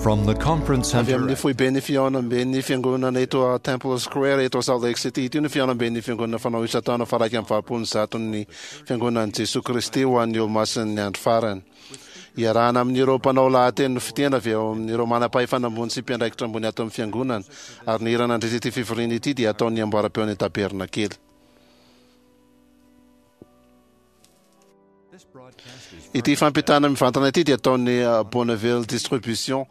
From the conference Avy center amin'ny foiben'ny fihaonamben'ny fiangonana eto Temple Square eto Salt Lake City ity no fihaonamben'ny fiangonana fanao isan-taona faha 181n'ny Fiangonan'i Jesoa Kristy ho an'ny Olomasin'ny Andro Farany. Iarahana amin'ireo mpanao lahateny nofidina avy ao amin'ireo manam-pahefana ambony sy mpiandraikitra ambony ato amin'ny Fiangonana, ary ny hira nandritra ity fivoriana ity dia ataon'ny amboaram-peon'ny Tabernakely. Ity fampitana mivantana ity dia ataon'ny Bonneville Distribution.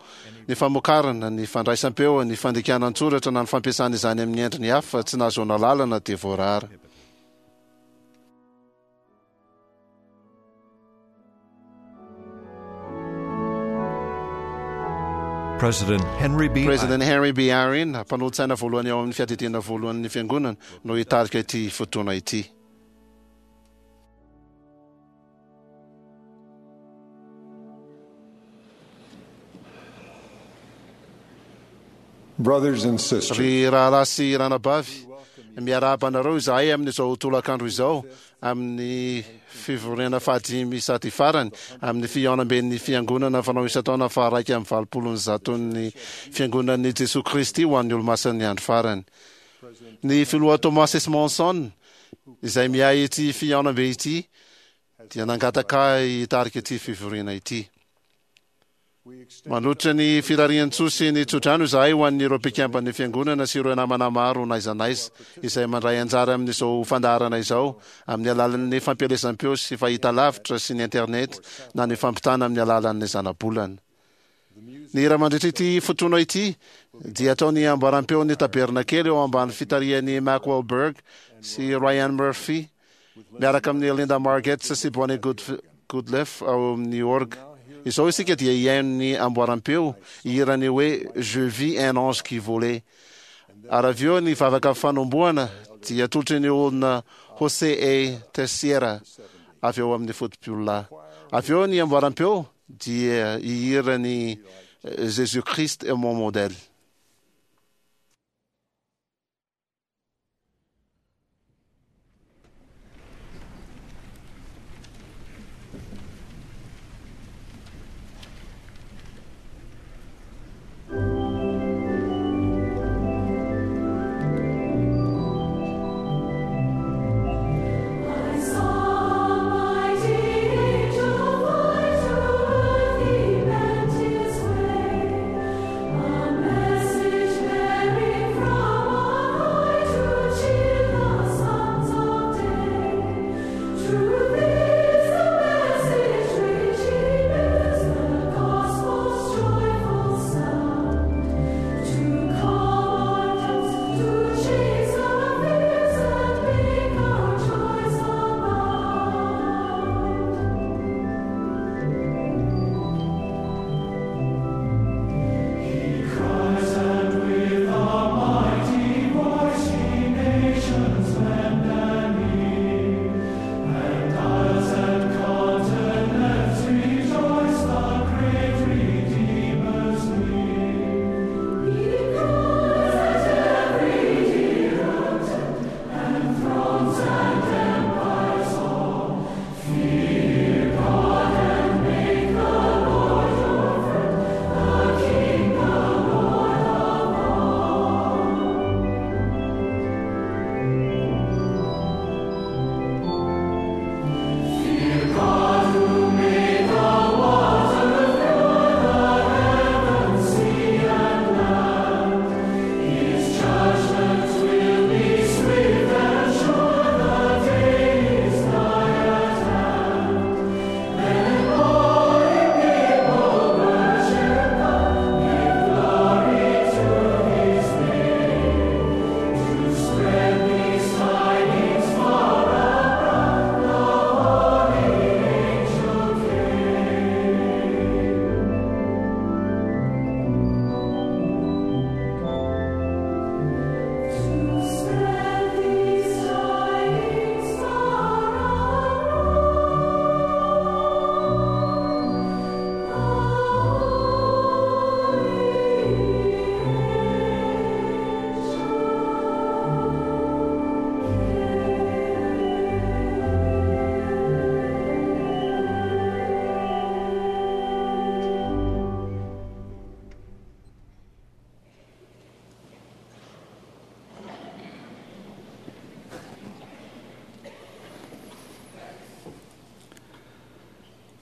Ny famokarana, ny fandraisam-peo, ny fandikana an-tsoratra na ny fampiasana izany amin'ny endriny hafa tsy nahazoana alalana dia voarara. President Henry B. President Henry B. Eyring, mpanolotsaina voalohany ao amin'ny Fiadidiana Voalohan'ny Fiangonana, no hitarika ity fotoana ity. Brothers and sisters, Ry rahalahy sy ranabavy, miarahaba anareo izahay amin'izao tolakandro izao amin'ny fivoriana fahadimy sady farany amin'ny fihaonamben'ny Fiangonana fanao isan-taona faha-181n'ny Fiangonan'i Jesoa Kristy ho an'ny Olomasin'ny Andro Farany. Ny Filoha Thomas S. Monson, izay miahy ity fihaonambe ity, dia nangataka ahy hitarika ity fivoriana ity. Manolotra ny firarian-tsoa sy ny tsodrano izahay ho an'ireo mpikamban'ny Fiangonana sy ireo namana maro n'aiza n'aiza izay mandray anjara amin'izao fandaharana izao amin'ny alalan'ny fampielezam-peo sy fahitalavitra sy ny internet na ny fampitana amin'ny alalan'ny zanabolana. Ny hira mandritra ity fotoana ity dia ataon'ny amboaram-peon'ny Tabernakely eo ambany fitarihan'i Mack Wahlberg sy Ryan Murphy miaraka amin'i Linda Margetts sy Bonnie Goodleaf ao amin'ny orgue. Izao isika dia hihaino ny amboaram-peo hihira ny hoe Je vis un ange qui volait. Ary avy eo ny vavaka fanombohana dia atolotry ny olona José A. Teixeira avy ao amin'ny foto-piololahy. Avy eo ny amboaram-peo dia hihira ny Jésus Christ est mon modèle.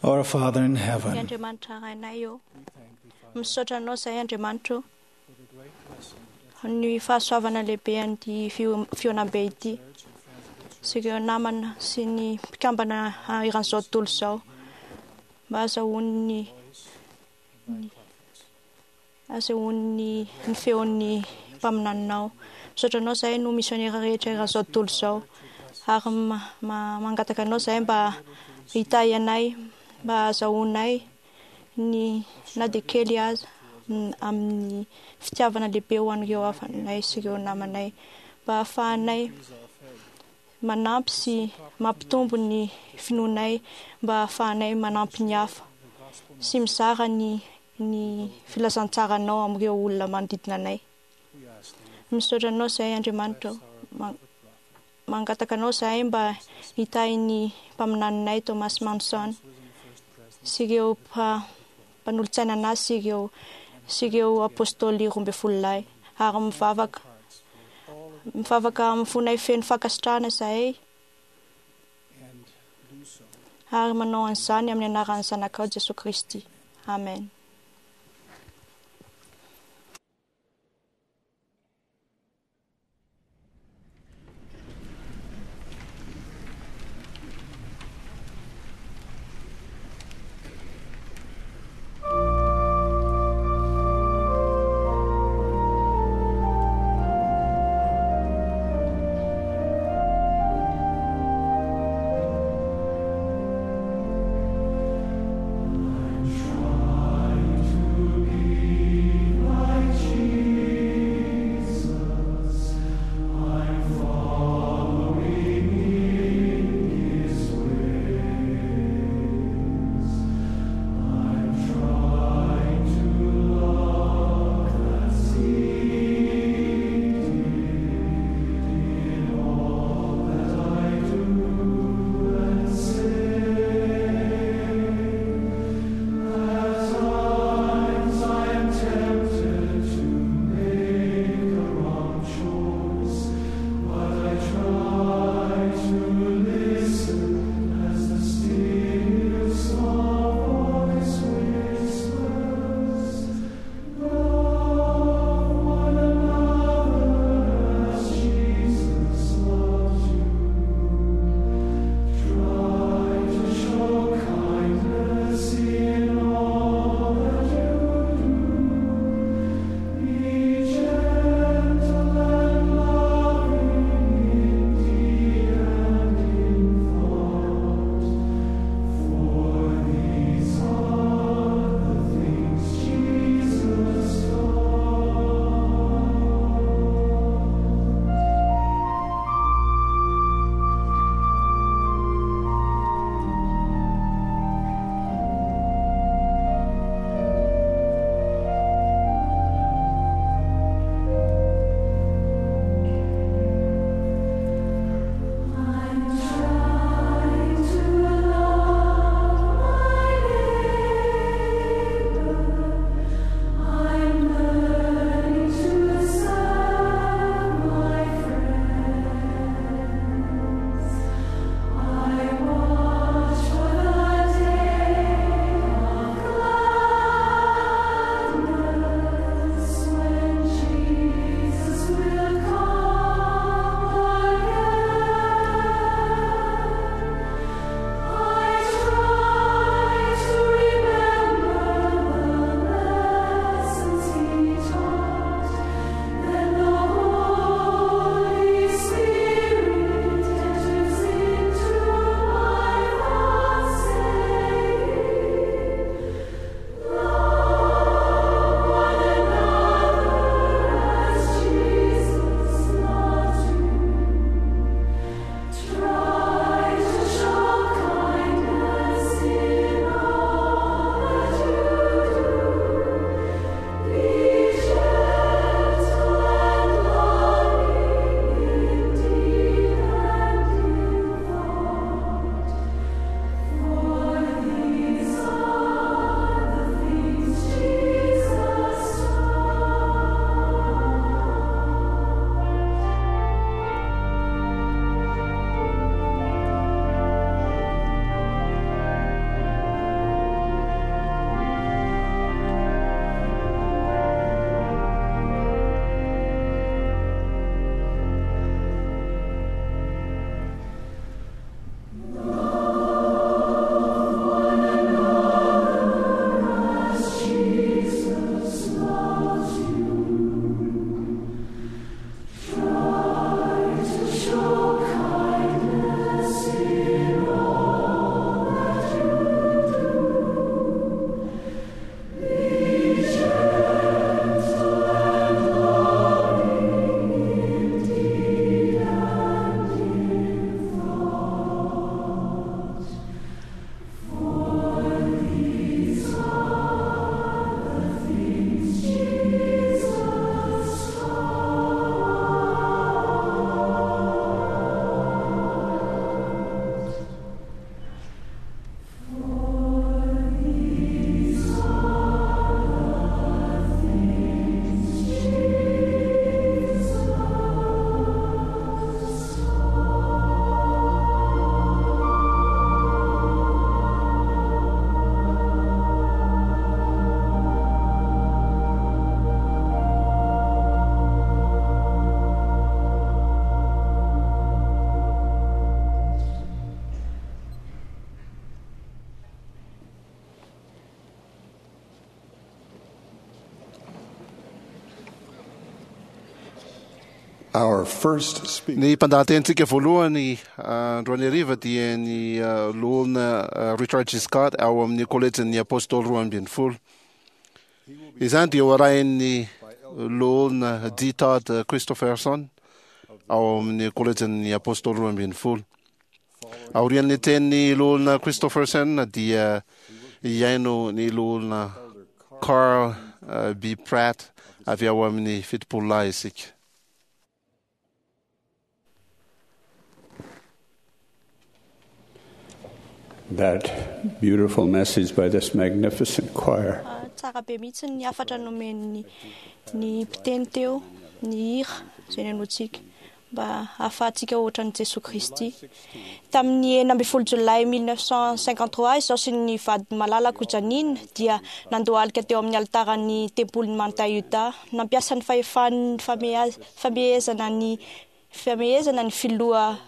Our Father in Ry heaven, Andriamanitra Rainay ô, misaotra anao izahay Andriamanitra ô, ny fahasoavana lehibe an'ity fihaonambe ity sy ireo namana sy ny mpikambana eran'izao tontolo izao mba azahoan'ny azahoan'ny ny feon'ny mpaminaninao. Misaotra anao izahay no misionera rehetra eran'izao tontolo izao ary mangataka anao izahay mba hitahy anay mba azahoanay ny na dia kely aza amin'ny fitiavana lehibe ho an'ireo havanay sy ireo namanay mba hahafahanay manampy sy mampitombo ny finoanay mba hahafahanay manampy ny hafa sy mizara ny ny filazantsaranao amin'ireo olona manodidina anay. Misaotra anao izahay Andriamanitra ô. Mangataka anao izahay mba hitahy ny mpaminaninay Thomas Manson sy ireo mpanolotsaina anazy sy ireo sy ireo apôstôly 12 lahy ary mivavaka mivavaka amin'ny fonay feno fankasitrahana izahay ary manao an'izany amin'ny anaran'ny Zanakao Jesoa Kristy. Amen. I Our first speaker Ny mpandahatenintsika voalohany androany hariva dia ny loholona Richard G. Scott ao amin'ny kolejin'ny Apôstôly 12. Izany dia ho arahin'ny loholona D. Todd Christofferson ao amin'ny kolejin'ny Apôstôly 12. Aorian'ny tenin'ny loholona Christofferson dia hihaino ny loholona Carl B. Pratt avy ao amin'ny Fitopololahy isika. That beautiful message by this magnificent choir. Tsara be mihitsy ny hafatra nomen'ny ny mpiteny teo, ny hira izay nenotsika mba hahafahantsika ohatran'i Jesoa Kristy. Tamin'ny 16 jolay 1953 izaho sy ny vady malalako Janine dia nandohalika teo amin'ny alitaran'ny tempolin'i Manta Utah. Nampiasa ny fahefan'ny famehezana ny famehezana ny filoha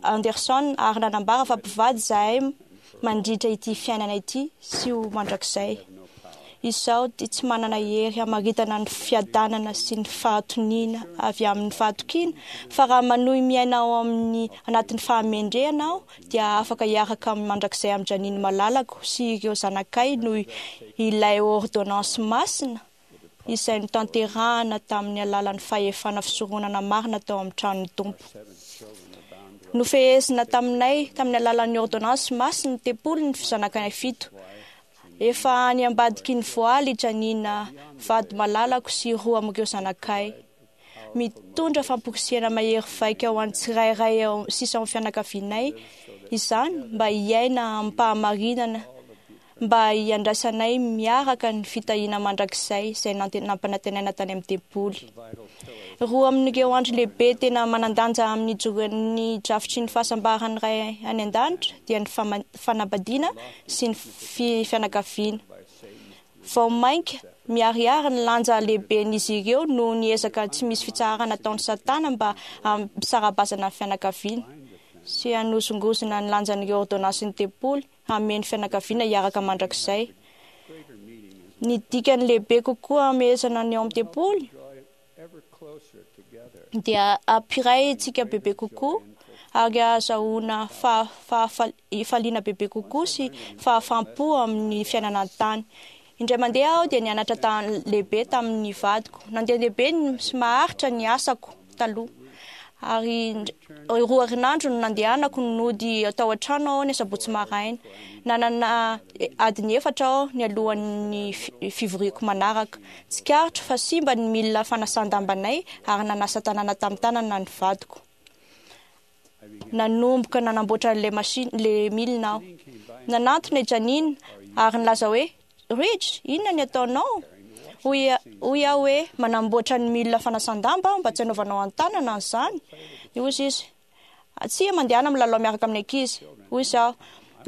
Anderson ary nanambara fa mpivady izahay mandritra ity fiainana ity sy ho mandrakizay. Izaho dia tsy manana hery hamaritana ny fiadanana sy ny fahatoniana avy amin'ny fahatokiana, fa raha manohy miaina ao amin'ny anatin'ny fahamendrehana aho dia afaka hiaraka mandrakizay amin'i Janine malalako sy ireo zanakay noho ilay ôrdônansy masina izay notanterahana tamin'ny alalan'ny fahefana fisoronana marina tao amin'ny tranon'ny Tompo. Nofehezina taminay tamin'ny alalan'ny ôrdônansy masina ny tempoly ny zanakay fito. Efa any ambadiky ny voaly i Janina vady malalako sy roa amin'ireo zanakay. Mitondra famporisihana mahery vaika ho an'ny tsirairay sisa ao amin'ny fianakavianay izany mba hiaina amim-pahamarinana mba hiandrasanay miaraka ny fitahiana mandrakizay izay nampanantenaina tany amin'ny tempoly. Roa amin'ireo andro lehibe tena manan-danja amin'ny ijoroan'ny drafitry ny fahasambaran'ny Ray any An-danitra dia ny fanambadiana sy ny fianakaviana. Vao mainka miharihary ny lanja lehiben'izy ireo noho ny ezaka tsy misy fitsaharana ataon'i Satana mba hampisara-bazana ny fianakaviana sy hanozongozona ny lanjan'ireo ôrdônansin'ny tempoly hameno fianakaviana hiaraka mandrakizay. Ny dikany lehibe kokoa hamehezana ny ao amin'ny tempoly dia hampiray antsika bebe kokoa ary hahazahoana fahafaliana bebe kokoa sy fahafaham-po amin'ny fiainana an-tany. Indray mandeha aho dia nianatra lehibe tamin'ny vadiko. Nandehandeha be sy maharitra ny asako taloha. Ary roa herinandro no nandehanako nody tao an-trano aho ny asabotsy maraina. Nanana adiny efatra aho nialohan'ny fivoriako manaraka. Tsikaritro fa simba ny milina fanasan-dambanay ary nanasa tanàna tamin'ny tanana ny vadiko. Nanomboka nanamboatra an'ilay machine, ilay milina aho. Nanantona i Janine ary nilaza hoe, Rich, inona ny ataonao? Hoy, hoy aho hoe, manamboatra ny milina fanasan-damba aho mba tsy hanaovanao an-tanana an'izany. Dia hoy izy, tsia, mandehana milalao miaraka amin'ny ankizy. Hoy izaho,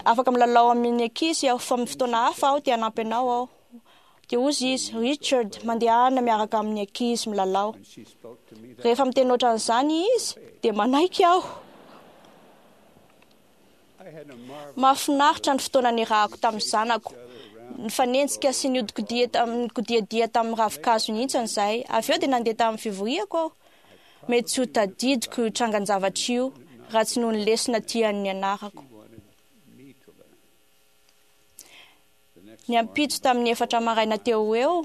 afaka milalao amin'ny ankizy aho fa amin'ny fotoana hafa aho te hanampy anao aho. Dia hoy izy, Richard, mandehana miaraka amin'ny ankizy milalao. Rehefa miteny ohatran'izany izy, dia manaiky aho. Mahafinaritra ny fotoana niarahako tamin'ny zanako. Nifanenjika sy niodikodia tamin'ny kodiadia tamin'ny ravinkazo nihintsana izahay. Avy eo dia nandeha tamin'ny fivoriako aho. Mety tsy ho tadidiko io trangan-javatra io raha tsy noho ny lesona tiany nianarako. Ny ampitso tamin'ny efatra maraina teo ho eo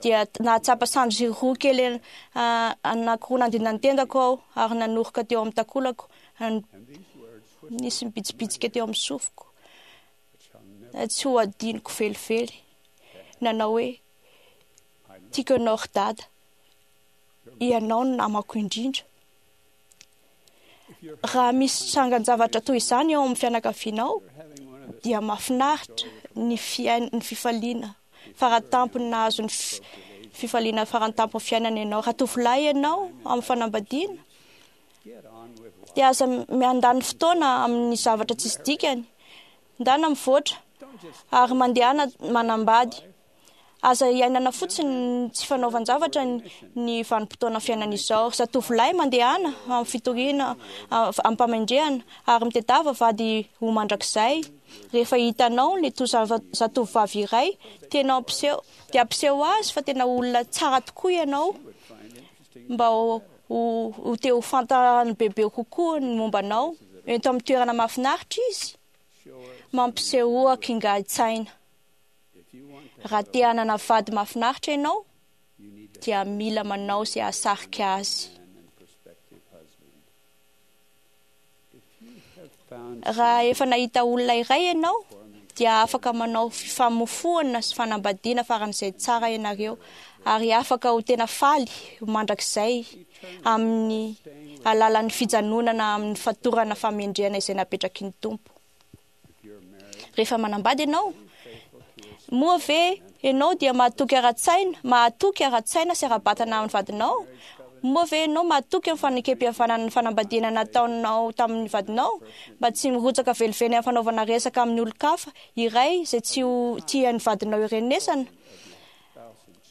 dia nahatsapa sandry roa kely anankiroa nandina ny tendako aho ary nanoroka teo amin'ny takolako. Nisy nibitsibitsika teo amin'ny sofiko. Tsy ho adinoko velively. Nanao hoe, Tiako ianao ry dada. Ianao no namako indrindra. Raha misy trangan-javatra toy izany eo amin'ny fianakavianao, dia mahafinaritra ny fiain- ny fifaliana faratampony nahazo ny fifaliana farantampon'ny fiainana ianao. Raha tovolahy ianao amin'ny fanambadiana, dia aza miandany fotoana amin'ny zavatra tsisy dikany. Ndana mivoatra ary mandehana manambady. Aza iainana fotsiny ny tsy fanaovan-javatra ny vanim-potoana fiainana izao. Ry zatovolahy, mandehana amin'ny fitoriana amim-pamendrehana ary mitedava vady ho mandrakizay. Rehefa hitanao ny zatovovavy iray, tena ampiseho, dia ampiseho azy fa tena olona tsara tokoa ianao mba ho. ho te ho fantany bebe kokoa ny momba anao. Ento amin'ny toerana mahafinaritra izy. Mampisehoa kingain-tsaina. Raha te hanana vady mahafinaritra ianao, dia mila manao izay hahasarika azy. Raha efa nahita olona iray ianao, dia afaka manao fifamofoana sy fanambadiana faran'izay tsara ianareo, ary afaka ho tena faly mandrakizay amin'ny alalan'ny fijanonana amin'ny fatorana fahamendrehana izay napetraky ny Tompo. Rehefa manambady ianao, moa ve ianao dia mahatoky ara-tsaina, mahatoky ara-tsaina sy ara-batana amin'ny vadinao? Moa ve ianao mahatoky amin'ny fanekem-pihavanana ny fanambadiana nataonao tamin'ny vadinao, mba tsy mirotsaka velively amin'ny fanaovana resaka amin'ny olon-kafa iray izay tsy ho tian'ny vadinao hirenesana?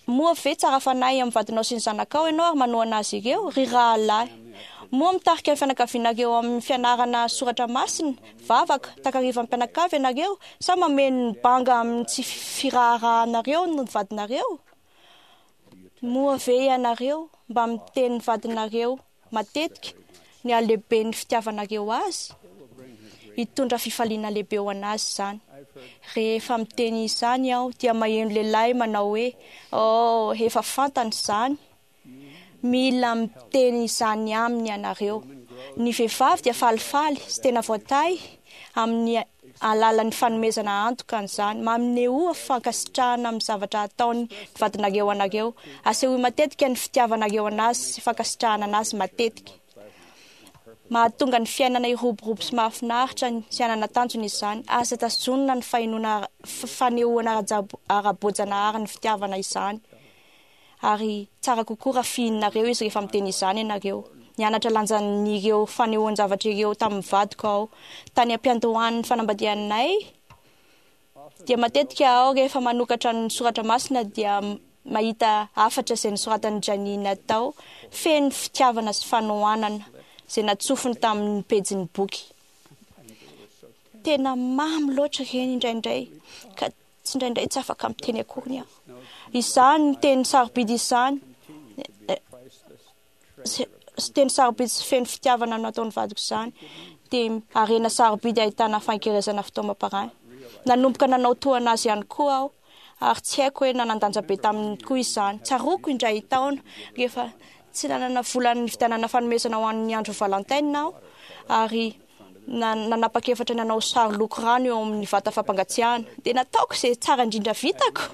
Moa ve tsara fanahy amin'ny vadinao sy ny zanakao ianao ary manohana azy ireo, ry rahalahy? Moa mitarika ny fianakavianareo amin'ny fianarana soratra masina, vavaka, takarivan'ny mpianakavy ianareo, sa mameno ny banga amin'ny tsy firaharahanareo ny vadinareo? Moa ve ianareo mba miteny ny vadinareo matetika ny halehiben'ny fitiavanareo azy? Hitondra fifaliana lehibe ho an'azy izany. Rehefa miteny izany aho dia maheno lehilahy manao hoe, Oh, efa fantany izany. Mila miteny izany aminy ianareo. Ny vehivavy dia falifaly sy tena voatahy amin'ny alalan'ny fanomezana antoka an'izany. Manehoa fankasitrahana amin'ny zavatra ataon'ny vadinareo anareo. Asehoy matetika ny fitiavanareo an'azy sy fankasitrahana an'azy matetika. Mahatonga ny fiainana hiroborobo sy mahafinaritra sy hanana tanjona izany. Aza tazonina ny fahenoana fanehoana ara-boajanahary ny fitiavana izany. Ary tsara kokoa raha fihininareo izy rehefa miteny izany ianareo. Nianatra lanjan'ireo fanehoan-javatra ireo tamin'ny vadiko aho. Tany am-piandohan'ny fanambadianay, dia matetika aho rehefa manokatra ny soratra masina dia mahita hafatra izay nosoratan'i Janina tao, feno fitiavana sy fanohanana, izay natsofony tamin'ny pejin'ny boky. Tena mamy loatra ireny indraindray, ka tsindraindray tsy afaka miteny akory aho. Izany teny sarobidy izany, sy teny sarobidy sy feno fitiavana no nataon'ny vadiko izany, dia harena sarobidy ahitana fankerezana fitaomam-panahy. Nanomboka nanao toa azy ihany koa aho, ary tsy haiko hoe nanan-danja be taminy koa izany. Tsaroako indray taona, rehefa tsy nanana vola nividianana fanomezana ho an'ny andro Valentine aho, ary nanapa-kevitra ny hanao sary loko rano eo amin'ny vata fampangatsiahana. Dia nataoko izay tsara indrindra vitako,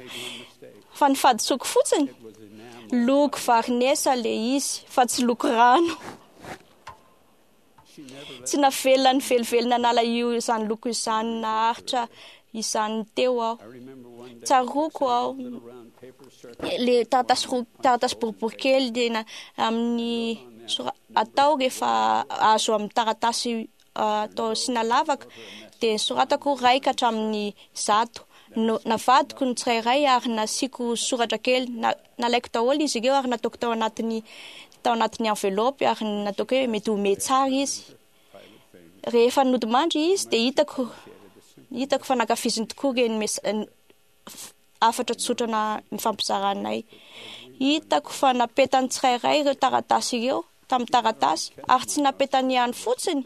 fa ny fahadisoako fotsiny, loko varinesa ilay izy fa tsy loko rano. Tsy navelany velively nanala io izany loko izany naharitra izany teo aho. Tsaroako aho le taratasy roa taratasy boribory kely tena amin'ny atao rehefa azo amin'ny taratasy atao asiana lavaka dia soratako iray ka hatramin'ny 100. No, navadiko ny tsirairay ary nasiako soratra kely. Na, nalaiko daholo izy ireo ary nataoko tao anatin'ny tao anatin'ny enveloppe ary nataoko hoe mety ho mety tsara izy. Rehefa nodimandry izy dia hitako hitako fa nankafiziny tokoa ireny hafatra tsotra na nifampizaranay. Hitako fa napetany tsirairay ireo taratasy ireo tamin'ny taratasy ary tsy napetany ihany fotsiny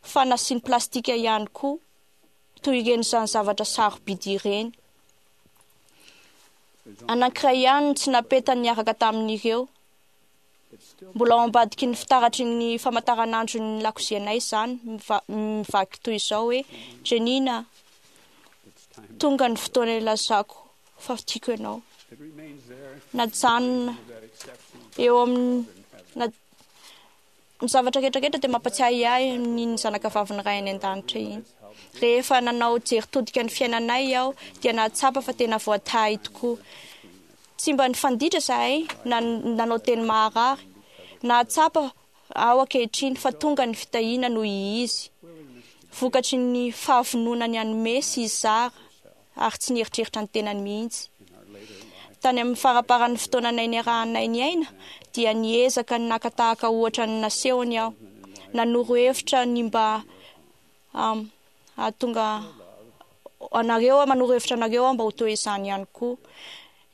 fa nasiany plastika ihany koa toy ireny izany zavatra sarobidy ireny. Anankiray ihany no tsy napetany niaraka tamin'ireo. Mbola ao ambadiky ny fitaratry ny famantaranandron'ny lakozianay izany, mivaky toy izao hoe, Jenina, tonga ny fotoana ilazako fa tiako ianao. Najanona eo amin'ny ny zavatra rehetra rehetra dia mampatsiahy ahy ny zanakavavin'ny Ray any An-danitra iny. Rehefa nanao jery todika ny fiainanay aho dia nahatsapa fa tena voatahy tokoa. Tsy mba nifanditra izahay na nanao teny maharary. Nahatsapa aho ankehitriny fa tonga ny fitahiana noho Izy, vokatry ny fahavononany hanome sy hizara ary tsy nieritreritra ny tenany mihitsy. Tany amin'ny faramparan'ny fotoananay niarahanay niaina dia niezaka ny naka tahaka ohatra ny nasehony aho. Nanoro hevitra ny mba hahatonga anareo aho, manoro hevitra anareo aho mba ho toy izany ihany koa.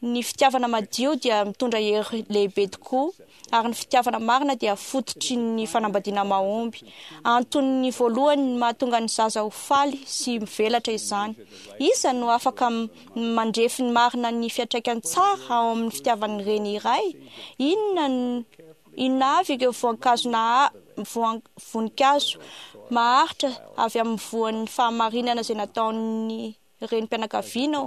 Ny fitiavana madio dia mitondra hery lehibe tokoa, ary ny fitiavana marina dia fototry ny fanambadiana mahomby. Antony voalohany mahatonga ny zaza ho faly sy mivelatra izany. Iza no afaka mandrefy ny marina ny fiantraikany tsara ao amin'ny fitiavan'ny reny iray? Inona inona avy ireo voankazo voninkazo maharitra avy amin'ny voan'ny fahamarinana izay nataon'ny renim-pianakaviana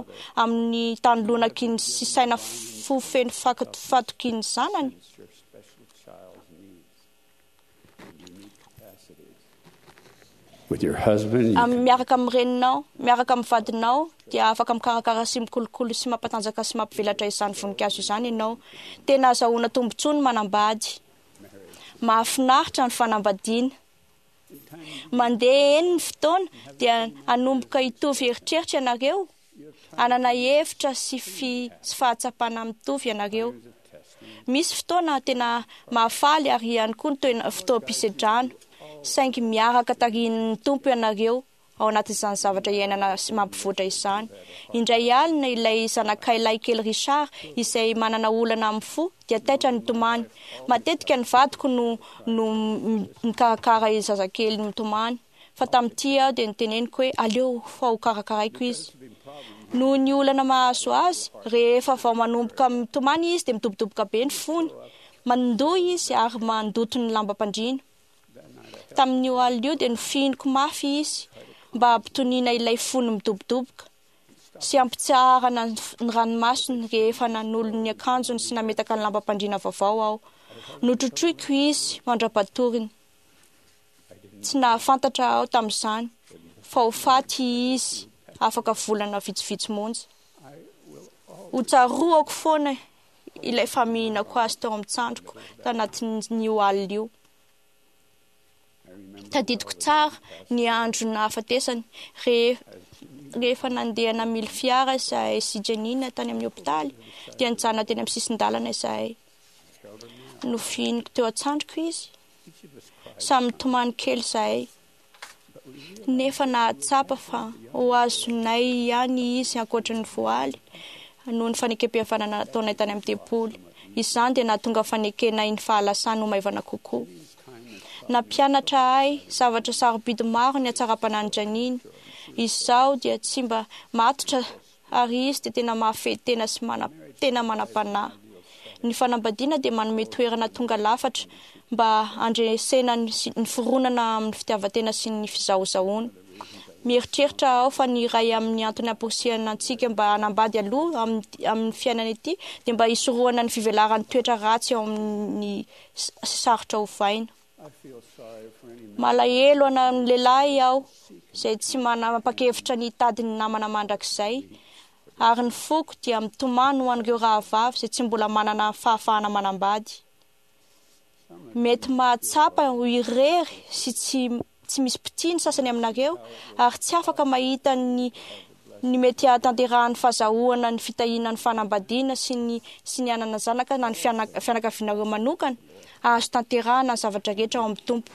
amin'ny tany lonaky ny sy saina fo feno fatokian'ny zanany? With your husband, you Am- miaraka amin'ny reninao, miaraka amin'ny vadinao, dia afaka mikarakara sy mikolokolo sy mampatanjaka sy mampivelatra izany voninkazo izany ianao. Tena azahoana tombontsoa ny manambady. Mahafinaritra ny fanambadiana. Mandeha eny ny fotoana dia hanomboka hitovy eritreritra ianareo, hanana hevitra sy fi sy fahatsapana mitovy ianareo. Misy fotoana tena mahafaly ary ihany koa ny toena fotoam-pisedrana, saingy miaraka tarihin'ny Tompo ianareo ao anatin'izany zavatra iainana sy mampivoatra izany. Indray alina ilay zanakay lahikely Richard izay manana olana amin'ny fo dia taitra nitomany. Matetika ny vadiko no no mikarakara zazakely mitomany, fa tamin'ity aho dia noteneniko hoe aleo fa ho karakaraiko izy. Noho ny olana mahazo azy, rehefa vao manomboka mitomany izy dia midobodoboka be ny fony. Mandoa izy ary mandoto ny lambam-pandriana. Tamin'io alina io dia nofihiniko mafy izy mba hampitoniana ilay fony midobodoboka sy hampitsaharana ny ranomasony rehefa nanolo ny akanjony sy nametaka ny lambam-pandriana vaovao aho. Notrotroiko izy mandra-patoriny. Tsy nahafantatra aho tamin'izany fa ho faty izy afaka volana vitsivitsy monja. Ho tsaroako foana ilay famihinako azy teo amin'ny tsandriko tanatin'io alina io. Tadidiko tsara ny andro nahafatesany, rehefa nandeha namily fiara izahay sy Janina tany amin'ny hopitaly, dia nijanona teny amin'ny sisin-dalana izahay. Nofihiniko teo an-tsandriko izy. Samy nitomany kely izahay, nefa nahatsapa fa ho azonay ihany izy ankoatra ny voaly, noho ny fanekem-pihavanana nataonay tany amin'ny tempoly. Izany dia nahatonga fanekenay ny fahalasany ho maivana kokoa. Nampianatra ahy zavatra sarobidy maro ny hatsaram-panahin'i Janina. Izaho dia tsy mba matotra ary izy dia tena mahafehy tena sy mana tena manam-panahy. Ny fanambadiana dia manome toerana tonga lafatra mba handresena ny ny fironana amin'ny fitiavan-tena sy ny fizahozahoana. Mieritreritra aho fa ny iray amin'ny antony amporisihana antsika mba hanambady aloha amin'ny amin'ny fiainana ity dia mba hisorohana ny fivelaran'ny toetra ratsy ao amin'ny sy sarotra ovaina. Malahelo ana ny lehilahy aho izay tsy manapa-kevitra ny hitady ny namana mandrakizay, ary ny foko dia mitomany ho an'ireo rahavavy izay tsy mbola manana fahafahana manambady. Mety mahatsapa ho irery sy tsy tsy misy mpitia ny sasany aminareo ary tsy afaka mahita ny ny mety hahatanterahan'ny fahazahoana ny fitahiana ny fanambadiana sy ny sy ny hanana zanaka na ny fianakavianareo manokana, azo tanterahana ny zavatra rehetra ao amin'ny Tompo.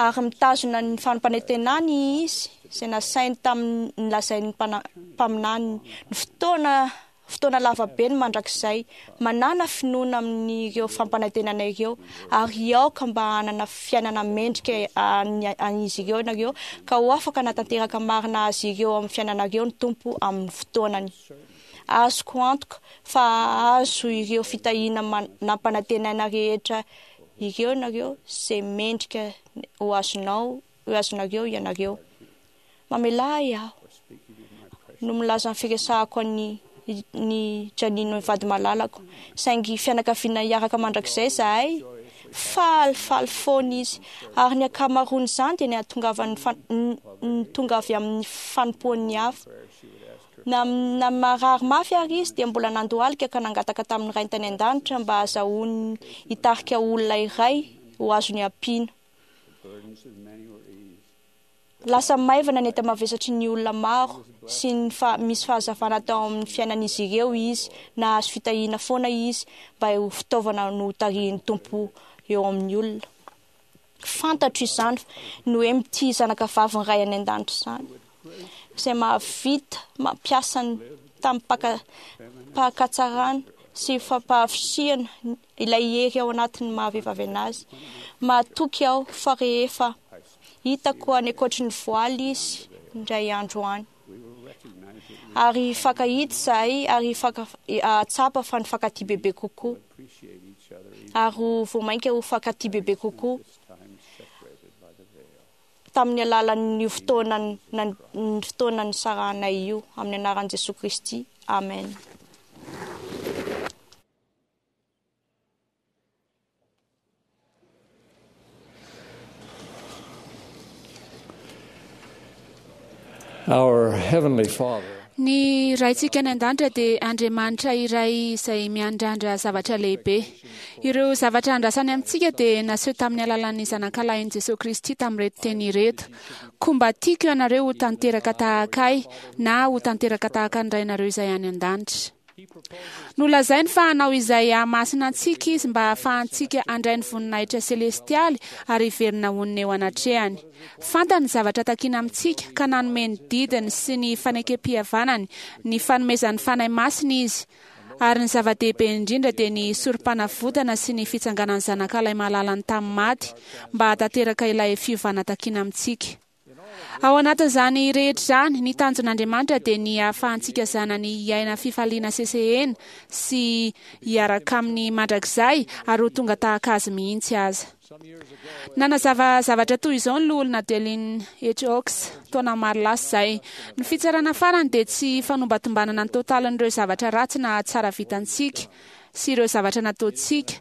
Ary mitazona ny fampanantenany Izy izay nasainy tamin'ny nolazain'ny mpaminaniny. Ny fotoana fotoana lava be ny mandrakizay. Manàna finoana amin'ireo fampanantenana ireo, ary aoka mba hanana fiainana mendrika an'izy ireo ianareo, ka ho afaka hanatanteraka marina azy ireo amin'ny fiainanareo ny Tompo amin'ny fotoanany. Azoko antoka fa hahazo ireo fitahiana nampanantenaina rehetra ireo ianareo, izay mendrika ho azonao, ho azonareo ianareo. Mamelà ahy aho no milaza ny firesahako an'i ny Janino vady malalako. Saingy fianakaviana hiaraka mandrakizay izahay. Falifaly foana izy. Ary ny ankamaroan'izany dia ny hahatongavan'ny ny tonga avy amin'ny fanompoan'ny hafa. Na, na marary mafy ary izy dia mbola nandohalika ka nangataka tamin'ny Rainy tany an-danitra mba hahazahoany hitarika olona iray ho azony ampiana. Lasa maivana ny enta-mavesatry ny olona maro sy ny fa misy fahazavana tao amin'ny fiainan'izy ireo izy, nahazo fitahiana foana izy mba ho fitaovana notarihin'ny Tompo eo amin'ny olona. Fantatro izany ny hoe mitia zanaka vavin'ny Ray any An-danitra izany, izay mahavita mampiasa ny. Tamim-pahatsarana sy fampahavitrihana ilay hery ao anatin'ny maha-vehivavy anazy. Mahatoky aho fa rehefa hitako any ankoatry ny voaly izy indray andro any, ary hifankahita izahay ary hahatsapa fa nifankatia bebe kokoa, ary ho vao mainka ho fankatia bebe kokoa. Tamin'ny alalan'io fotoana ny fotoana nisarahanay io, amin'ny anaran'i Jesoa Kristy, amen. Our Heavenly Father. Ny Raintsika any An-danitra dia Andriamanitra iray izay miandrandra zavatra lehibe. Ireo zavatra andrasany amintsika dia naseho tamin'ny alalan'ny Zanakalahin'i Jesoa Kristy tamin'ireto teny ireto, Koa mba tiako ianareo ho tanteraka tahaka Ahy, na ho tanteraka tahaka ny Rainareo izay any an-danitra. Nolazainy fa hanao izay hahamasina antsika Izy mba hahafahantsika handray ny voninahitra selestialy ary hiverina honina eo anatrehany. Fantany ny zavatra takina amintsika ka nanome ny didiny sy ny fanekempihavanany, ny fanomezan'ny Fanahy Masina Izy, ary ny zava-dehibe indrindra dia ny Sorompanavotana sy ny fitsanganan'ny Zanakalahy malalany tamin'ny maty mba hahatanteraka ilay fiovana takina amintsika. Ao anatin'izany rehetra izany, ny tanjon'Andriamanitra dia ny hahafahantsika zanany hiaina fifaliana sesehena sy hiaraka aminy mandrakizay ary ho tonga tahaka azy mihitsy aza. Nanazava zavatra toy izao ny Loholona Dallin H. Oaks, taona maro lasa izay, Ny fitsarana farany dia tsy fanombatombanana ny totalin'ireo zavatra ratsy na tsara vitantsika sy ireo zavatra nataontsika,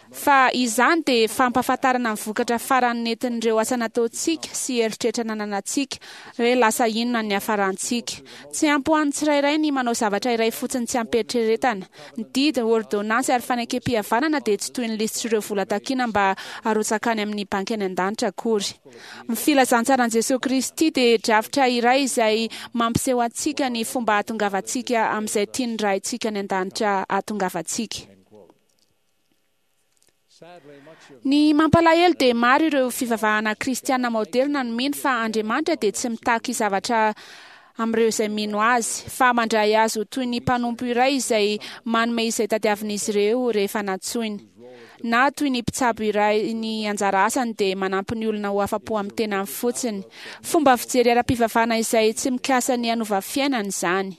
Fa izany dia fampahafantarana ny vokatra farany nentin'ireo asa nataontsika sy eritreritra nananantsika, hoe lasa inona ny niafarantsika. Tsy ampy ho an'ny tsirairay ny manao zavatra iray fotsiny tsy amim-pieritreretana. Ny didy, ôrdônansy ary fanekempihavanana dia tsy toy ny lisitr'ireo vola takiana mba harotsaka any amin'ny banky any an-danitra akory. Ny filazantsaran'i Jesoa Kristy dia drafitra iray izay mampiseho antsika ny fomba hahatongavantsika amin'izay tian'ny Raintsika any an-danitra hahatongavantsika. Ny mampalahelo dia maro ireo fivavahana kristiana maoderina no mino fa Andriamanitra dia tsy mitaky zavatra amin'ireo izay mino Azy, fa mandray azy ho toy ny mpanompo iray izay manome izay tadiavin'izy ireo rehefa nantsoiny. Na toy ny mpitsabo iray ny anjara asany dia manampy ny olona ho afa-po amin'ny tenany fotsiny. Fomba fijery ara-pivavahana izay tsy mikasa ny hanova fiainana izany.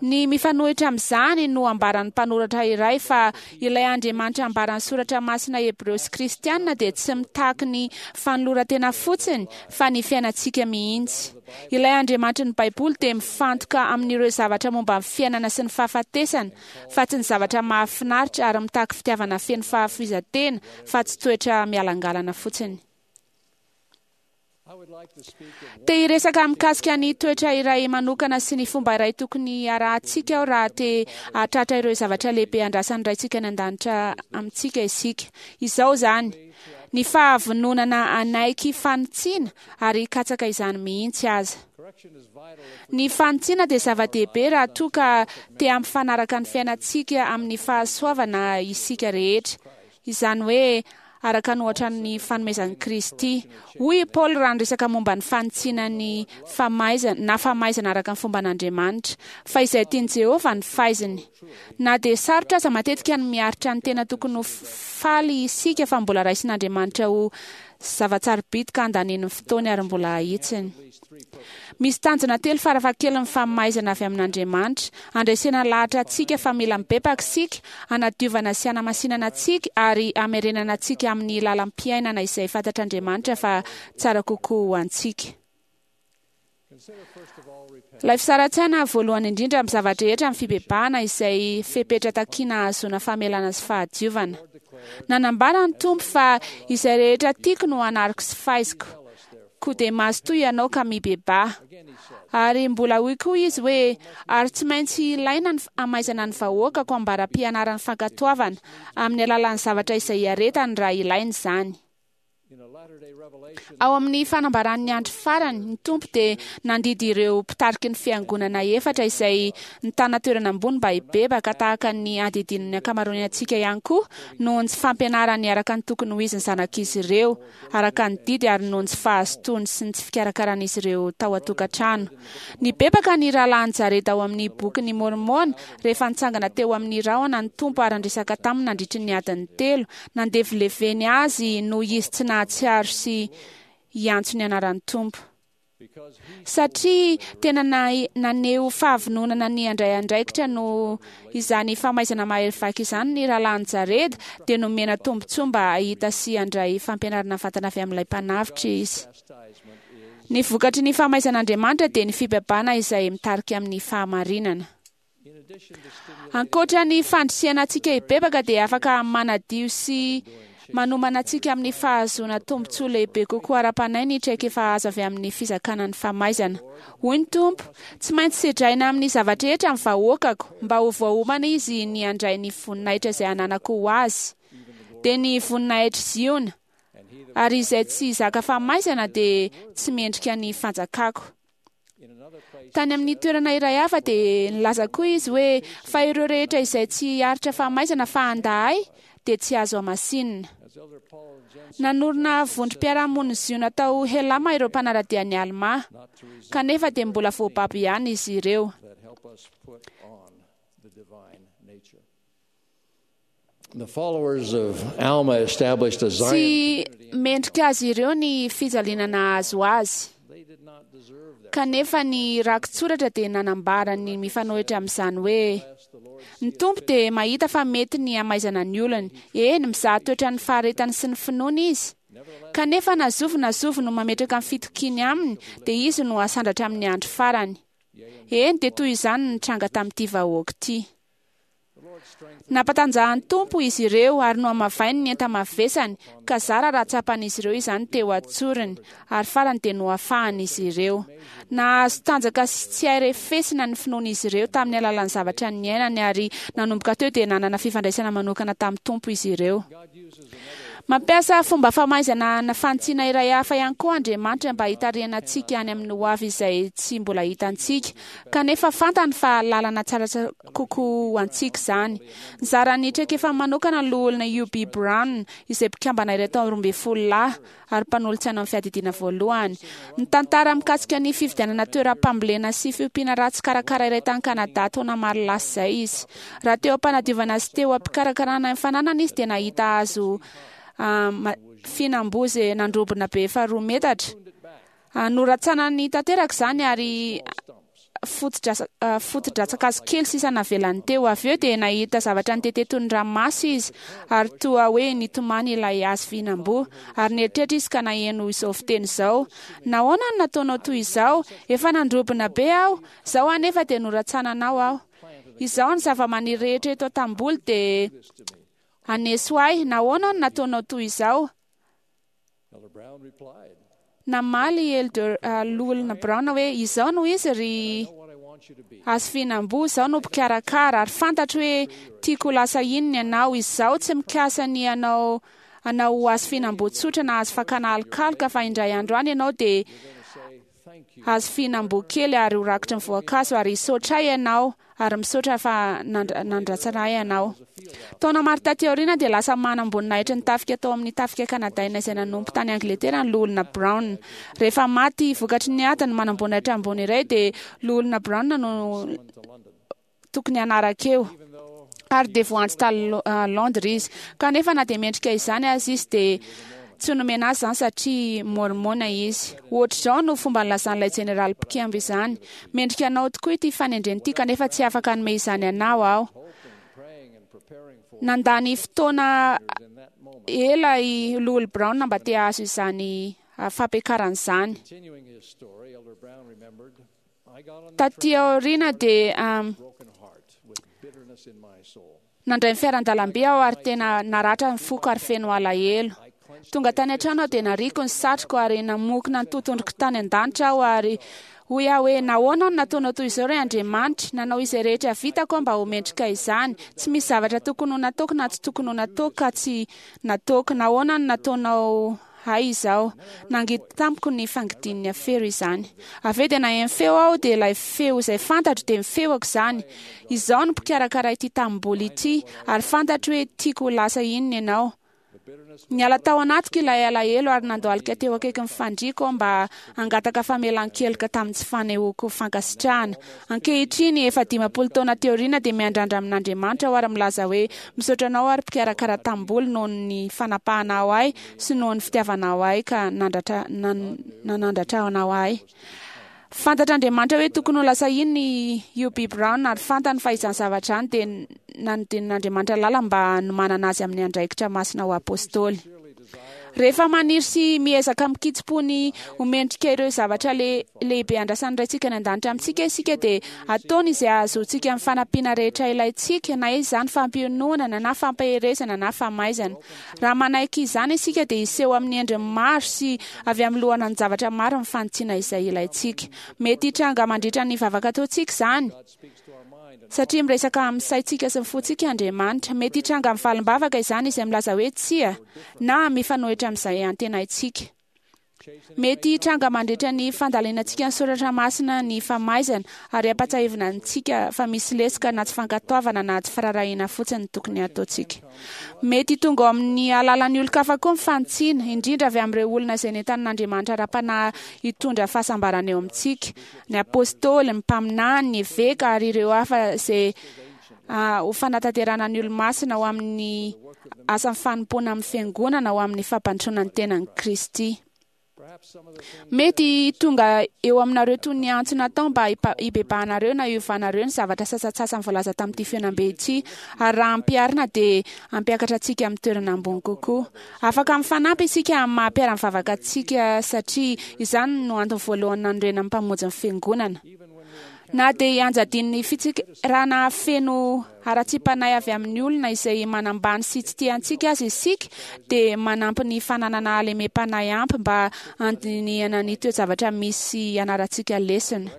Ny mifanohitra amin'izany no ambaran'ny mpanoratra iray fa ilay Andriamanitra ambaran'ny Soratra Masina Hebreo sy Kristiana dia tsy mitaky ny fanoloran-tena fotsiny fa ny fiainantsika mihitsy. Ilay Andriamanitry ny Baiboly dia mifantoka amin'ireo zavatra momba ny fiainana sy ny fahafatesana fa tsy ny zavatra mahafinaritra ary mitaky fitiavana feno fahafoizan-tena fa tsy toetra mialangalana fotsiny. Te hiresaka mikasika ny toetra iray manokana sy ny fomba iray tokony harahantsika aho raha te hahatratra ireo zavatra lehibe andrasan'ny Raintsika any An-danitra amintsika isika. Izao izany, ny fahavononana hanaiky fanitsiana ary hikatsaka izany mihitsy aza. Ny fanitsiana dia zava-dehibe raha toa ka te hampifanaraka ny fiainantsika amin'ny fahasoavana isika rehetra. Izany hoe, araka ny ohatra ny fanomezan'i Kristy. Hoy i Paoly raha niresaka momba ny fanitsiana ny famaizana, na famaizana araka ny fomban'Andriamanitra, fa izay tian'i Jehovah no faiziny. Na dia sarotra aza matetika ny miaritra ny tena tokony ho faly isika fa mbola raisin'Andriamanitra ho zava-tsarobidy ka andaniany ny fotoany ary mbola ahitsiny. Misy tanjona telo farafahakeliny ny famaizana avy amin'Andriamanitra, handresena lahatra antsika fa mila mibebaka isika, hanadiovana sy hanamasinana antsika ary hamerenana antsika amin'ny lalam-piainana izay fantatr'Andriamanitra fa tsara kokoa ho antsika. Ilay fisaran-tsaina voalohany indrindra amin'ny zava-drehetra ny fibebahana izay fepetra takiana hahazoana famelana sy fahadiovana. Nanambara ny Tompo fa izay rehetra tiako no anariko sy faiziko. Koa dia mazotoa ianao ka mibebaha. Ary mbola hoy koa izy hoe, Ary tsy maintsy ilaina ny hamaizana ny vahoakako ambara-pianarany fankatoavana, amin'ny alalan'ny zavatra izay iaretany raha ilaina izany. Ao amin'ny fanambaran'ny andro farany, ny Tompo dia nandidy ireo mpitariky ny fiangonana efatra izay nitana toerana ambony mba hibebaka tahaka ny andidian'ny ankamaroany antsika ihany koa noho ny tsy fampianarany araka ny tokony ho izy ny zanak'izy ireo araka ny didy ary noho ny tsy fahazotoany sy ny tsy fikarakaran'izy ireo tao an-tokantrano. Nibebaka ny rahalahin'i Jareda ao amin'ny Bokin'i Môrmôna rehefa nitsangana teo amin'ny rahona ny Tompo ary niresaka taminy nandritry ny adiny telo. Nandevileveny azy noho izy tsy nahatsiaro sy hiantso ny anaran'ny Tompo. Satria tena naneho fahavononana ny handray andraikitra noho izany famaizana mahery vaika izany ny rahalahin'i Jareda, dia nomena tombontsoa mba hahita sy handray fampianarana mivantana avy amin'ilay Mpanavotra izy. Ny vokatry ny famaizan'Andriamanitra dia ny fibebahana izay mitarika amin'ny fahamarinana. Ankoatra ny fandrisihana antsika hibebaka dia afaka manadio sy manomana antsika amin'ny fahazoana tombontsoa lehibe kokoa ara-panahy ny traikefa azo avy amin'ny fizakana ny famaizana. Hoy ny Tompo, Tsy maintsy sedraina amin'ny zava-drehetra ny vahoakako, mba ho voaomana izy ny handray ny voninahitra izay ananako ho azy, dia ny voninahitr'i Ziona, ary izay tsy hizaka famaizana dia tsy mendrika ny fanjakako. Tany amin'ny toerana iray hafa dia nilaza koa izy hoe, Fa ireo rehetra izay tsy hiaritra famaizana fa handà ahy dia tsy azo hamasinina. Nanorina vondrom-piarahamonin'i Ziona tao Helama ireo mpanara-dia an'i Almà, kanefa dia mbola voababo ihany izy ireo. Tsy mendrika azy ireo ny fijaliana nahazo azy. Kanefa ny rakitsoratra dia nanambara ny mifanohitra amin'izany hoe, Ny Tompo dia mahita fa mety ny hamaizana ny olony, eny, mizaha toetra ny faharetany sy ny finoany Izy. Kanefa na zovy na zovy no mametraka ny fitokiany Aminy, dia Izy no hasandratra amin'ny andro farany. Eny, dia toy izany no nitranga tamin'ity vahoaka ity. Nampatanjahan'ny Tompo izy ireo ary nohamavainy ny enta-mavesany, ka zara raha tsapan'izy ireo izany teo an-tsorony, ary farany dia nohafahana izy ireo. Nahazo tanjaka sy tsy hay refesina ny finoan'izy ireo tamin'ny alalan'ny zavatra niainany, ary nanomboka teo dia nanana fifandraisana manokana tamin'ny Tompo izy ireo. Mampiasa fomba famaizana na fanitsiana iray hafa ihany koa Andriamanitra mba hitarihana antsika any amin'ny hoavy izay tsy mbola hitantsika, kanefa fantany fa lalana tsara kokoa ho antsika izany. Nizara ny traikefany manokana ny Loholona Hugh B. Brown, izay mpikambana iray tao 12 lahy ary mpanolotsaina amin'ny fiadidiana voalohany. Nitantara mikasika ny fividianana toeram-pambolena sy fiompiana ratsy karakara iray tany Kanada taona maro lasa izay izy. Raha teo am-panadiovana sy teo am-pikarakarana ny fananana izy dia nahita hazo fihinam-boa izay nandrobona be efa 2 metatra. Noratsanany tanteraka izany ary foto-dratsan-kazo kely sisa navelany teo. Avy eo dia nahita zavatra nitete toy ny ranomaso izy, ary toa hoe nitomany ilay hazo fihinam-boa. Ary nieritreritra izy ka naheno izao fiteny izao, Nahoana no nataonao toy izao? Efa nandrobona be aho, izao anefa dia noratsananao aho. Izao ny zavamaniry rehetra eto an-tanimboly dia haneso ahy. Nahoana no nataonao toy izao? Namaly i Elder Loholona Brown hoe, Izao no izy ry hazo fihinam-boa, izaho no mpikarakara, ary fantatro hoe tiako ho lasa inona ianao. Izaho tsy mikasa ny hanao anao ho hazo fihinam-boa tsotra na hazo fakana alokaloka, fa indray andro any ianao dia hazo fihinam-boa kely ary ho rakotry ny voankazo, ary hisaotra ahy ianao. ary misaotra fa nandratsana ahy ianao. Taona maro taty aoriana dia lasa manam-boninahitry ny tafika tao amin'ny tafika kanadaina izay nanompo tany Angletera ny Loholona Brown. Rehefa maty vokatry ny ady ny manam-boninahitra ambony iray dia Loholona Brown no tokony hanaraka eo. Ary dia voantso tany Londres izy. Kanefa na dia mendrika izany aza izy dia Tsy nomena azy izany satria Môrmôna izy. Hoatr'izao no fomba nilazan'ilay jeneraly mpikemba izany, Mendrika anao tokoa ity fanendrena ity, kanefa tsy afaka hanome izany anao aho. Nandany fotoana ela i Loholona Brown mba te hahazo izany fampiakarana izany. Taty aoriana dia Nandray ny fiaran-dalamby aho ary tena naratra ny foko ary feno alahelo. Tonga tany an-trano aho dia nariako ny satroko ary namokona ny totohondriko tany an-danitra aho ary hoy aho hoe, Nahoana no nataonao toy izao ry Andriamanitra? Nanao izay rehetra vitako aho mba ho mendrika izany. Tsy misy zavatra tokony ho nataoko na tsy tokony ho nataoko ka tsy nataoko. Nahoana no nataonao Hay izao. Nangidy tamiko ny fangidian'ny afero izany. Avy eo dia naheno feo aho, dia ilay feo izay fantatro dia ny feoko izany. Izaho no mpikarakara ity tanimboly ity, ary fantatro hoe tiako ho lasa inona ianao. Niala tao anatiko ilay alahelo ary nandohalika teo akaikin'ny fandriako aho mba hangataka famelan-keloka tamin'ny tsy fanehoako fankasitrahana. Ankehitriny, efa 50 taona aty aoriana, dia miandrandra amin'Andriamanitra aho ary milaza hoe, Misaotra anao aho ry mpikarakara tanimboly noho ny fanapahanao ahy sy noho ny fitiavanao ahy ka nanandratra anao ahy. Fantatr'Andriamanitra hoe tokony ho lasa inona i Hugh B. Brown ary fantany fa izany zavatra izany dia nanodidin'Andriamanitra lalana mba hanomanana azy amin'ny andraikitra masina ho apostoly. Rehefa maniry sy miezaka amin-kitsim-po ny ho mendrika ireo zavatra lehibe andrasan'ny Raintsika any an-danitra amintsika isika dia ataony izay hahazoantsika ny fanampiana rehetra ilaintsika, na izany fampiononana na fampaherezana na famaizana. Raha manaiky izany isika dia hiseho amin'ny endriny maro sy avy amin'ny loharanon-javatra maro ny fanitsiana izay ilaintsika. Mety hitranga mandritra ny vavaka ataontsika izany. Satria miresaka amin'ny saintsika sy ny fontsika Andriamanitra. Mety hitranga amin'ny valim-bavaka izany izay milaza hoe tsia, na mifanohitra amin'izay antenaintsika. Mety hitranga mandritra ny fandalinantsika ny soratra masina ny famaizana, ary ampatsahivina antsika fa misy lesoka na tsy fankatoavana na tsy firaharahiana fotsiny tokony hataontsika. Mety tonga ao amin'ny alalan'ny olon-kafa koa ny fanitsiana, indrindra avy amin'ireo olona izay nentanin'Andriamanitra ara-panahy hitondra fahasambarana eo amintsika. ny apostoly, ny mpaminany, ny eveka ary ireo hafa izay ho fanatanterahana ny olomasina ho amin'ny asan'ny fanompoana amin'ny fiangonana ho amin'ny fampandrosoana ny tenan'i Kristy. Mety tonga eo aminareo toy ny antso natao mba hibebahanareo na hiovanareo ny zavatra sasantsasany voalaza tamin'ity fihaonambe ity, ary raha ampiharina dia hampiakatra antsika amin'ny toerana ambony kokoa. Afaka mifanampy isika amin'ny maha mpiara-mivavaka antsika satria izany no antony voalohany nanorenan'ny Mpamonjy ny Fiangonana. Na dia ianjadian'ny fitsikerana feno haratsiam-panahy avy amin'ny olona izay manambany sy tsy tia antsika aza isika, dia manampy ny fananana halemem-panahy ampy mba handinihana ny toe-javatra misy hianarantsika lesona.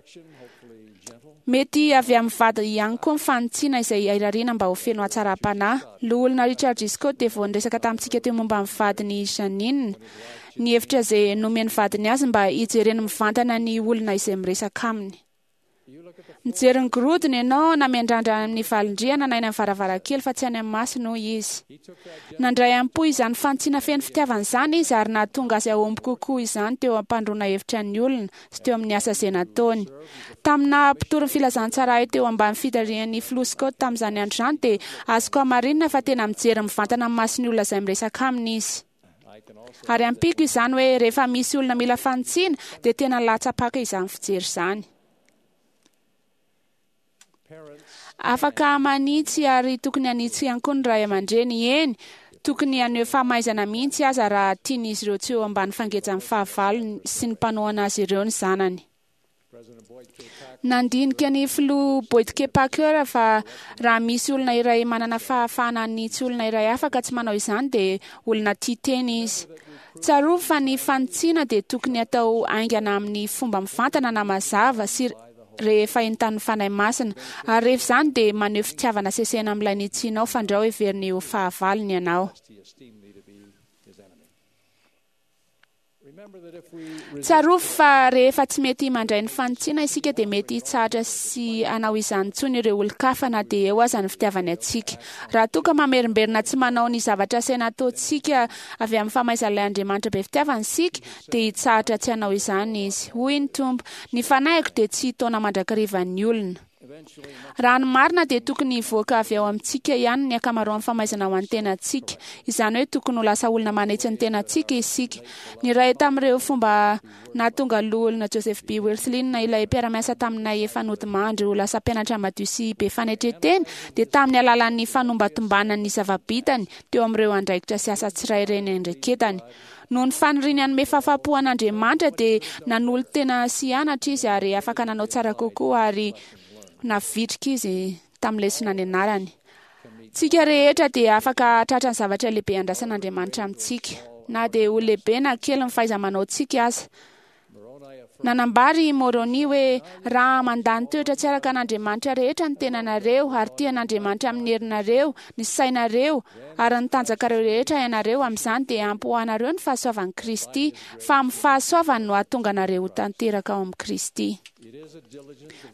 Mety avy amin'ny vady ihany koa ny fanitsiana izay irariana mba ho feno hatsaram-panahy. Loholona Richard G. Scott dia vao niresaka tamintsika teo momba ny vadiny Jeanine. Ny hevitra izay nomen'ny vadiny azy mba hijereny mivantana ny olona izay miresaka aminy. Mijery ny gorodona ianao na miandrandra amin'ny valin-drihana na eny amin'ny varavarankely fa tsy any amin'ny masony, hoy izy. Nandray am-po izany fanitsiana feno fitiavana izany izy ary nahatonga azy hahomby kokoa izany teo am-pandroana hevitra ny olona sy teo amin'ny asa izay nataony. Tamin'ny naha mpitory ny filazantsara ahy teo ambany fitarihan'ny Filoha Scott tamin'izany andro izany dia azoko hamarinina fa tena mijery mivantana amin'ny mason'ny olona izay miresaka aminy izy. Ary ampiako izany hoe rehefa misy olona mila fanitsiana dia tena latsa-paka izany fijery izany. Afaka manitsy ary tokony hanitsy ihany koa ny ray aman-dreny. Eny, tokony haneho famaizana mihitsy aza raha tian'izy ireo tsy eo ambany fangejan'ny fahavalony sy ny mpanohana azy ireo ny zanany. Nandinika ny filoha Boyd K. Packer fa raha misy olona iray manana fahafahana hanitsy olona iray hafa ka tsy manao izany dia olona tia tena izy. Tsarovy fa ny fanitsiana dia tokony hatao haingana amin'ny fomba mivantana na mazava sy rehefa entanin'ny Fanahy Masina, ary rehefa izany dia maneho fitiavana sesehena amin'ilay nitsianao fandrao heveriny ho fahavalony ianao. Tsarovy fa rehefa tsy mety mandray ny fanitsiana isika dia mety hitsahatra sy hanao izany intsony ireo olon-kafa na dia eo aza ny fitiavany antsika. Raha toa ka mamerimberina tsy manao ny zavatra asaina ataontsika avy amin'ny famaizan'ilay Andriamanitra be fitiavana isika dia hitsahatra tsy hanao izany izy. Hoy ny Tompo, Ny fanahiko dia tsy hitaona mandrakariva ny olona. Raha ny marina dia tokony hivoaka avy ao amintsika ihany ny ankamaroan'ny famaizana ho an'ny tenantsika. Izany hoe tokony ho lasa olona manitsy ny tenantsika isika. Ny iray tamin'ireo fomba nahatonga Loholona Joseph B. Wirthlin ilay mpiara-miasa taminay efa nodimandry ho lasa mpianatra madio sy be fanetren-tena dia tamin'ny alalan'ny fanombantombanany ny zava-bitany teo amin'ireo andraikitra sy asa tsirairay niandraiketany. Noho ny faniriany hanome fahafahampo an'Andriamanitra dia nanolo-tena sy hianatra izy ary afaka nanao tsara kokoa ary navitrika izy tamin'ny lesona nianarany. Tsika rehetra dia afaka hahatratra ny zavatra lehibe andrasan'Andriamanitra amintsika, na dia ho lehibe na kely ny fahaiza-manaontsika aza. Nanambara i Moroni hoe raha mandany toetra tsy araka an'Andriamanitra rehetra ny tenanareo ary tia an'Andriamanitra amin'ny herinareo, ny sainareo ary ny tanjakareo rehetra ianareo, amin'izany dia ampy ho anareo ny fahasoavan'i Kristy, fa amin'ny fahasoavany no hahatonga anareo ho tanteraka ao amin'i Kristy.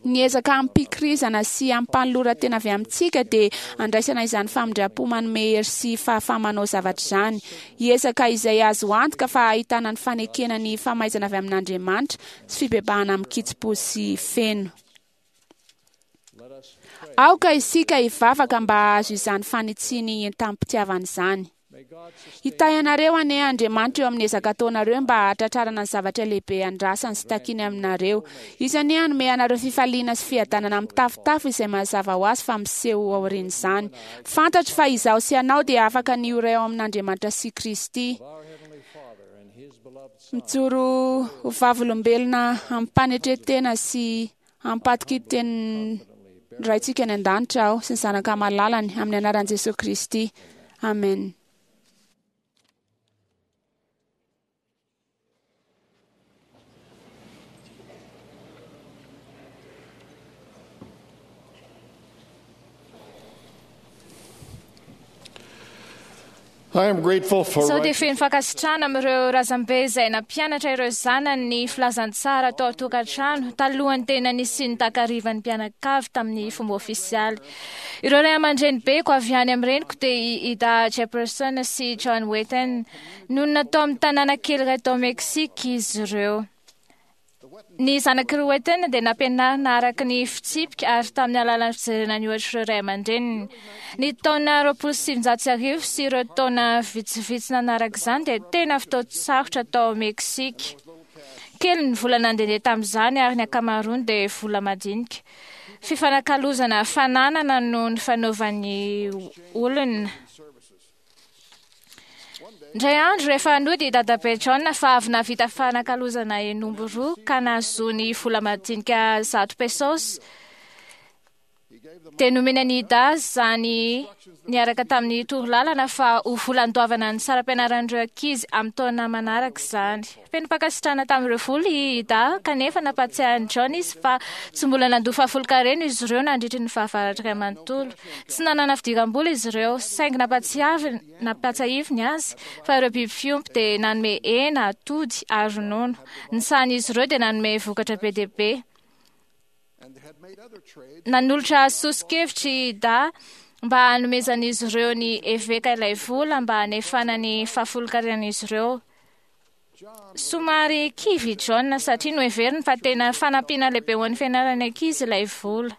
Ny ezaka amim-pikirizana sy amim-panoloran-tena avy amintsika dia andraisana izany famindram-po manome hery sy fahafaha-manao zavatra izany. Hiezaka izay azo antoka fa ahitana ny fanekena ny famaizana avy amin'Andriamanitra sy fibebahana amin-kitsim-po sy feno. Aoka isika hivavaka mba hahazo izany fanitsiany entam-pitiavana izany. Hitahy anareo anie Andriamanitra eo amin'ny ezaka ataonareo mba hahatratrarana ny zavatra lehibe andrasany sy takiany aminareo. Izy anie hanome anareo fifaliana sy fiadanana mitafotafo izay mazava ho azy fa miseho aorian'izany. Fantatro fa izaho sy ianao dia afaka ny ho iray ao amin'Andriamanitra sy Kristy. Mijoro ho vavolombelona amim-panetren-tena sy ampatoky-tenin'ny Raintsika any an-danitra aho sy ny Zanaka malalany amin'ny anaran'i Jesosy Kristy. Amen. I am grateful for Sao dia feno fankasitrahana amin'ireo razambe izay nampianatra ireo zanany ny filazantsara tao an-tokantrano talohan'ny tena nisian'ny takarivan'ny mpianakavy tamin'ny fomba ofisialy. Ireo ray aman-dreny beko avy any amin'ny reniko dia i Ida Jefferson sy John Wheaton. Nonina tao amin'ny tanàna kely iray tao Mexique izy ireo. Ny zanak'i Wheaton dia nampianarina araka ny fitsipika ary tamin'ny alalan'ny fijerena ny ohatr'ireo ray aman-dreniny. Ny taona 1920 sy ireo taona vitsivitsy nanaraka izany dia tena fotoan-tsarotra tao Mexique. Kely ny vola nandehandeha tamin'izany ary ny ankamaroany dia vola madinika. Fifanakalozana fananana no nifanaovan'ny olona. Indray andro rehefa nody i Dadabe John fa avy nahavita fanakalozana henomby roa ka nahazoany vola madinika 100 pesos, dia nomena an'i Ida izany niaraka tamin'ny torolalana fa ho vola andoavana ny saram-pianaran'ireo ankizy amin'ny taona manaraka izany. Feno fankasitrahana tamin'ireo vola i Ida, kanefa nampahatsiahy an'i John izy fa tsy mbola nandoa fahafolonkarena izy ireo nandritry ny fahavaratra iray manontolo. Tsy nanana fidiram-bola izy ireo, saingy nampatsiahiviny azy fa ireo biby fiompy dia nanome hena, atody ary ronono. Ny sahan'izy ireo dia nanome vokatra be dia be. Nanolotra soso-kevitra i Ida mba hanomezan'izy ireo ny eveka ilay vola mba hanefana ny fahafolonkaren'izy ireo. Somary kivy i John satria noheveriny fa tena fanampiana lehibe ho an'ny fianaran'ny ankizy ilay vola.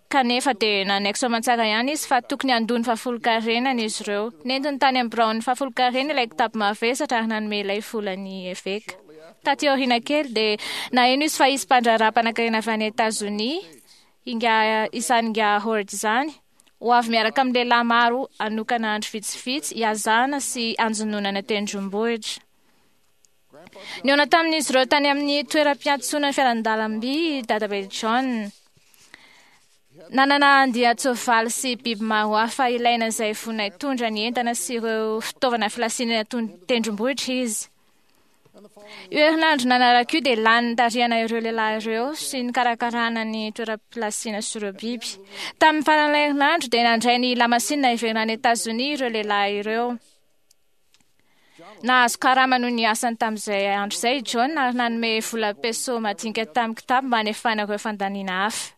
Kanefa dia nanaiky soamantsara ihany izy fa tokony handoa ny fahafolonkarenany izy ireo. Nentiny tany amin'ny biraon'ny fahafolonkarena ilay kitapo mavesatra ary nanome ilay vola ny eveka. Taty aoriana kely dia naheno izy fa hisy mpandraharaha mpanankarena avy any Etazonia, izany Ingahy Howard izany, ho avy miaraka amin'ny lehilahy maro hanokana andro vitsivitsy hihazana sy hanjononana tendrombohitra. Nihaona tamin'izy ireo tany amin'ny toeram-piantsonan'ny fiaran-dalamby i Dadabe John. Nanana andian-tsoavaly sy biby maro hafa ilaina izay vonona hitondra ny entana sy ireo fitaovana filasiana tendrombohitra izy. Io herinandro nanaraka io dia lany nitarihana ireo lehilahy ireo sy nikarakarana ny toeram-pilasiana sy ireo biby. Tamin'ny faran'ilay herinandro dia nandray ny lamasinina hiverina any Etazonia ireo lehilahy ireo. Nahazo karama noho ny asany tamin'izay andro izay i John ary nanome vola peso madinika tamin'ny kitapo mba hanefana ireo fandaniana hafa.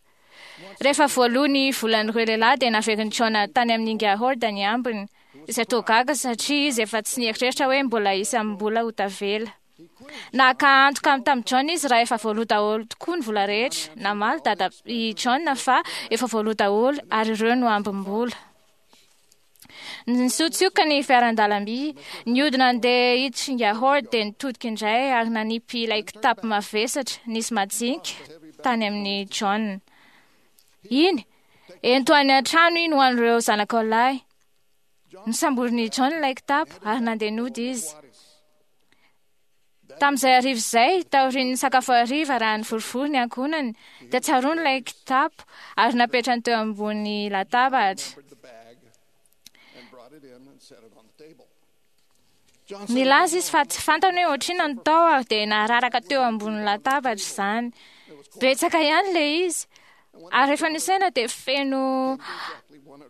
Rehefa voaloa ny volan'ireo lehilahy dia naverin'i John tany amin'ny Ingahy Howard ny ambiny, izay toa gaga satria izy efa tsy nieritreritra hoe mbola hisy amim-bola ho tavela. Naka antoka tamin'i John izy raha efa voaloa daholo tokoa ny vola rehetra. Namaly dada i John fa efa voaloa daholo ary ireo no ambim-bola. Nisotsioka ny fiaran-dalamby, nihodina nandeha hiditra Ingahy Howard dia nitodika indray ary nanipy ilay kitapo mavesatra nisy majinika tany amin'i John. Iny, ento any an-trano iny ho an'ireo zanakao lahy. Nosamborin'i John ilay kitapo ary nandeha nody izy. Tamin'izay hariva izay, taorian'ny sakafo hariva raha nivorivory ny ankohonany, dia tsaroany ilay kitapo ary napetrany teo ambony latabatra. Nilaza izy fa tsy fantany hoe ohatr'inona no tao ary dia nararaka teo ambonin'ny latabatra izany. Betsaka ihany ilay izy. Ary rehefa nisaina dia feno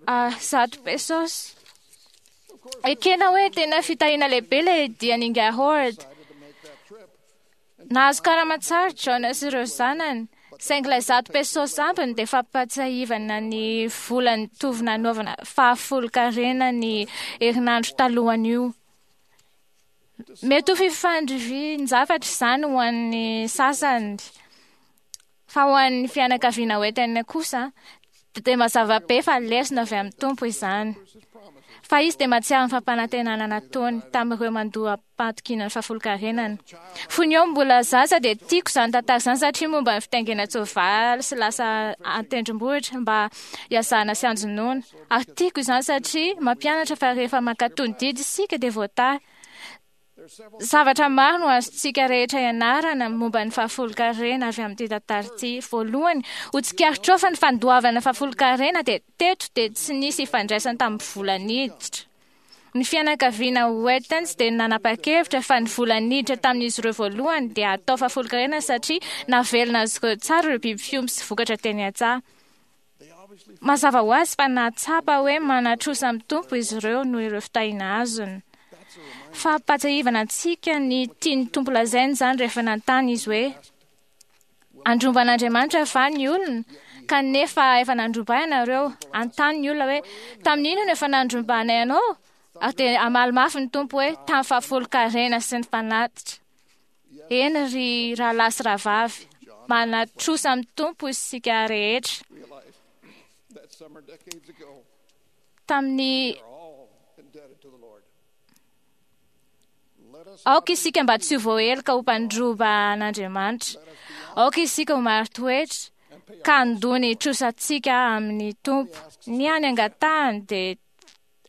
100 pesos. Ekena hoe tena fitahiana lehibe ilay dian'Ingahy Howard. Nahazo karama tsara John sy ireo zanany, saingy ilay 100 pesos ambiny dia fampahatsiahivana ny vola nitovy nanaovana fahafolonkarena ny herinandro talohan'io. Mety ho fifandrifian-javatra izany ho an'ny sasany, fa ho an'ny fianakaviana Wheaton kosa dia mazava be fa lesona avy amin'ny Tompo izany. Fa izy dia mahatsiaro ny fampanantenana nataony tamin'ireo mandoa am-pahatokiana ny fahafolonkarenany. Fony aho mbola zaza dia tiako izany tantara izany satria momba ny fitaingenan-tsoavaly sy lasa an-tendrombohitra mba hihazana sy hanjonoana. Ary tiako izany satria mampianatra fa rehefa mankatò ny didy isika dia voatahy. Zavatra maro no azontsika rehetra ianarana momba ny fahafolonkarena avy amin'ity tantara ity. Voalohany, ho tsikaritrao fa ny fandoavana fahafolonkarena dia teto dia tsy nisy ifandraisany tamin'ny vola niditra. Ny fianakaviana Wheatons dia nanapa-kevitra fa ny vola niditra tamin'izy ireo voalohany dia atao fahafolonkarena satria navelona azy ireo tsara ireo biby fiompy sy vokatra teny an-tsaha. Mazava ho azy fa nahatsapa hoe manatrosa amin'ny Tompo izy ireo noho ireo fitahiana azony. Fampahatsiahivana antsika ny tian'ny Tompo lazaina izany rehefa nanontany izy hoe andromba an'Andriamanitra va ny olona kanefa efa nandromba ahy ianareo. Anontany ny olona hoe tamin'ny inona no efa nandrombanay anao? Ary dia hamaly mafy ny Tompo hoe tamin'ny fahafolonkarena sy ny fanatitra. Eny ry rahalahy sy rahavavy, manatrosa amin'ny Tompo isika rehetra. Tamin'ny Aoka isika mba tsy ho voaheloka ho mpandroba an'Andriamanitra. Aoka isika ho marin-toetra ka handoa ny trosantsika amin'ny Tompo. Ny hany angatahany dia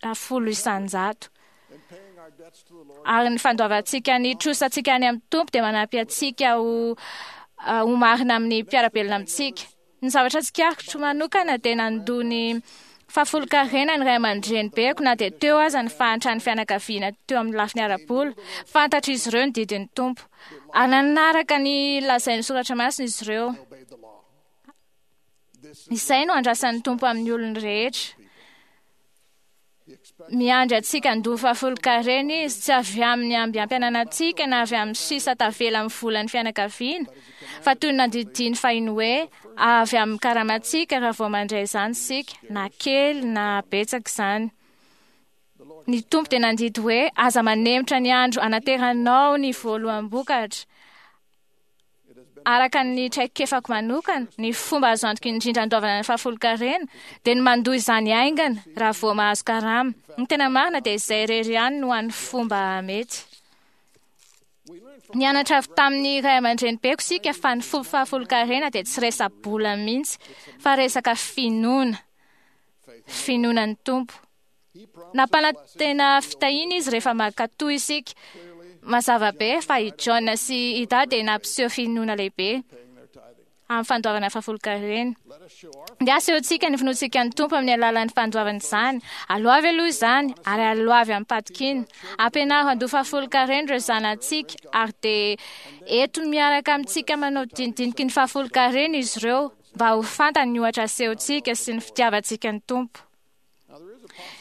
10%. Ary ny fandoavantsika ny trosantsika any amin'ny Tompo dia manampy antsika ho marina amin'ny mpiara-belona amintsika. Ny zavatra tsikaritro manokana dia nandoa ny fahafolonkarena ny ray aman-drenibeko na dia teo aza ny fahantran'ny fianakaviana teo amin'ny lafiny ara-bola. Fantatr'izy ireo ny didin'ny Tompo. Ary nanaraka ny lazain'ny Soratra Masina izy ireo. Izay no andrasan'ny Tompo amin'ny olony rehetra. Miandry antsika handoa fahafolonkarena izy, tsy avy amin'ny ambiampiananantsika na avy amin'ny sisa tavela amin'ny volan'ny fianakaviana, fa toy ny nandidiany fahiny hoe avy amin'ny karamantsika raha vao mandray izany isika, na kely na betsaka izany. Ny Tompo dia nandidy hoe aza manemitra ny andro anateranao ny voaloham-bokatra. Araka ny traikefako manokana, ny fomba azo antoka indrindra andoavana ny fahafolonkarena dia ny mandoa izany haingana raha vao mahazo karama. Ny tena marina dia izay irery ihany no hany fomba mety. Nianatra avy tamin'ny ray aman-drenibeko isika fa ny fomba fahafolonkarena dia tsy resa-bola mihitsy fa resaka finoana. Finoana ny Tompo. Nampanantena fitahiana izy rehefa mankatò isika. Mazava be fa i John sy Ida dia nampiseho finoana lehibe amin'ny fandoavana fahafolonkarena. Dia asehontsika ny finoantsika ny Tompo amin'ny alalan'ny fandoavana izany. Aloavy aloha izany ary aloavy amim-patokiana. Ampianaro handoa fahafolonkarena ireo zanatsika ary dia eto miaraka amintsika manao dinidiniky ny fahafolonkarena izy ireo mba ho fantany ny ohatra asehontsika sy ny fitiavantsika ny Tompo.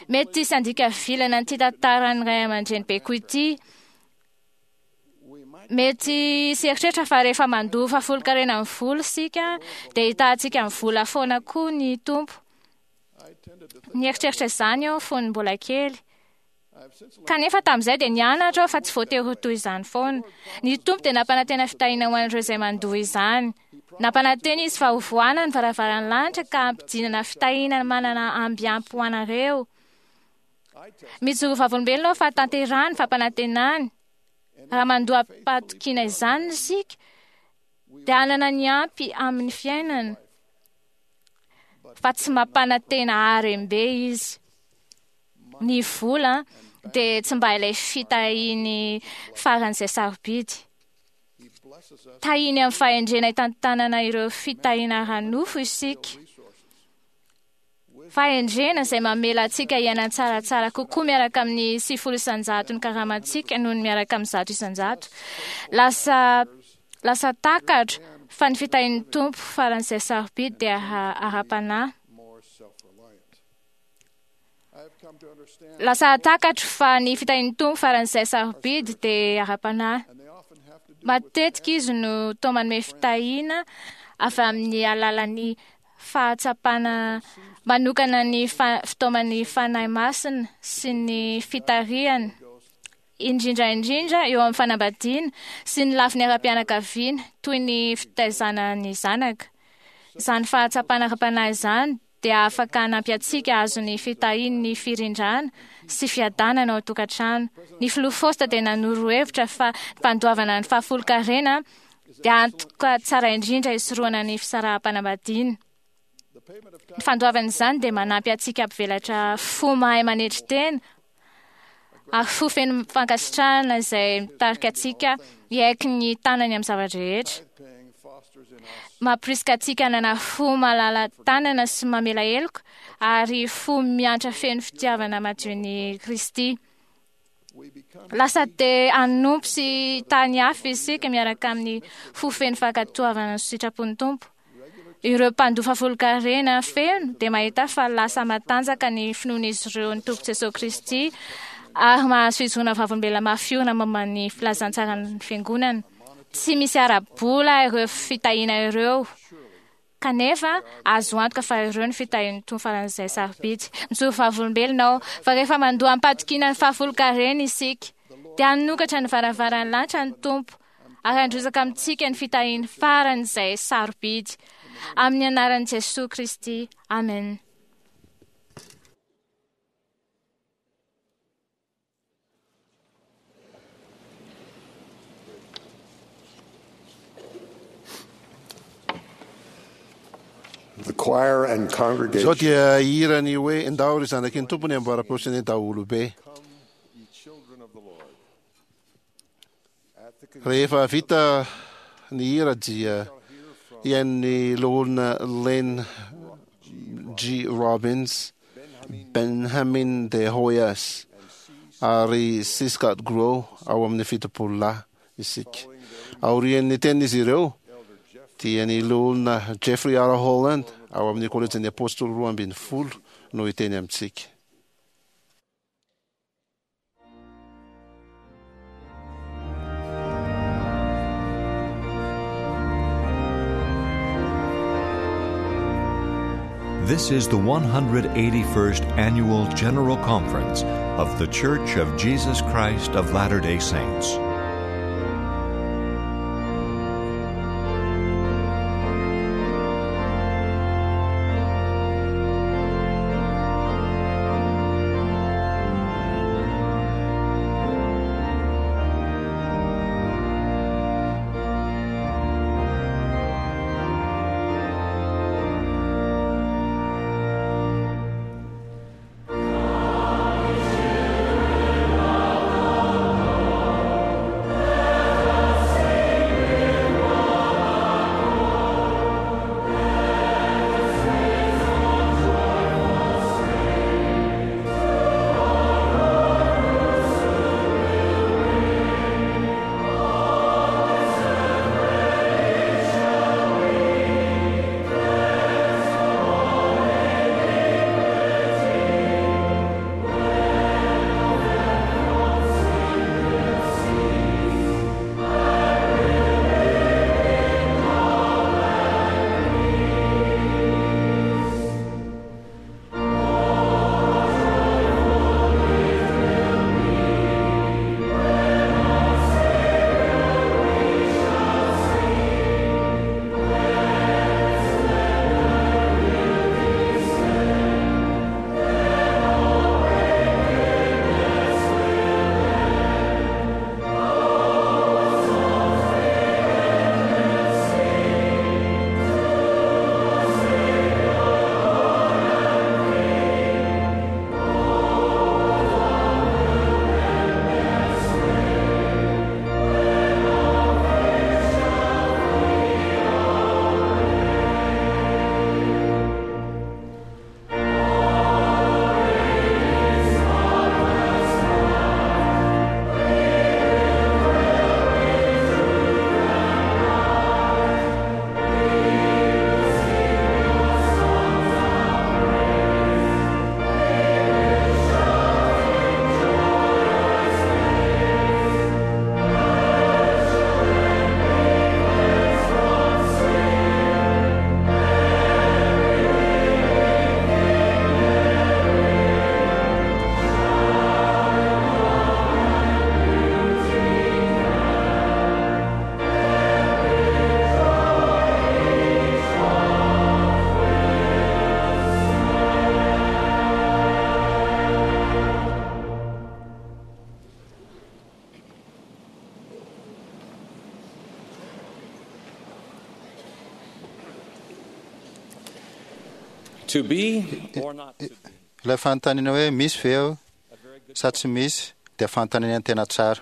Mety hisy handika vilana an'ity tantaran'ny ray aman-drenibeko ity. Mety hisy eritreritra fa rehefa mandoa fahafolonkarena amin'ny vola isika dia hitahantsika amin'ny vola foana koa ny Tompo. Nieritreritra izany aho fony mbola kely. Kanefa tamin'izay dia nianatra aho fa tsy voatery ho toy izany foana. Ny Tompo dia nampanantena fitahiana ho an'ireo izay mandoa izany. Nampanantena izy fa hovohana ny varavaran'ny lanitra ka hampidinana fitahiana manana amby ampy ho anareo. Mijoro vavolombelona aho fa tanterahany ny fampanantenany. Raha mandoa am-pahatokiana izany isika, dia hanana ny ampy amin'ny fiainana. Fa tsy mampanantena harem-be izy. Ny vola dia tsy mba ilay fitahiany faran'izay sarobidy. Tahiny amin'ny fahendrena hitantanana ireo fitahiana ara-nofo isika. Fahendrena izay mamela antsika hiaina tsaratsara kokoa miaraka amin'ny 90% ny karamantsika noho ny miaraka amin'ny 100%. Lasa lasa takatro fa ny fitahian'ny Tompo faran'izay sarobidy dia ara-panahy. Lasa takatro fa ny fitahian'ny Tompo faran'izay sarobidy dia ara-panahy. Matetika izy no toa manome fitahiana avy amin'ny alalan'ny fahatsapana manokana ny fitaoman'ny Fanahy Masina sy ny fitarihana, indrindra indrindra eo amin'ny fanambadiana sy ny lafiny ara-pianakaviana toy ny fitaizana ny zanaka. Izany fahatsapana ara-panahy izany dia afaka hanampy antsika hahazo ny fitahian'ny firindrana sy fiadanana ao an-tokantrano. Ny filoha Faosta dia nanoro hevitra fa ny fandoavana ny fahafolonkarena dia antoka tsara indrindra hisorohana ny fisaraham-panambadiana. Ny fandoavana izany dia manampy antsika hampivelatra fo mahay manetry tena ary fo feno fankasitrahana izay mitarika antsika hiaiky ny tanany amin'ny zava-drehetra. Mampirisika antsika hanana fo malala tanana sy mamela heloka ary fo miantra feno fitiavana madion'i Kristy. Lasa te hanompo sy tany hafa isika miaraka amin'ny fo feno fankatoavana ny sitrapon'ny Tompo. Ireo mpandoa fahafolonkarena feno dia mahita fa lasa matanjaka ny finoan'izy ireo ny Tompo Jesosy Kristy ary mahazo fijoroana vavolombelona mafy orina momba ny filazantsaran'ny Fiangonana. Tsy misy ara-bola ireo fitahiana ireo. Kanefa, azo antoka fa ireo no fitahian'ny Tompo faran'izay sarobidy. Mijoro vavolombelona aho fa rehefa mandoa amim-patokiana ny fahafolonkarena isika, dia hanokatra ny varavaran'ny lanitra ny Tompo ary handrotsaka amintsika ny fitahiany faran'izay sarobidy. Amin'ny anaran'i Jesoa Kristy, amen. The choir and Izao congregation dia hira ny hoe Ndao ry zanaky ny Tompo ny amboaram-peo sy ny daholobe. Rehefa vita ny hira dia hihaino ny loholona Lynn G. Robbins, Benjamin de Hoyas ary C. Scott Grow ao amin'ny 70 lahy isika. Aorian'ny tenin'izy ireo dia ny loholona Jeffrey R. Holland ao amin'ny kolejin'ny Apôstôly 12 no hiteny amintsika. This is the 181st Annual General Conference of The Church of Jesus Christ of Latter day Saints. To be or not to be. Ilay fanontaniana hoe misy ve aho sa tsy misy dia fanontaniana tena tsara.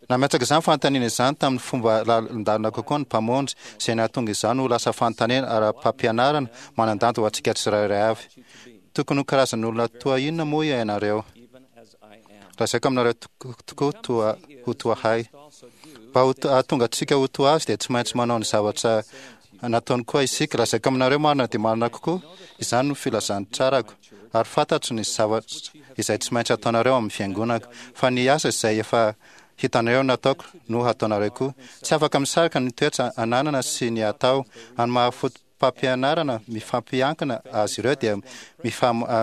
Nametraka izany fanontaniana izany tamin'ny fomba lalindalina kokoa ny Mpamonjy, izay nahatonga izany ho lasa fanontaniana ara-pampianarana manan-danja ho antsika tsirairay avy. Tokony ho karazan'olona toa inona moa ianareo? Lazaiko aminareo tokoa toa ho toa ahy. Mba ho hahatonga antsika ho toa azy dia tsy maintsy manao ny zavatra nataony koa isika. Lazaiko aminareo marina dia marina kokoa, izany no filazantsarako, ary fantatro ny zavatra izay tsy maintsy ataonareo amin'ny fiangonako, fa ny asa izay efa hitanareo nataoko no hataonareo koa. Tsy afaka misaraka ny toetra ananana sy ny atao. Any maha-fotopampianarana mifampiankina azy ireo dia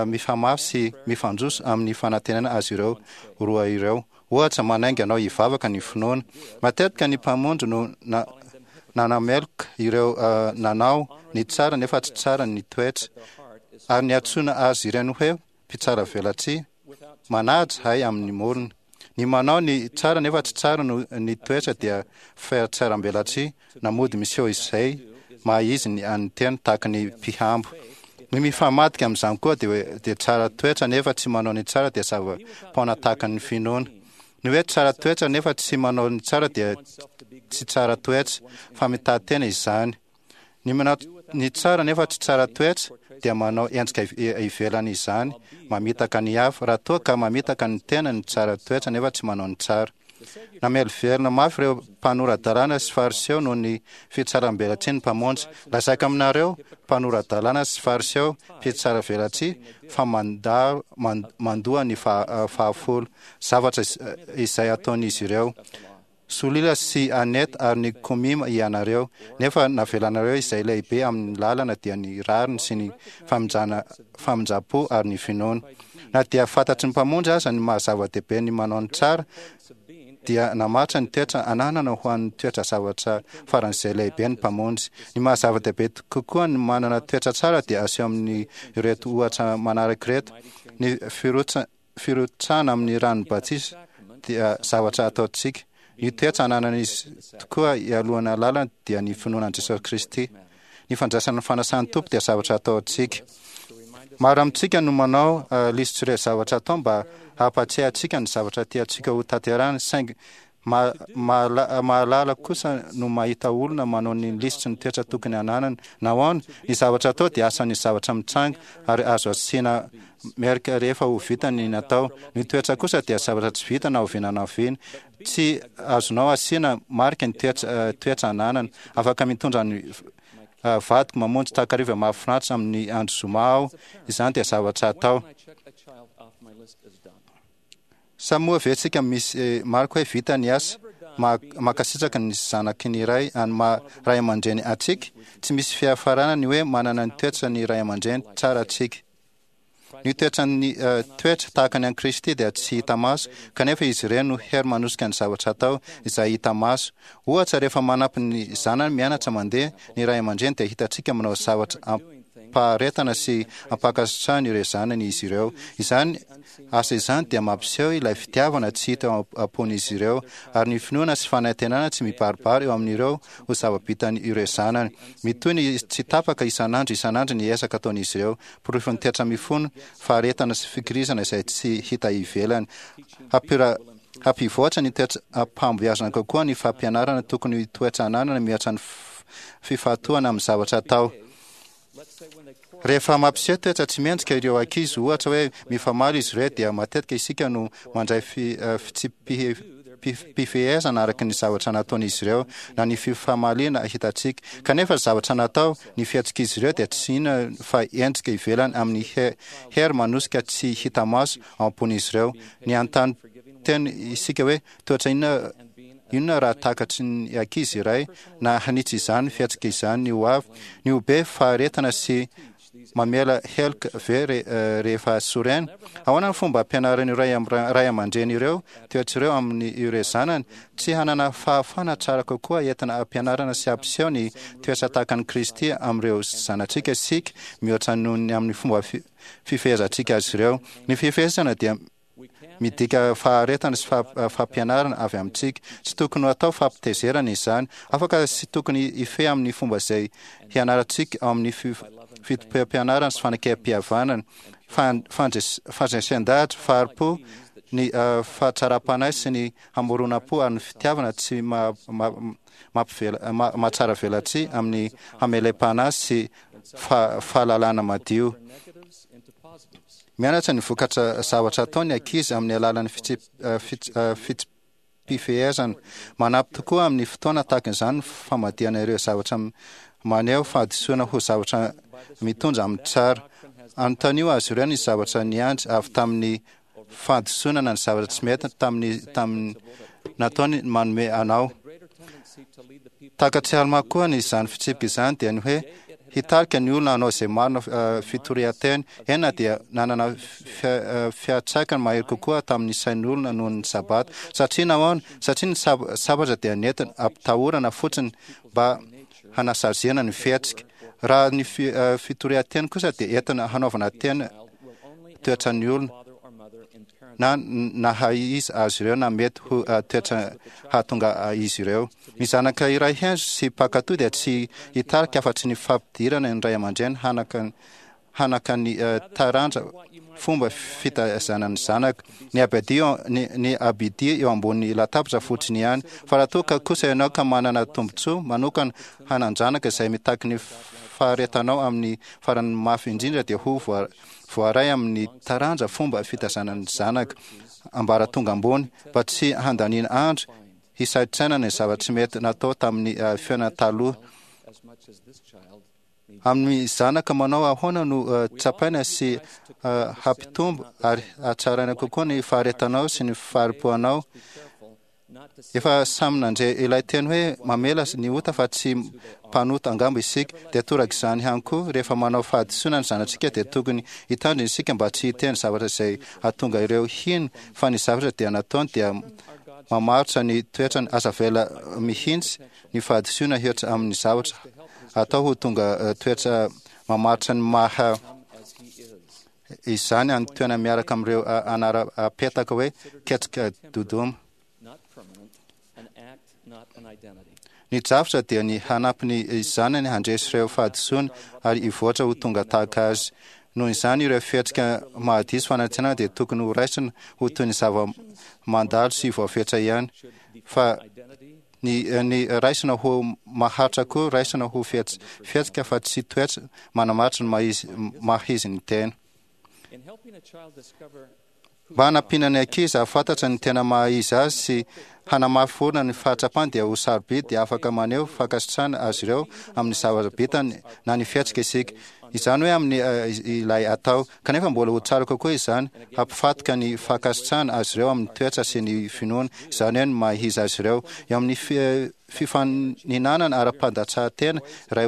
mifamafy sy mifandroso amin'ny fanantenana azy ireo roa ireo. Ohatra, manainga anao hivavaka ny finoana. Matetika ny Mpamonjy no nanameloka ireo nanao ny tsara nefa tsy tsara ny toetra, ary niantsoana azy ireny hoe mpitsara velatsihy, manaja hay amin'ny morona. Ny manao ny tsara nefa tsy tsara no ny toetra dia fihatsarambelatsihy na mody miseho izay maha izy ny an'ny tena tahaka ny mpihambo. Ny mifamadika amin'izany koa dia dia tsara toetra nefa tsy manao ny tsara dia zava-poana tahaka ny finoana. Ny hoe tsara toetra nefa tsy manao ny tsara dia tsy tsara toetra fa mitady tena izany. Ny manao ny tsara nefa tsy tsara toetra dia manao endrika ivelany izany, mamitaka ny hafa, raha toa ka mamitaka ny tena ny tsara toetra nefa tsy manao ny tsara. Namelovelona mafy ireo mpanora-dalàna sy Fariseo noho ny fitsaram-belatsihy ny Mpamonjy. Lazaiko aminareo, mpanora-dalàna sy Fariseo, mpitsaravelatsihy, fa mandà mandoa ny fahafolo, zavatra izay ataon'izy ireo. Solila sy Annette ary ny Komima ianareo, nefa navelanareo izay lehibe amin'ny lalana dia ny rariny sy ny famindrana famindram-po ary ny finoana. Na dia fantatry ny Mpamonjy aza ny maha zava-dehibe ny manao ny tsara, dia namaritra ny toetra ananana ho an'ny toetra zavatra faran'izay lehibe ny Mpamonjy. Ny maha zava-dehibe kokoa ny manana toetra tsara dia aseho amin'ny ireto ohatra manaraka ireto, ny firotsa Firotsahana amin'ny ranon'ny batisa dia zavatra ataontsika. Ny toetra ananan'izy tokoa hialohana lalana dia ny finoana an'i Jesosy Kristy. Ny fandraisana ny fanasan'ny Tompo dia zavatra ataontsika. Maro amintsika no manao lisitr'ireo zavatra atao mba hampatsiahy antsika ny zavatra tiantsika ho tanterahina, saingy Mahalala kosa no mahita olona manao ny lisitry ny toetra tokony hananany. Nahoana? Ny zavatra atao dia asan'ny zavatra mitranga ary azo asiana merika rehefa ho vita ny natao. Ny toetra kosa dia zavatra tsy vita na oviana na oviana. Tsy azonao asiana marika ny toetra ananana. Afaka mitondra ny vadiko mamonjy takariva mahafinaritra amin'ny andro zoma aho. Izany dia zavatra atao. Sa moa ve tsika misy marika hoe vita ny asa? Mankasitraka ny zanaky ny ray any maha ray aman-dreny antsika? Tsy misy fiafarana ny hoe manana ny toetra ny ray aman-dreny tsara antsika. Ny toetran'ny toetra tahaka ny an'i Kristy dia tsy hita maso, kanefa izy ireny no hery manosika ny zavatra atao izay hita maso. Ohatra, rehefa manampy ny zanany mianatra mandeha ny ray aman-dreny dia hitantsika manao zavatra am-paharetana sy am-pankasitrahana ireo zanany izy ireo. Izany Asa izany dia mampiseho ilay fitiavana tsy hita eo am-pon'izy ireo, ary ny finoana sy fanantenana tsy mibaribary eo amin'ireo ho zava-bitan' ireo zanany. Mitohy ny tsy tapaka isan'andro isan'andro ny ezaka ataon'izy ireo, porofon'ny toetra mifono faharetana sy fikirizana izay tsy hita ivelany. Hampira Hampivoatra ny toetra am-pahombiazana kokoa ny fampianarana tokony ho toetra ananana mihoatra ny fifantohana amin'ny zavatra atao. Rehefa mampiseho toetra tsy mendrika ireo ankizy, ohatra hoe mifamaly izy ireo, dia matetika isika no mandray fitsipi-pifehezana araka ny zavatra nataon'izy ireo na ny fifamaliana hitantsika. Kanefa ny zavatra natao, ny fihetsik'izy ireo dia tsy inona fa endrika ivelany amin'ny hery manosika tsy hita maso ao am-pon'izy ireo. Ny hanontany tena isika hoe, Toetra inona Inona raha takatry ny ankizy iray na hanitsy izany fihetsika izany ny ho avy? Ny ho be faharetana sy mamela heloka ve rehefa sorena? Ahoana ny fomba ampianaran'ireo ray ray aman-dreny ireo toetra ireo amin'ny ireo zanany? Tsy hanana fahafahana tsara kokoa entina hampianarana sy hampiseho ny toetra tahaka an'i Kristy amin'ireo zanatsika isika mihoatra noho ny amin'ny fomba fifehezantsika azy ireo. Ny fifehezana dia Midika faharetana sy fampianarana avy amintsika. Tsy tokony ho atao fampitezerana izany. Afaka sy tokony hifehy amin'ny fomba izay hianarantsika ao amin'ny fitopem-pianarana sy fanekempihavanana, fandresen-dahatra, fahari-po, ny fahatsaram-panahy sy ny hamoronam-po ary ny fitiavana tsy mahatsara velatsihy amin'ny hamelem-panahy sy fahalalana madio. Mianatra ny vokatra zavatra atao ny ankizy amin'ny alalan'ny fitsipi-pifehezana. Manampy tokoa amin'ny fotoana tahaka izany ny famadihana ireo zavatra maneho fahadisoana ho zavatra mitondra amin'ny tsara. Anontanio azy ireo ny zavatra niandry avy tamin'ny fahadisoana na ny zavatra tsy mety tamin'ny tamin'ny nataony manome anao. Takatr'i Almà koa ny izany fitsipika izany dia ny hoe hitarika ny olona hanao izay marina fitorian-teny, eny na dia nanana fiantraikany mahery kokoa tamin'ny sain'olona noho ny Sabata. Satria nahoana? Satria ny sabatra dia nentina ampitahorana fotsiny mba hanasaziana ny fihetsika. Raha ny fitorian-teny kosa dia entina hanaovana teny toetran'ny olona na naha izy azy ireo na mety ho toetra hahatonga izy ireo. Ny zanaka iray hendry sy mpankatò dia tsy hitarika afa-tsy ny fampidirana ny ray aman-dreny hanaka hanaka ny taranja fomba fitaizana ny zanaka. Ny abidia ny, ny abidia eo ambony latabatra fotsiny ihany. Fa raha toa ka kosa ianao ka manana tombontsoa manokana hanan-janaka izay mitaky ny faharetanao amin'ny farany mafy indrindra dia ho voaray amin'ny taranja fomba fitaizana ny zanaka ambaratonga ambony mba tsy handaniana andro hisaintsainana ny zava-tsy mety natao tamin'ny fiainana taloha. Amin'ny zanaka manao ahoana no tsapaina sy hampitombo ary hatsaraina kokoa ny faharetanao sy ny fahari-poanao? Efa samy nandre ilay teny hoe mamela ny ota fa tsy mpanota angamba isika. Dia toraka izany ihany koa, rehefa manao fahadisoana ny zanatsika dia tokony hitandrina isika mba tsy hiteny zavatra izay hahatonga ireo hino fa ny zavatra dia nataony dia mamaritra ny toetrany. Aza avela mihitsy ny fahadisoana hihoatra amin'ny zavatra atao ho tonga toetra mamaritra ny maha izany any toerana miaraka amin'ireo anara-petaka hoe ketrika dodoma. Ny drafitra dia ny hanampy ny zanany handresy ireo fahadisoana ary hivoatra ho tonga tahaka azy. Noho izany, ireo fihetsika mahadiso fanantenana dia tokony ho raisina ho toy ny zava-mandalo sy voafetra ihany, fa ny ny raisina ho maharitra koa raisina ho fihetsika fa tsy toetra manamaritra ny maha-izy maha-izy ny tena. Mba hanampiana ny ankizy hahafantatra ny tena maha-izy azy sy hanamafy orina ny fahatsapany dia ho sarobidy dia afaka maneho fankasitrahana azy ireo amin'ny zavatra bitany na ny fihetsika isika. Izany hoe amin'ny ilay atao. Kanefa mbola ho tsara kokoa izany hampifatoka ny fankasitrahana azy ireo amin'ny toetra sy ny finoana, izany hoe ny maha-izy azy ireo. Eo amin'ny fifaninanana ara-pandatsahan-tena iray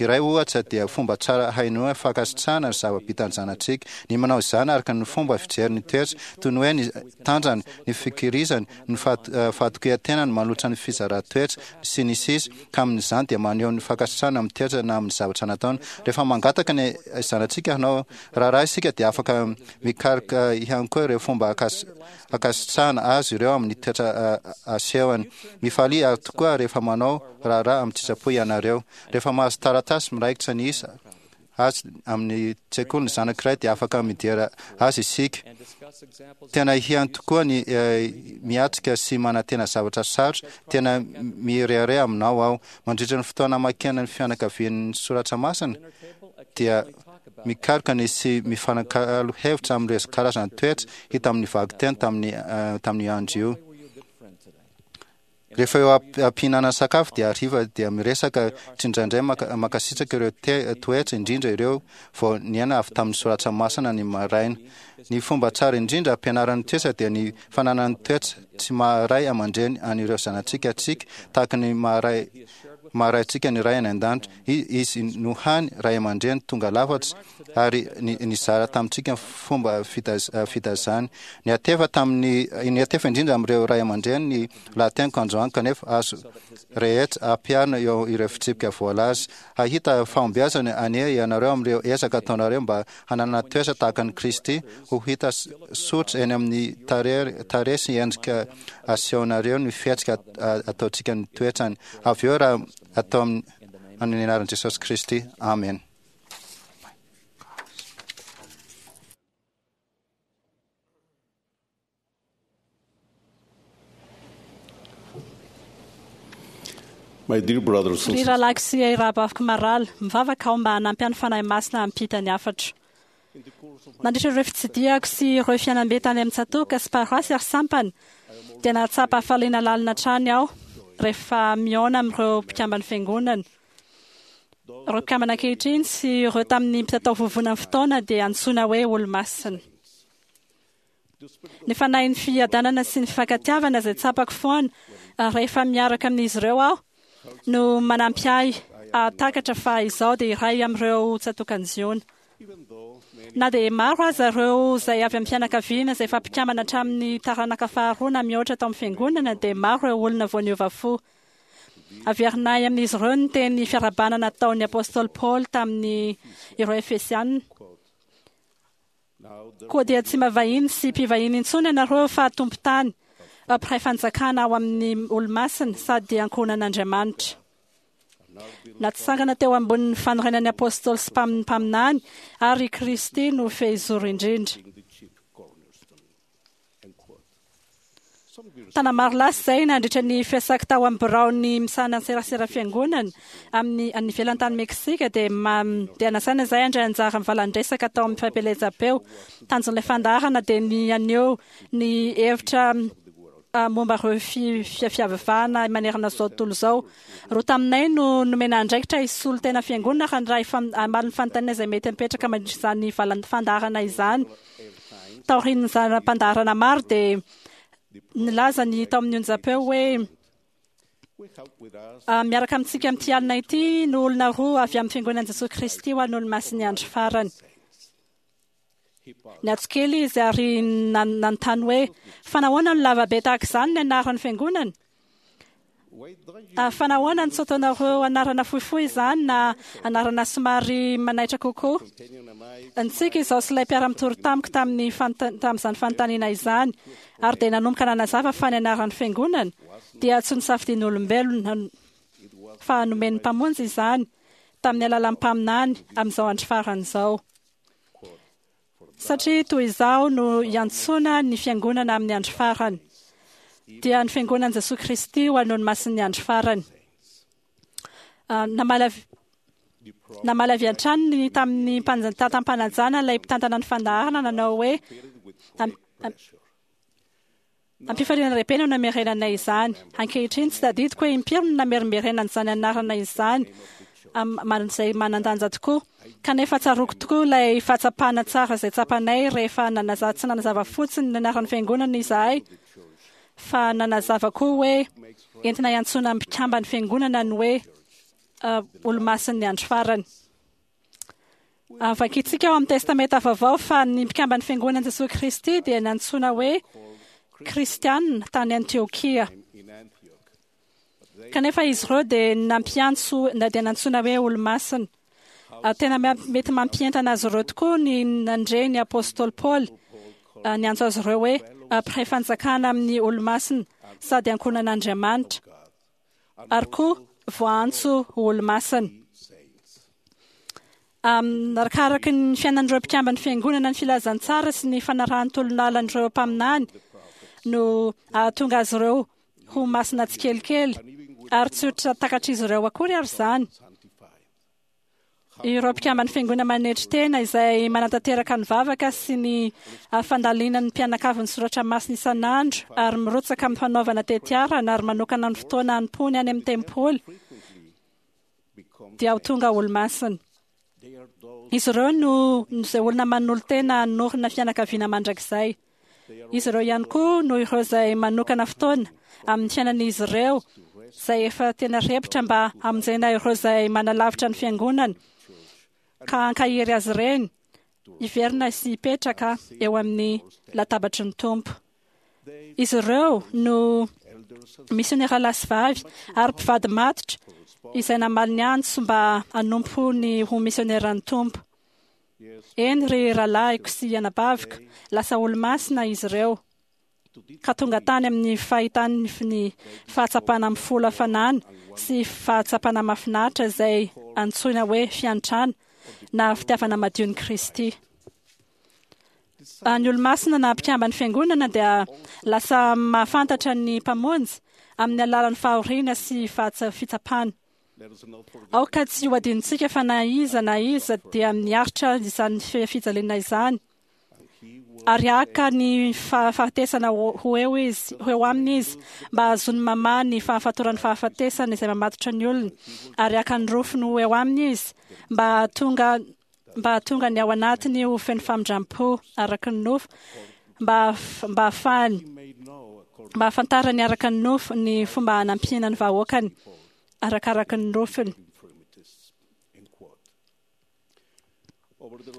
iray ohatra dia fomba tsara hainoana fankasitrahana ny zava-bitan'ny zanatsika. Ny manao izany araka ny fomba fijery ny toetra, toy ny hoe ny tanjany, ny fikirizany, ny fahatokian-tenany manolotra ny fizaran-toetra, sy ny sisa, ka amin'izany dia maneho ny fankasitrahana amin'ny toetra na amin'ny zavatra nataony. Rehefa mangataka ny zanatsika hanao raharaha isika dia afaka mikaroka ihany koa ireo fomba hankasitrahana azy ireo amin'ny toetra asehony. Mifalia ary tokoa rehefa manao raharaha amin-tsitrapo ianareo. Rehefa mahazo taratasy miraikitra ny isa azy amin'ny tsekoly ny zanak'iray dia afaka midera azy isika. Tena ihany tokoa ny miatrika sy manantena zavatra sarotra. Tena mirehareha aminao aho. Mandritra ny fotoana amakiana ny fianakavian'ny soratra masina dia mikaroka ny sy mifanakalo hevitra amin'ireo karazana toetra hita amin'ny vakiteny tamin'ny tamin'io andro io. Rehefa eo am-pihinanana sakafo dia hariva dia miresaka tsindraindray mankasitraka ireo toetra indrindra ireo vao niaina avy tamin'ny soratra masina ny maraina. Ny fomba tsara indrindra ampianarana ny toetra dia ny fananana ny toetra tsy maha ray aman-dreny an'ireo zanatsika antsika tahaka ny maha ray maha raintsika ny Ray any An-danitra. Izy no hany ray aman-dreny tonga lafatra ary nizara tamintsika ny fomba fitaizany. Niatefa tamin'ny niatefa indrindra amin'ireo ray aman-dreny ny lahateniko androany kanefa azo rehetra ampiharina eo ireo fitsipika voalaza. Hahita fahombiazana anie ianareo amin'ireo ezaka ataonareo mba hananana toetra tahaka an'i Kristy ho hita soritra eny amin'ny tarehy sy endrika asehonareo ny fihetsika ataontsika ny toetrany. Avy eo raha atao amin'ny anaran'i Jesosy Kristy. Amen. My dear brothers and Ry sisters, rahalahiko sy rahavaviko marala, mivavaka aho mba hanampy ny Fanahy Masina hampita ny hafatro. Nandritra ireo fitsidihako sy ireo fiainam-be tany amin'ny tsatòka sy paroasy ary sampana, dia nahatsapa hafaliana lalina hatrany aho rehefa mihaona amin'ireo mpikamban'ny Fiangonana. Ireo mpikambana ankehitriny sy ireo tamin'ny mpitatao vovonan'ny fotoana dia antsoina hoe Olomasina. Ny fanahin'ny fiadanana sy ny fifankatiavana izay tsapako foana rehefa miaraka amin'izy ireo aho no manampy ahy hahatakatra fa izaho dia iray amin'ireo tsatòkan'i Ziona. Na dia maro aza ireo izay avy amin'ny fianakaviana izay efa mpikambana hatramin'ny taranaka faharoa na mihoatra tao amin'ny Fiangonana dia maro ireo olona vao niova fo. Averinay amin'izy ireo ny teny fiarahabana nataon'ny apostoly Paoly tamin'ny ireo Efesiana. Koa dia tsy mba vahiny sy mpivahiny intsony ianareo fa tompon-tany, mpiray fanjakana ao amin'ny olo-masina sady ankohonan'Andriamanitra. Natsangana teo ambonin'ny fanorenan'ny apostoly sy mpaminany ary i Kristy no fehizoro indrindra. Taona maro lasa izay, nandritra ny fiasako tao amin'ny biraon'ny misahana ny serasera fiangonana amin'ny any ivelany tany Meksika, dia dia nasaina izahay handray anjara amin'ny valan-dresaka tao amin'ny fampielezam-peo. Tanjon'ilay fandaharana dia ny haneho ny hevitra momba ireo fiavivahana manerana izao tontolo izao. Roa taminay no nomena andraikitra hisolo tena fiangonana ary handray hamaly ny fanontaniana izay mety mipetraka mandritra izany valan-fandaharana izany. Taorian'ny zana-pandaharana maro dia nilaza ny tao amin'ny onjam-peo hoe miaraka amintsika amin'ity alina ity no olona roa avy amin'ny Fiangonan'i Jesoa Kristy ho an'ny Olomasin'ny Andro Farany. Niantso kely izy ary nanontany hoe, Fa nahoana no lava be tahaka izany ny anaran'ny Fiangonana? Fa nahoana no tsy ataonareo anarana fohifohy izany na anarana somary manaitra kokoa? Nitsiky izaho sy ilay mpiara-mitory tamiko tamin'ny tamin'izany fanontaniana izany, ary dia nanomboka nanazava fa ny anaran'ny Fiangonana dia tsy nosafidian'olombelona, fa nomen'ny Mpamonjy izany tamin'ny alalan'ny mpaminany amin'izao andro farany izao. Satria toy izaho no iantsoana ny Fiangonana amin'ny andro farany, dia ny Fiangonan'i Jesoa Kristy ho an'ny Olomasin'ny andro farany. Namaly avy namaly avy hatrany ny tamin'ny tantam-panajana ilay mpitantana ny fandaharana nanao hoe, Am-pifaliana lehibe no namerenanay izany. Ankehitriny, tsy tadidiko hoe impiry no namerimberenana izany anarana izany, izay manan-danja tokoa. Kanefa tsaroako tokoa ilay fahatsapana tsara izay tsapanay rehefa nanazava, tsy nanazava fotsiny ny anaran'ny Fiangonana izahay, fa nanazava koa hoe entina hiantsoana ny mpikamban'ny Fiangonana ny hoe Olomasin'ny Andro Farany. Vakintsika ao amin'ny Testamenta Vaovao fa ny mpikamban'ny Fiangonan'i Jesoa Kristy dia nantsoina hoe Kristiana tany Antiokia. Kanefa izy ireo dia nampiantso na dia nantsoina hoe olomasina. Tena mety mampientana azy ireo tokoa ny nandre ny apostoly Paoly niantso azy ireo hoe mpiray fanjakana amin'ny olomasina sady ankohonan'Andriamanitra. ary koa voaantso ho olomasina. Arakaraka ny fiainan'ireo mpikamban'ny Fiangonana ny filazantsara sy ny fanarahan'ny tolon'alan'ireo mpaminany no ahatonga azy ireo ho masina tsikelikely, ary tsy ho takatr'izy ireo akory ary izany. Ireo mpikamban'ny Fiangonana manetry tena izay manatanteraka ny vavaka sy ny fandalinan'ny mpianakavy ny soratra masina isan'andro ary mirotsaka amin'ny fanaovana tetiarana ary manokana ny fotoana hanompoany any amin'ny tempoly dia ho tonga olomasina. Izy ireo no izay olona manolo-tena hanorina fianakaviana mandrakizay. Izy ireo ihany koa no ireo izay manokana fotoana amin'ny fiainan'izy ireo izay efa tena repotra mba hamonjena ireo izay manalavitra ny fiangonana ka hankahery azy ireny hiverina sy hipetraka eo amin'ny latabatry ny Tompo. Izy ireo no misionera lahy sy vavy ary mpivady matotra izay namaly ny antso mba hanompo ny ho misioneran'ny Tompo. Eny ry rahalahiko sy anabaviko, lasa olo-masina izy ireo, ka tonga tany amin'ny fahitany ny fahatsapana mifolo hafanana sy fahatsapana mahafinaritra izay antsoina hoe fiantrana na fitiavana madion'i Kristy. Ny olo-masina na mpikamban'ny Fiangonana dia lasa mahafantatra ny Mpamonjy. amin'ny alalan'ny fahoriana sy fitsapana. Aoka tsy ho adinontsika fa na iza na iza dia miaritra izany fijaliana izany ary haka ny fahafatesana ho eo izy, ho eo aminy izy, mba hahazoany mamaha ny fahafatoran'ny fahafatesana izay mamatotra ny olony, ary haka ny rofiny ho eo aminy izy, mba hahatonga mba hahatonga ny ao anatiny ho feno famindram-po araka ny nofo, mba mba hahafahany mba hahafantarany araka ny nofo ny fomba hanampiana ny vahoakany arakaraka ny nofiny.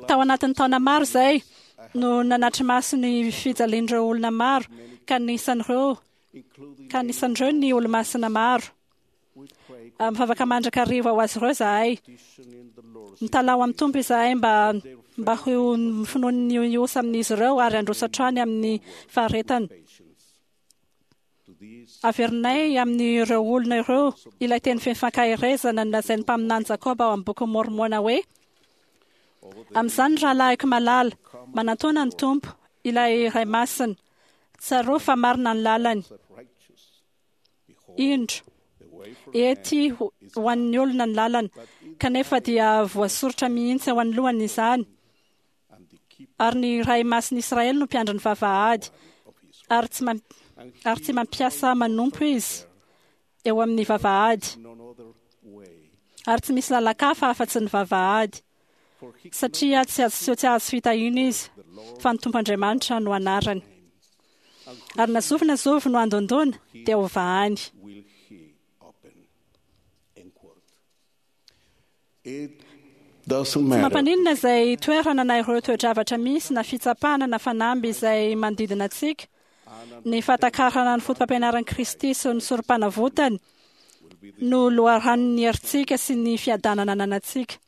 Tao anatin'ny taona maro izay no nanatri-maso ny fijalian'ireo olona maro, ka anisan'ireo ka anisan'ireo ny olomasina maro. Mivavaka mandrakariva ho azy ireo izahay. Mitalaho amin'ny Tompo izahay mba mba ho finoan'ny osa amin'izy ireo ary handroso hatrany amin'ny faharetana. Averinay amin'ireo olona ireo ilay teny feno fankaherezana nolazain'ny mpaminany Jakoba ao amin'ny Bokin'i Môrmôna hoe, Amin'izany, ry rahalahiko malala, manantòna ny Tompo, ilay Ray Masina. Tsarovy fa marina ny lalany. Indro, ety ho an'ny olona ny lalana, kanefa dia voasoritra mihitsy eo anoloany izany. Ary ny Ray Masin'i Israely no mpiandry ny vavahady, ary tsy ary tsy mampiasa manompo izy eo amin'ny vavahady, ary tsy misy lalan-kafa afa-tsy ny vavahady, satria tsy azo tsy azo fitahiana izy, fa ny Tompo Andriamanitra no anarany. Ary na zovy na zovy no handondòna, dia hovahany. Tsy mampaninona izay toerana na ireo toe-javatra misy na fitsapana na fanamby izay manodidina antsika, ny fahatakarana ny fotopampianaran'i Kristy sy ny Sorompanavotany no loharanon'ny herintsika sy ny fiadanana ananantsika.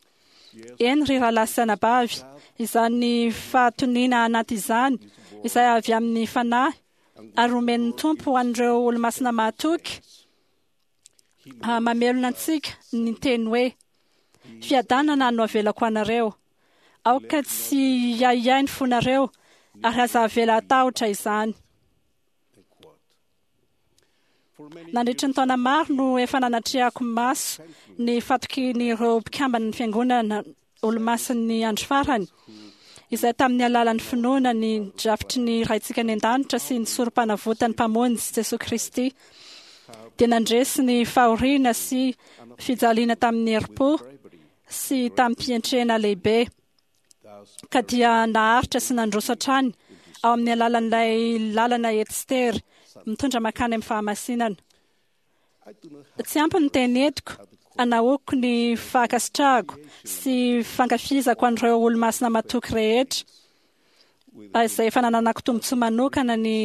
Eny ry rahalahy sy anabavy, izany fahatoniana anaty izany, izay avy amin'ny Fanahy ary omen'ny Tompo ho an'ireo olomasina mahatoky, mamelona antsika ny teny hoe, Fiadanana no avelako anareo. Aoka tsy hiahiahy ny fonareo, ary aza avela hatahotra izany. Nandritry ny taona maro no efa nanatrehako maso ny fatokian'ireo mpikamban'ny Fiangonana Olomasin'ny Andro Farany, izay tamin'ny alalan'ny finoana ny drafitry ny Raintsika any An-danitra sy ny Sorompanavotan'ny Mpamonjy Jesoa Kristy, dia nandresy ny fahoriana sy fijaliana tamin'ny herim-po sy tamim-pientrena lehibe, ka dia naharitra sy nandroso hatrany ao amin'ny alalan'ilay lalana ety sy tery mitondra mankany amin'ny fahamasinana. Tsy ampy ny teny entiko hanahoako ny fankasitrahako sy fankafizako an'ireo olomasina matoky rehetra izay efa nananako tombontsoa manokana ny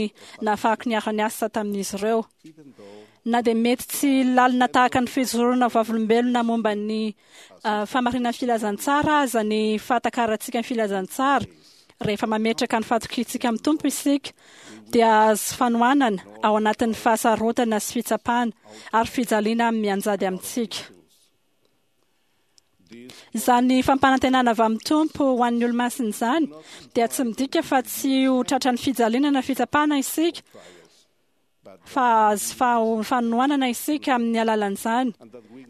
nahafahako niara-niasa tamin'izy ireo. Na dia mety tsy lalina tahaka ny fijoroana vavolombelona momba ny fahamarinan'ny filazantsara aza ny fahatakarantsika ny filazantsara, rehefa mametraka ny fatokiantsika amin'ny Tompo isika, dia hahazo fanohanana ao anatin'ny fahasarotana sy fitsapana ary fijaliana mianjady amintsika. Izany fampanantenana avy amin'ny Tompo ho an'ny olomasina izany dia tsy midika fa tsy ho tratran'ny fijaliana na fitsapana isika, fa hahazo fanohanana isika amin'ny alalan'izany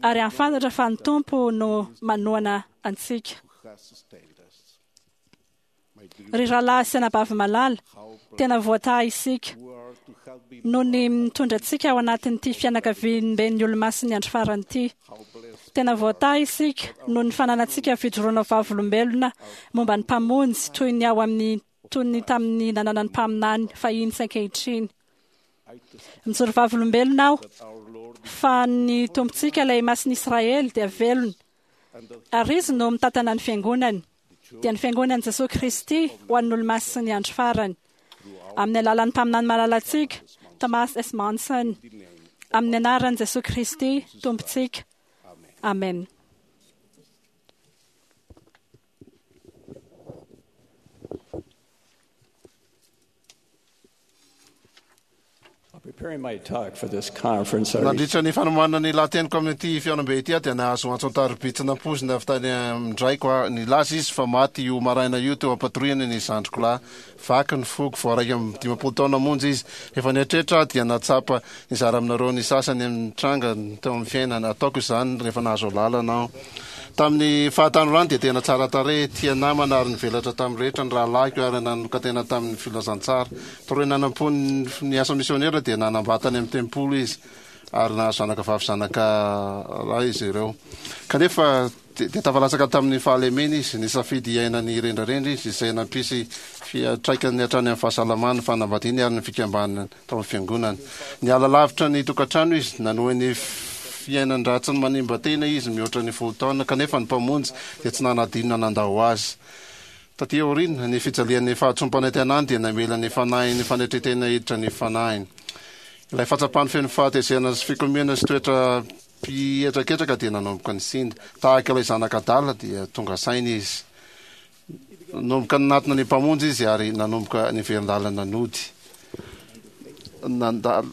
ary hahafantatra fa ny Tompo no manohana antsika. Ry rahalahy sy anabavy malala, tena voatahy isika noho ny mitondra antsika ao anatin'ity fianakaviamben'ny Olomasin'ny Andro Farany ity. Tena voatahy isika noho ny fananantsika fijoroana vavolombelona momba ny Mpamonjy toy ny ao amin'ny toy ny tamin'ny nananan'ny mpaminany fahiny sy ankehitriny. Mijoro vavolombelona aho fa ny Tompontsika ilay Masin'i Israely dia velona ary Izy no mitantana ny Fiangonany, dia ny Fiangonan'i Jesoa Kristy ho an'ny Olomasin'ny Andro Farany, amin'ny alalan'ny mpaminany malalantsika, Thomas S. Monson, amin'ny anaran'i Jesoa Kristy Tompontsika. Amena. Preparing my talk for this conference, I Nandritra ny fanomanana ny lahateniko amin'ity fihaonambe ity aho dia nahazo antso an-tariby tsy nampoizina avy tany amin-draiko aho. Nilaza izy fa maty io maraina io teo am-patoriana ny zandriko lahy. Vaky ny foko, vao 51 taona monja izy. Rehefa nieritreritra aho dia nahatsapa nizara aminareo ny sasany amin'ny tranga teo amin'ny fiainana. Ataoko izany rehefa nahazo alalana aho. Tamin'ny fahatanorany dia tena tsara tarehy, tia namana ary nivelatra tamin'ny rehetra ny rahalahiko ary nanokan-tena tamin'ny filazantsara. Taorian'ny nanampoany ny asa misionera dia nanambady tany amin'ny tempoly izy ary nahazo zanaka vavy zanaka lahy izy ireo. Kanefa dia tafalatsaka tamin'ny fahalemena izy, nisafidy hiaina ny rendrarendra izy izay nampisy fiantraikany hatrany amin'ny fahasalamany, ny fanambadiany ary ny fikambanany tao amin'ny fiangonana. Niala lavitra ny tokantrano izy, nanohy ny fiainan-dratsiny manimba tena izy mihoatra ny folo taona, kanefa ny Mpamonjy dia tsy nanadino na nandao azy. Taty aoriana, ny fijalian'ny fahatsoam-panantenany dia namela ny fanahin'ny fanetren-tena hiditra ny fanahiny. Ilay fahatsapany feno fahatezerana sy fikomiana sy toetra mpihetraketraka dia nanomboka nisinda. Tahaka ilay zanaka adala dia tonga saina izy. Nanomboka nanatona ny Mpamonjy izy ary nanomboka niverin-dalana nody. Nandalo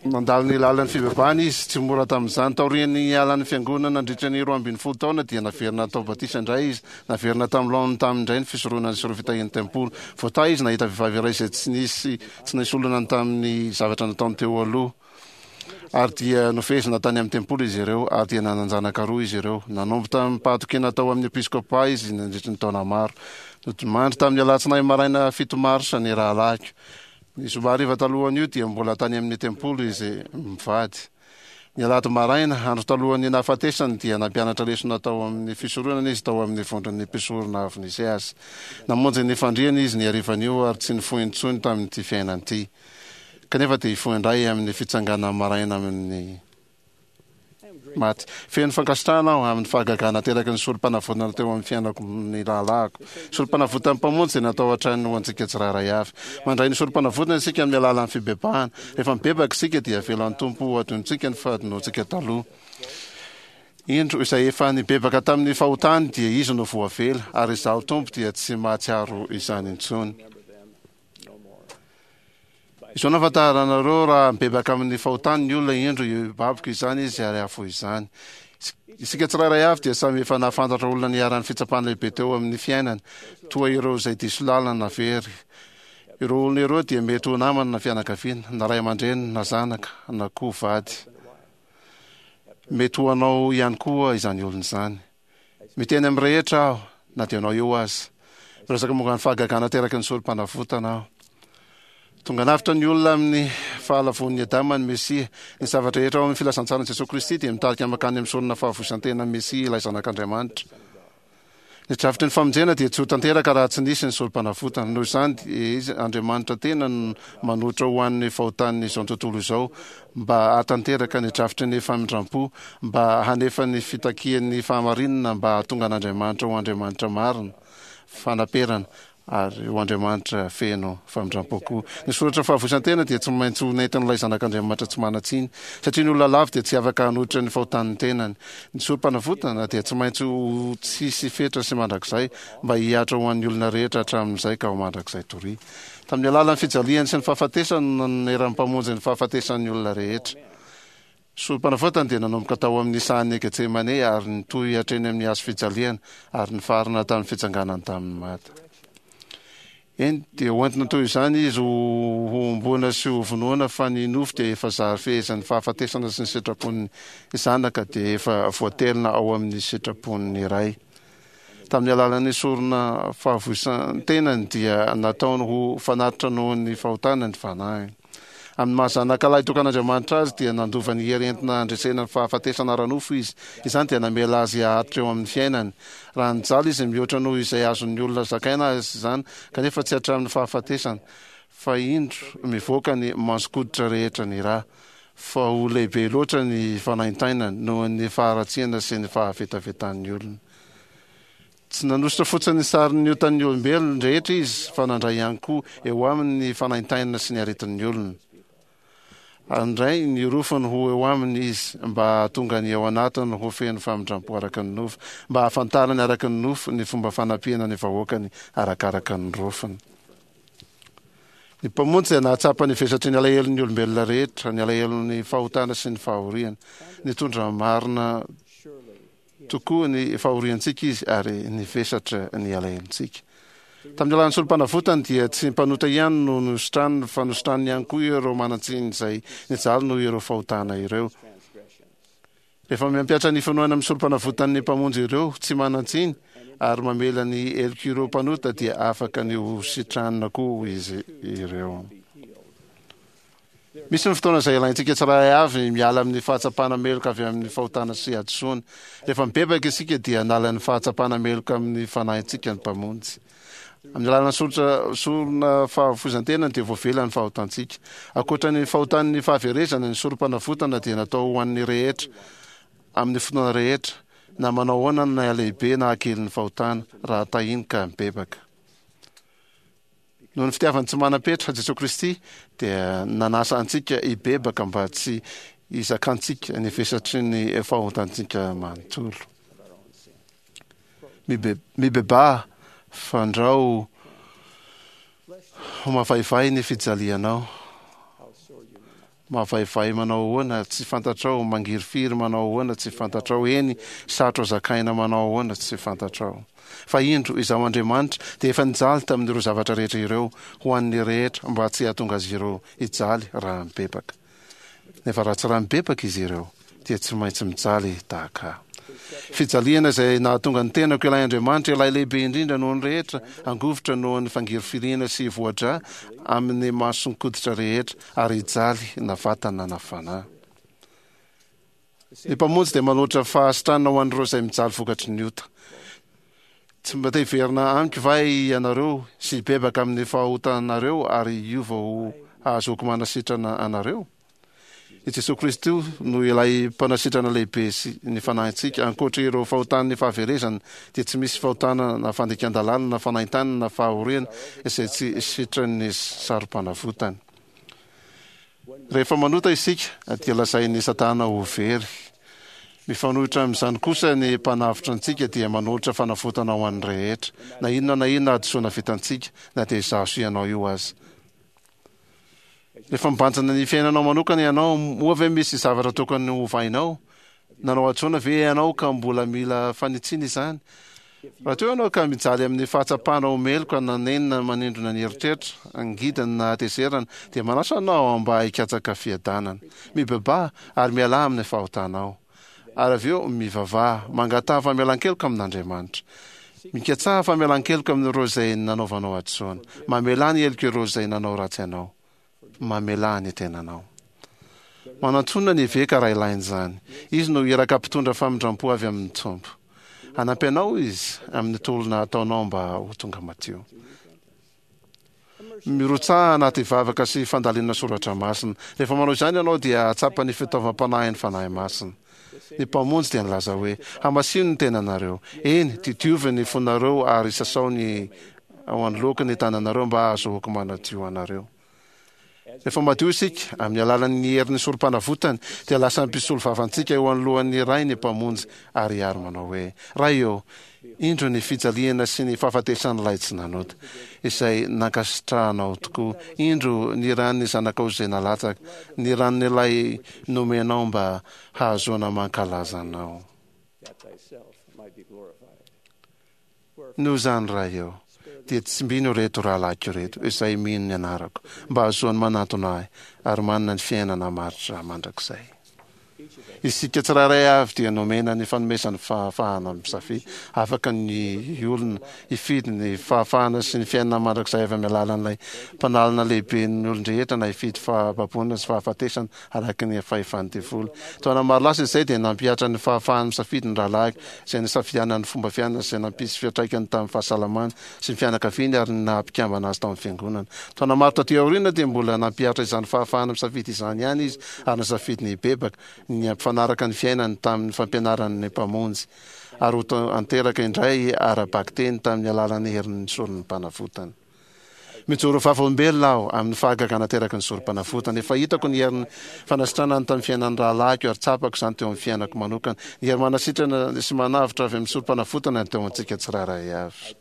Nandalo ny lalan'ny fibebahana izy, tsy mora tamin'izany. Taorian'ny nialan'ny fiangonana nandritra ny 12 taona dia naverina natao batisa indray izy. Naverina tamin'ny laoniny taminy indray ny fisoronana sy ireo fitahian'ny tempoly. Voatahy izy nahita vehivavy iray izay tsy nisy tsy nisy olana tamin'ny zavatra nataony teo aloha. Ary dia nofehezina tany amin'ny tempoly izy ireo, ary dia nanan-janaka roa izy ireo. Nanompo tamim-pahatokiana tao amin'ny episkôpà izy nandritry ny taona maro. Nodimandry tamin'ny alatsinainy maraina 7 marsa ny rahalahiko. Ny zoma hariva talohan'io dia mbola tany amin'ny tempoly izy mivady. Ny alahady maraina, andro talohan'ny nahafatesany, dia nampianatra lesona tao amin'ny fisoronana izy tao amin'ny vondron'ny mpisorona avy nisy azy. Namonjy ny fandriana izy ny harivan'io ary tsy nifoha intsony tamin'ity fiainana ity. Kanefa dia hifoha indray amin'ny fitsanganana maraina amin'ny maty. Feno fankasitrahana aho amin'ny fahagagana ateraky ny sorom-panavotana teo amin'ny fiainako ny rahalahiko. Sorom-panavotan'ny Mpamonjy dia natao hatrany ho antsika tsirairay avy. Mandray ny sorom-panavotana isika amin'ny alalan'ny fibebahana. Rehefa mibebaka isika dia avelan'ny Tompo ho adinontsika ny fahadinoantsika taloha. Indro, izay efa nibebaka tamin'ny fahotany dia izy no voavela, ary Izaho Tompo dia tsy mahatsiaro izany intsony. Izao no ahafantaranareo raha mibebaka amin'ny fahotany ny olona, indro hibaboka izany izy ary hahafoy izany. Isika tsirairay avy dia samy efa nahafantatra olona niharan'ny fitsapana lehibe teo amin'ny fiainany, toa ireo izay diso lalana na very. Ireo olona ireo dia mety ho namana na fianakaviana, na ray aman-dreny, na zanaka, na koa vady. Mety ho anao ihany koa izany olona izany. Miteny amin'ny rehetra aho, na dia anao eo aza. Miresaka momba ny fahagagana ateraky ny sorom-panavotana aho. Tonga navotra ny olona amin'ny fahalavoan'i Adama ny Mesia. Ny zavatra rehetra ao amin'ny filazantsaran'i Jesoa Kristy dia mitarika mankany amin'ny sorona fahavoizan-tena Mesia ilay Zanak'Andriamanitra. Ny drafitry ny famonjena dia tsy ho tanteraka raha tsy nisy ny sorom-panavotana. Noho izany dia Izy, Andriamanitra tena, no manoatra ho an'ny fahotan'izao tontolo izao, mba hahatanteraka ny drafitry ny famindram-po, mba hanefa ny fitakian'ny fahamarinana, mba hahatonga an'Andriamanitra ho Andriamanitra marina, fanaperana, ary ho Andriamanitra feno famindram-po koa. Ny soratra fahavoizan-tena dia tsy maintsy ho nentin'ilay Zanak'Andriamanitra tsy manan-tsiny, satria ny olona lavo dia tsy afaka hanohitra ny fahotan'ny tenany. Ny sorom-panavotana dia tsy maintsy ho tsisy fetra sy mandrakizay, mba hihatra ho an'ny olona rehetra hatramin'izay ka ho mandrakizay doria. Tamin'ny alalan'ny fijaliany sy ny fahafatesany no nanoneran'ny Mpamonjy ny fahafatesan'ny olona rehetra. Sorom-panavotana dia nanomboka tao amin'ny sahan'i Getsemane ary nitohy hatreny amin'ny hazo fijaliana ary nifarana tamin'ny fitsanganany tamin'ny maty. Eny, dia hoentina toy izany izy ho hohomboana sy hovonoina, fa ny nofo dia efa zary fehezan'ny fahafatesana sy ny sitrapon'ny Zanaka dia efa voatelina ao amin'ny sitrapon'ny Ray. Tamin'ny alalan'ny sorona fahavoisan-tenany dia nataony ho fanatitra noho ny fahotana ny fanahiny. Amin'ny maha zanaka lahy tokan'Andriamanitra azy dia nandova ny hery entina handresena ny fahafatesana ara-nofo izy. Izany dia namela azy haharitra eo amin'ny fiainany. Raha nijaly izy mihoatra noho izay azon'ny olona zakaina aza izany, kanefa tsy hatramin'ny fahafatesana, fa indro mivoaka ny mason-koditra rehetra ny ra, fa ho lehibe loatra ny fanaintainany noho ny faharatsiana sy ny fahavetavetan'ny olona. Tsy nanosotra fotsiny ny sarin'ny otan'ny olombelona rehetra izy, fa nandray ihany koa eo aminy ny fanaintainana sy ny aretin'ny olona. Handray ny rofiny ho eo aminy izy, mba hahatonga ny ao anatiny ho feno famindrampo araka ny nofo, mba hahafantarany araka ny nofo ny fomba fanampiana ny vahoakany arakaraka ny rofiny. Ny Mpamonjy dia nahatsapa ny vesatry ny alahelon'ny olombelona rehetra, ny alahelon'ny fahotana sy ny fahoriana. Nitondra marina tokoa ny fahoriantsika Izy ary nivesatra ny alahelontsika. Tamin'ny alalan'ny Sorompanavotany dia tsy mpanota ihany no nositraniny fa nositraniny ihany koa ireo manan-tsiny izay nijaly noho ireo fahotana ireo. Rehefa mampihatra ny finoana amin'ny Sorompanavotan'ny Mpamonjy ireo tsy manan-tsiny ary mamela ny helok'ireo mpanota dia afaka ny ho sitranina koa izy ireo. Misy ny fotoana izay ilaintsika tsirairay avy miala amin'ny fahatsapana meloka avy amin'ny fahotana sy hadisoana. Rehefa mibebaka isika dia hanala ny fahatsapana meloka amin'ny fanahintsika ny Mpamonjy. Amin'ny alalan'ny soritra sorona fahafoizan-tena dia voavela ny fahotantsika. Ankoatra ny fahotan'ny fahaverezana, ny sorom-panavotana dia natao ho an'ny rehetra, amin'ny fotoana rehetra, na manao ahoana ny halehibe na hakelin'ny fahotana, raha tahiny ka mibebaka. Noho ny fitiavany tsy manam-petra, Jesoa Kristy dia nanasa antsika hibebaka mba tsy hizakantsika ny vesatry ny fahotantsika manontolo. Mibebaha fandrao ho mavaivay ny fijalianao. Mavaivay manao ahoana tsy fantatrao, mangirifiry manao ahoana tsy fantatrao, eny, sarotra zakaina manao ahoana tsy fantatrao. Fa indro, Izaho Andriamanitra dia efa nijaly tamin'ireo zavatra rehetra ireo ho an'ny rehetra mba tsy hahatonga azy ireo hijaly raha mibebaka. Nefa raha tsy raha mibebaka izy ireo, dia tsy maintsy mijaly tahaka ahy. Fijaliana izay nahatonga ny tenako ilay Andriamanitra, ilay lehibe indrindra noho ny rehetra, hangovitra noho ny fangirifiriana sy hivoa-drà amin'ny mason-koditra rehetra, ary hijaly na vatana na fanahy. Ny Mpamonjy dia manolotra fahasitranana ho an'ireo izay mijaly vokatry ny ota. Tsy mba te hiverina amiko va ianareo sy hibebaka amin'ny fahotanareo ary hiova ho hahazoako manasitrana anareo? I Jesoa Kristy no ilay Mpanasitrana lehibe sy ny fanahintsika. Ankoatra ireo fahotan'ny fahaverezana, dia tsy misy fahotana na fandikan-dalàna na fanaintainana na fahoriana izay tsy sitran'ny saro-panavotany. Rehefa manota isika, dia lazain'i Satana ho very. Mifanohitra amin'izany kosa, ny Mpanavotra antsika dia manolotra fanavotana ho an'ny rehetra, na inona na inona hadisoana vitantsika, na dia izaho sy ianao io aza. Rehefa mibanjina ny fiainanao manokana ianao, moa ve misy zavatra tokony hovainao? Nanao hadisoana ve ianao ka mbola mila fanitsiana izany? Raha toa ianao ka mijaly amin'ny fahatsapana ho meloka na nenina manindrona ny eritreritra, angidina na hatezerana, dia manasa anao aho mba hikatsaka fiadanana. Mibebaha ary mialà amin'ny fahotanao. Ary avy eo mivavaha, mangataha famelan-keloka amin'Andriamanitra. Mikatsaha famelan-keloka amin'ireo izay nanaovanao hadisoana. Mamelà ny helok'ireo izay nanao ratsy anao. Mamelà ny tenanao. Manantòna ny eveka raha ilaina izany. Izy no iraka mpitondra famindram-po avy amin'ny Tompo. Hanampy anao izy amin'ny tolona ataonao mba ho tonga madio. Mirotsaha anaty vavaka sy fandalinana soratra masina. Rehefa manao izany ianao dia hahatsapa ny fitaovam-panahin'ny Fanahy Masina. Ny Mpamonjy dia nilaza hoe, Hamasino ny tenanareo. Eny, didiovy ny fonareo ary sasao ny ao anoloako ny tananareo mba hahazoako manadio anareo. Rehefa madio isika, amin'ny alalan'ny herin'ny Sorompanavotany, dia lasa mpisolo vavantsika eo anoloan'ny Ray ny Mpamonjy ary ary manao hoe, Ray ô, indro ny fijaliana sy ny fahafatesan'ilay tsy nanota, izay nankasitrahanao tokoa. Indro ny ran'ny Zanakao izay nalatsaka, ny ran'ilay nomenao mba hahazoana mankalaza Anao. Noho izany, Ray ô, dia tsimbino ireto rahalahiko ireto, izay mino ny anarako, mba hahazoany manantona Ahy, ary manana ny fiainana maharitra mandrakizay. Isika tsirairay avy dia nomena ny fanomezan'ny fahafahana misafidy. Afaka ny olona hifidy ny fahafahana sy ny fiainana mandrakizay avy amin'ny alalan'ilay Mpanalana lehiben'ny olon-drehetra na hifidy fahababoana sy fahafatesana araka ny fahefan'ny devoly. Taona maro lasa izay dia nampihatra ny fahafahany misafidy ny rahalahiko, izay nisafidianany ny fomba fiainana izay nampisy fiantraikany tamin'ny fahasalamany sy ny fianakaviany ary ny naha-mpikambana azy tao amin'ny Fiangonana. Taona maro taty aoriana dia mbola nampihatra izany fahafahana misafidy izany ihany izy ary nisafidy ny hibebaka, ny hampifanaraka ny fiainany tamin'ny fampianaran'ny Mpamonjy ary ho tanteraka indray ara-bakiteny tamin'ny alalan'ny herin'ny soron'ny Mpanavotana. Mijoro vavolombelona aho amin'ny fahagagana ateraky ny sorom-panavotana. Efa hitako ny herin'ny fanasitranany tamin'ny fiainan'ny rahalahiko ary tsapako izany teo amin'ny fiainako manokana. Ny hery manasitrana sy manavotra avy amin'ny sorom-panavotana no teo amintsika tsirairay avy.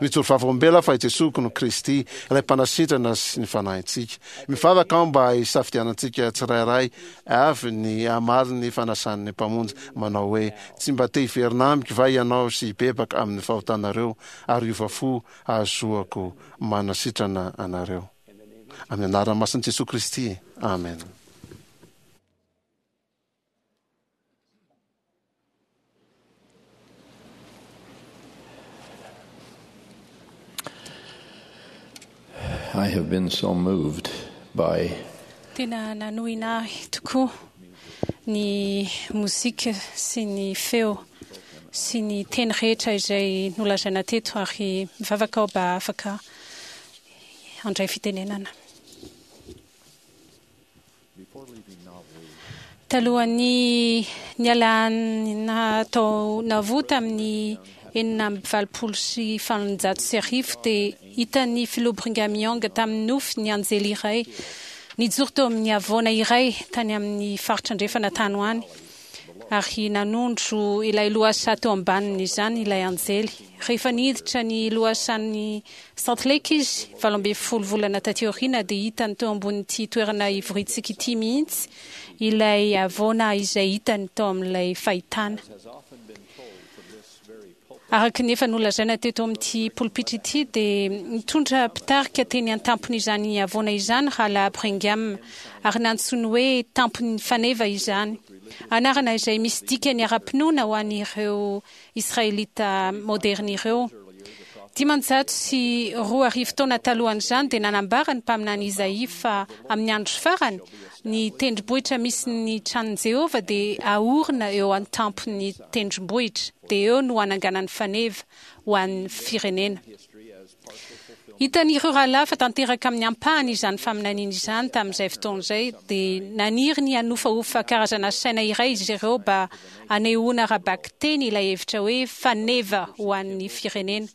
Mijoro vavolombelona aho fa i Jesoa no Kristy, ilay Mpanasitrana sy ny fanahintsika. Mivavaka aho mba hisafidianantsika tsirairay avy ny hamaly ny fanasan'ny Mpamonjy manao hoe, Tsy mba te hiverina amiko va ianao sy hibebaka amin'ny fahotanareo ary hiova fo hahazoako manasitrana anareo. Amin'ny anarana masin'i Jesoa Kristy, amena. I have been so moved by. Tena nanohina ahy tokoa ny mozika sy ny feo sy ny teny rehetra izay nolazaina teto ary mivavaka aho mba afaka handray fitenenana. Talohan'ny nialana tao Nauvoo tamin'ny 1886 dia hitan'ny Filoha Brigham Young tamin'ny nofy ny anjely iray nijoro teo amin'ny havoana iray tany amin'ny faritra andrefana tany ho any, ary nanondro ilay lohasaha teo ambanin'izany ilay anjely. Rehefa niditra ny lohasahan'i Salt Lake izy, 18 volana taty aoriana, dia hitany teo ambonin'ity toerana ivoriantsika ity mihitsy ilay havoana izay hitany tao amin'ilay fahitana. Araka ny efa nolazaina teto amin'ity polipitra ity, dia nitondra mpitarika teny an-tampon'izany havoana izany Rahalahy Brigham, ary nantsoiny hoe Tampon'ny Faneva izany, anarana izay misy dikany ara-pinoana ho an'ireo Israelita maoderina ireo. 2500 taona talohan'izany dia nanambara ny mpaminany Izaia fa amin'ny andro farany, ny tendrombohitra misy ny tranon'i Jehovah dia haorina eo an-tampon'ny tendrombohitra, dia eo no hananganany faneva ho an'ny firenena. Hitan'ireo rahalahy fa tanteraka amin'ny ampahany izany faminaniana izany tamin'izay fotoana izay, dia naniry ny hanofahofa karazana saina iray izy ireo mba hanehoana ara-bakiteny ilay hevitra hoe faneva ho an'ny firenena.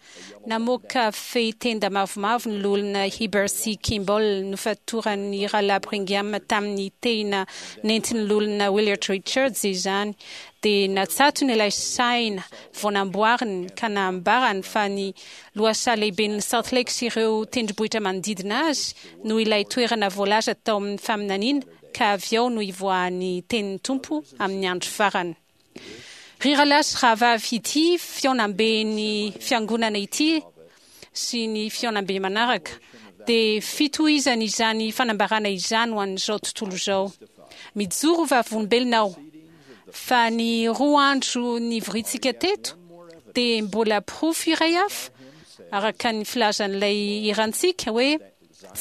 Namoaka fehitenda mavomavo ny Loholona Heber C. Kimball nofatoran'ny Rahalahy Brigham tamin'ny tehina nentin'ny Loholona Willard Richards izany, dia natsatony ilay saina vao namboariny ka nambarany fa ny Lohasaha lehiben'i Salt Lake sy ireo tendrombohitra manodidina azy no ilay toerana voalaza tao amin'ny faminaniana ka avy ao no hivoahan'ny tenin'ny Tompo amin'ny andro farany. Ry rahalahy sy rahavavy, ity fihaonamben'ny Fiangonana ity sy ny fihaonambe manaraka dia fitohizana izany fanambarana izany ho an'izao tontolo izao. Mijoro ho vavolombelona aho fa ny roa andro nivoriantsika teto dia mbola porofo iray hafa, araka ny filazan'ilay hirantsika hoe,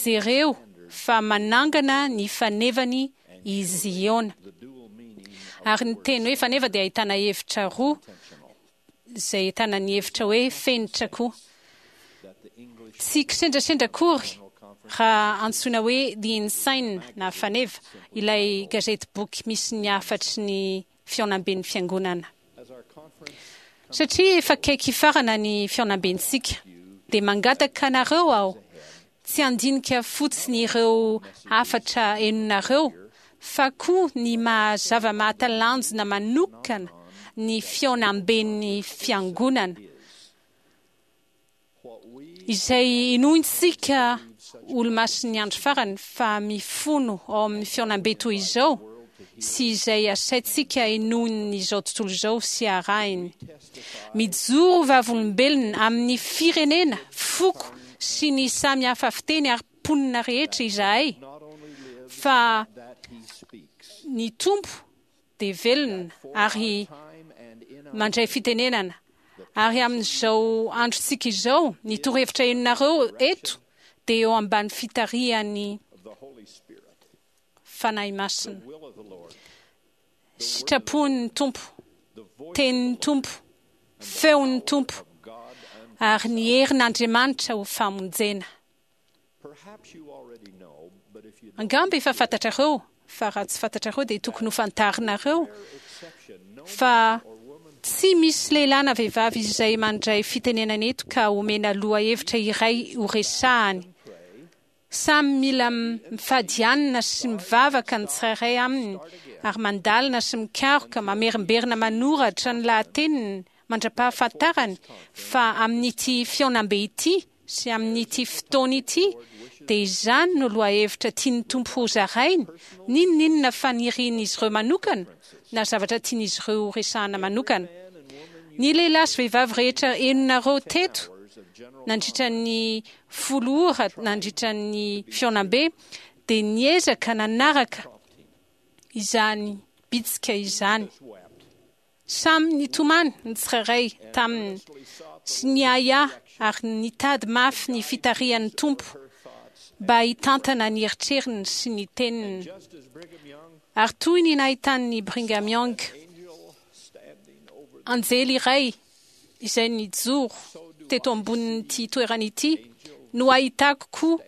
Jereo fa manangana ny fanevany i Ziona. Ary ny teny hoe faneva dia ahitana hevitra roa, izay ahitana ny hevitra hoe fenitra koa. Tsy kisendrasendra akory raha antsoina hoe The Ensign na Faneva ilay gazetiboky misy ny hafatry ny fihaonamben'ny Fiangonana. Satria efa akaiky hifarana ny fihaonambentsika, dia mangataka anareo aho tsy handinika fotsiny ireo hafatra henonareo fa koa ny maha zava-mahatalanjona manokana ny fihaonamben'ny Fiangonana. Izay inoantsika Olomasin'ny Andro Farany fa mifono ao amin'ny fihaonambe toy izao sy izay asaintsika inoan'izao tontolo izao sy arahiny. Mijoro ho vavolombelona amin'ny firenena, foko sy ny samy hafa fiteny ary mponina rehetra izahay fa ny Tompo dia velona ary mandray fitenenana. Ary amin'izao androntsika izao, ny torohevitra henonareo eto dia eo ambany fitarihan'ny Fanahy Masina. Sitrapon'ny Tompo, tenin'ny Tompo, feon'ny Tompo, ary ny herin'Andriamanitra ho famonjena. Angamba efa fantatrareo, fa raha tsy fantatrareo dia tokony ho fantarinareo fa tsy misy lehilahy na vehivavy izay mandray fitenenana eto ka omena lohahevitra iray horesahany. Samy mila mifady hanina sy mivavaka ny tsirairay aminy ary mandalina sy mikaroka, mamerimberina manoratra ny lahateniny mandra-pahafantarany fa amin'ity fihaonambe ity sy amin'ity fotoana ity dia izany no lohahevitra tian'ny Tompo hozarainy, n'inon'inona fanirian'izy ireo manokana na zavatra tian'izy ireo horesahana manokana. Ny lehilahy sy vehivavy rehetra henonareo teto nandritra ny 10 ora nandritra ny fihaonambe dia niezaka nanaraka izany bitsika izany. Samy nitomany ny tsirairay taminy sy niahiahy ary nitady mafy ny fitarihan'ny Tompo mba hitantana ny eritreriny sy ny teniny. Ary toy ny nahitan'i Brigham Young anjely iray izay nijoro teto ambonin'ity toerana ity no ahitako koa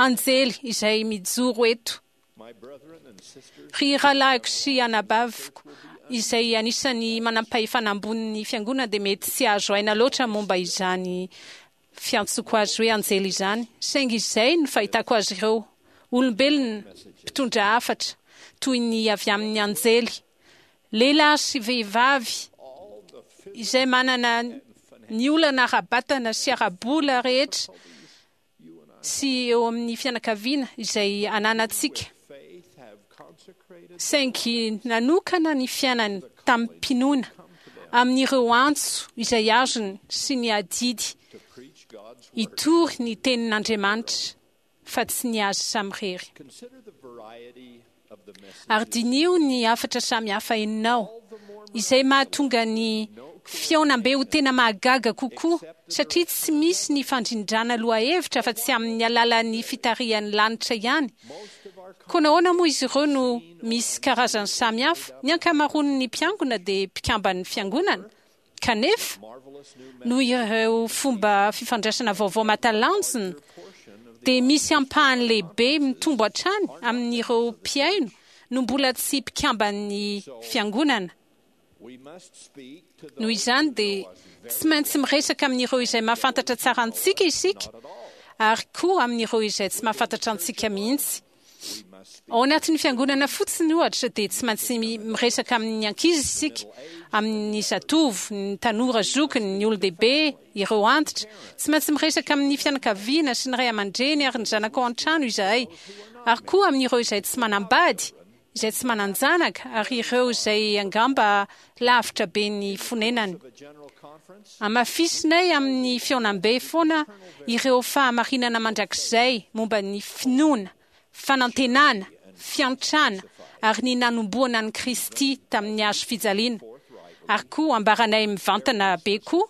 anjely izay mijoro eto. Ry rahalahiko sy anabaviko izay anisan'ny manampahefana ambonin'ny fiangonana dia mety tsy hahazo aina loatra momba izany fiantsoko azy hoe anjely izany, saingy izay no fahitako azy ireo, olombelona mpitondra hafatra toy ny avy amin'ny anjely, lehilahy sy vehivavy izay manana ny olana ara-batana sy ara-bola rehetra sy eo amin'ny fianakaviana izay ananantsika, saingy nanokana ny fiainany tamim-pinoana amin'ireo antso izay azony sy ny adidy hitory ny tenin'Andriamanitra fa tsy ny azy samirery. Ary diniho ny hafatra samihafa henonao, izay mahatonga ny fihaonambe ho tena mahagaga kokoa, satria tsy misy ny fandrindrana lohahevitra afa-tsy amin'ny alalan'ny fitarihan'ny lanitra ihany. Koa nahoana moa izy ireo no misy karazany samihafa? Ny ankamaroan'ny mpiangona dia mpikamban'ny fiangonana. Kanefa, noho ireo fomba fifandraisana vaovao mahatalanjona, dia misy ampahany lehibe mitombo hatrany amin'ireo mpihaino no mbola tsy mpikamban'ny Fiangonana. Noho izany, dia tsy maintsy miresaka amin'ireo izay mahafantatra tsara antsika isika, ary koa amin'ireo izay tsy mahafantatra antsika mihitsy. Ao anatin'ny fiangonana fotsiny, ohatra, dia tsy maintsy miresaka amin'ny ankizy isika, amin'ny zatovo, ny tanora zokiny, ny olon-dehibe, ireo antitra. Tsy maintsy miresaka amin'ny fianakaviana sy ny ray aman-dreny ary ny zanaka ao an-trano izahay, ary koa amin'ireo izay tsy manambady, izay tsy manan-janaka, ary ireo izay angamba lavitra be ny fonenany. Hamafisinay amin'ny fihaonambe foana ireo fahamarinana mandrakizay momba ny finoana, fanantenana, fiantrana ary ny nanomboana an'i Kristy tamin'ny hazo fijaliana, ary koa ambaranay mivantana be koa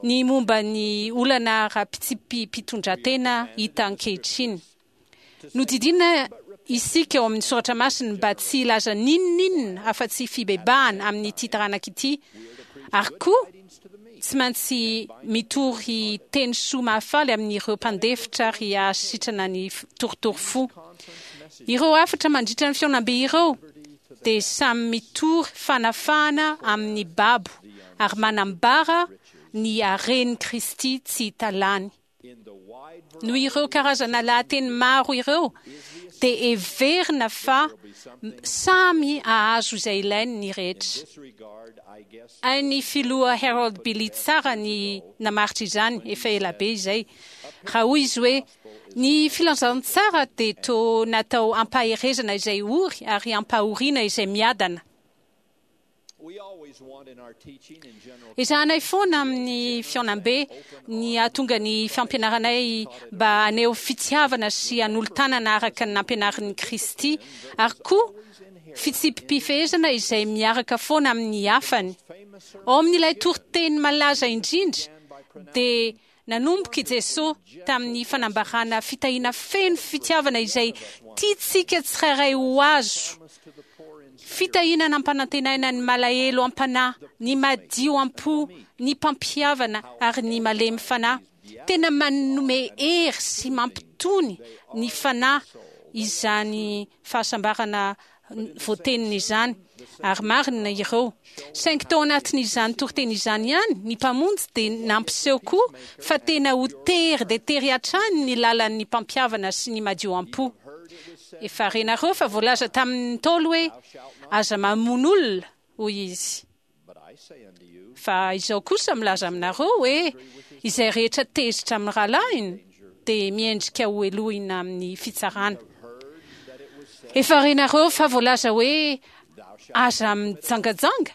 ny momba ny olana ara-pitsipi-pitondratena hita ankehitriny. Nodidiana isika ao amin'ny Soratra Masina mba tsy hilaza n'inon'inona afa-tsy fibebahana amin'ity taranaka ity, ary koa tsy maintsy mitory teny soa mahafaly amin'ireo mpandefitra ary hahasitrana ny torotoro fo. Ireo hafatra mandritra ny fihaonambe ireo dia samy mitory fanafahana amin'ny babo ary manambara ny haren'i Kristy tsy hita lany. Noho ireo karazana lahateny maro ireo dia heverina fa samy hahazo izay ilainy ny rehetra. Hain'ny filoha Harold Billy tsara ny namaritra izany efa ela be izay, raha hoy izy hoe, Ny filazantsara dia toa natao hampaherezana izay ory ary hampahoriana izay miadana. Ezahanay foana amin'ny fihaonambe ny hahatonga ny fampianaranay mba haneho fitiavana sy hanolo-tanana araka ny nampianarin'i Kristy, ary koa fitsipi-pifehezana izay miaraka foana amin'ny hafany. Ao amin'ilay toriteny malaza indrindra, dia nanomboka i Jesoa tamin'ny fanambarana fitahiana feno fitiavana izay tiantsika tsirairay ho azo, fitahiana nampanantenaina ny malahelo am-panahy, ny madio am-po, ny mpampihavana ary ny malemy fanahy. Tena manome hery sy mampitony ny fanahy izany fahasambarana voateniny izany. Ary marina ireo. Saingy tao anatin'izany toriteny izany ihany, ny Mpamonjy dia nampiseho koa fa tena ho tery dia tery hatrany ny lalan'ny mpampihavana sy ny madio am-po. Efa renareo fa voalaza tamin'ny Ntaolo hoe, Aza mamono olona, hoy izy. Fa izao kosa milaza aminareo hoe, izay rehetra tezitra amin'ny rahalahiny dia miendrika ho helohina amin'ny fitsarana. Efa renareo fa voalaza hoe, Aza mijangajanga.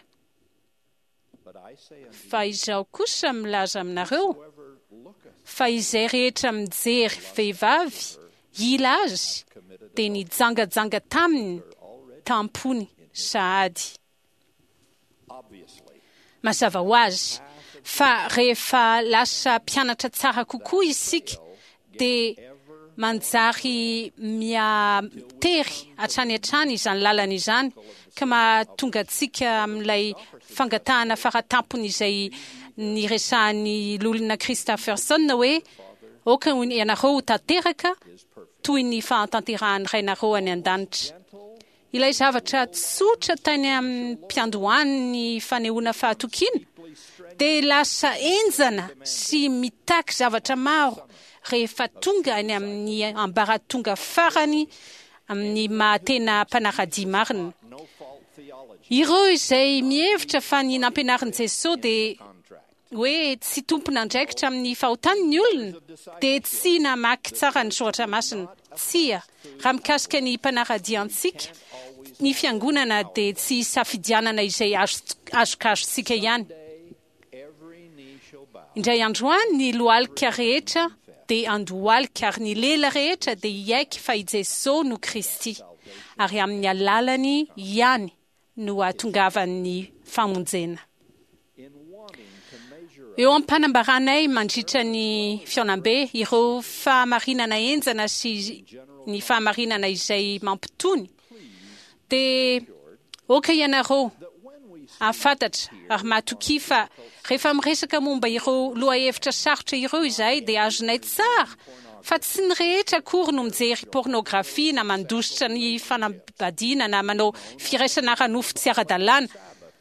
Fa izaho kosa milaza aminareo fa izay rehetra mijery vehivavy hila azy dia nijangajanga taminy tam-pony sahady. Mazava ho azy fa rehefa lasa mpianatra tsara kokoa isika dia manjary miha-tery hatrany hatrany izany lalana izany ka mahatonga antsika amin'ilay fangatahana faratampony izay niresahan'ny Loholona Christofferson hoe, Aoka ianareo ho tanteraka toy ny fahatanterahan'ny Rainareo any an-danitra. Ilay zavatra tsotra tany am-piandohan'ny fanehoana fahatokiana dia lasa henjana sy mitaky zavatra maro rehefa tonga any amin'ny ambaratonga farany amin'ny maha-tena mpanara-dia marina. Ireo izay mihevitra fa ny nampianarin'i Jesoa dia hoe tsy tompon'andraikitra amin'ny fahotany ny olona dia tsy namaky tsara ny soratra masina. Tsia, raha mikasika ny mpanara-dia antsika, ny fiangonana dia tsy isafidianana izay azokazontsika ihany. Indray andro any ny lohalika rehetra dia handohalika ary ny lela rehetra dia hiaiky fa i Jesoa no Kristy, ary amin'ny alalany ihany no hahatongavan'ny famonjena. Eo am-panambaranay mandritra ny fihaonambe ireo fahamarinana henjana sy ny fahamarinana izay mampitony, dia aoka ianareo hahafantatra ary matokia fa rehefa miresaka momba ireo lohahevitra sarotra ireo izahay dia azonay tsara fa tsy ny rehetra akory no mijery pornografia na mandositra ny fanambadiana na manao firaisana ara-nofo tsy ara-dalàna.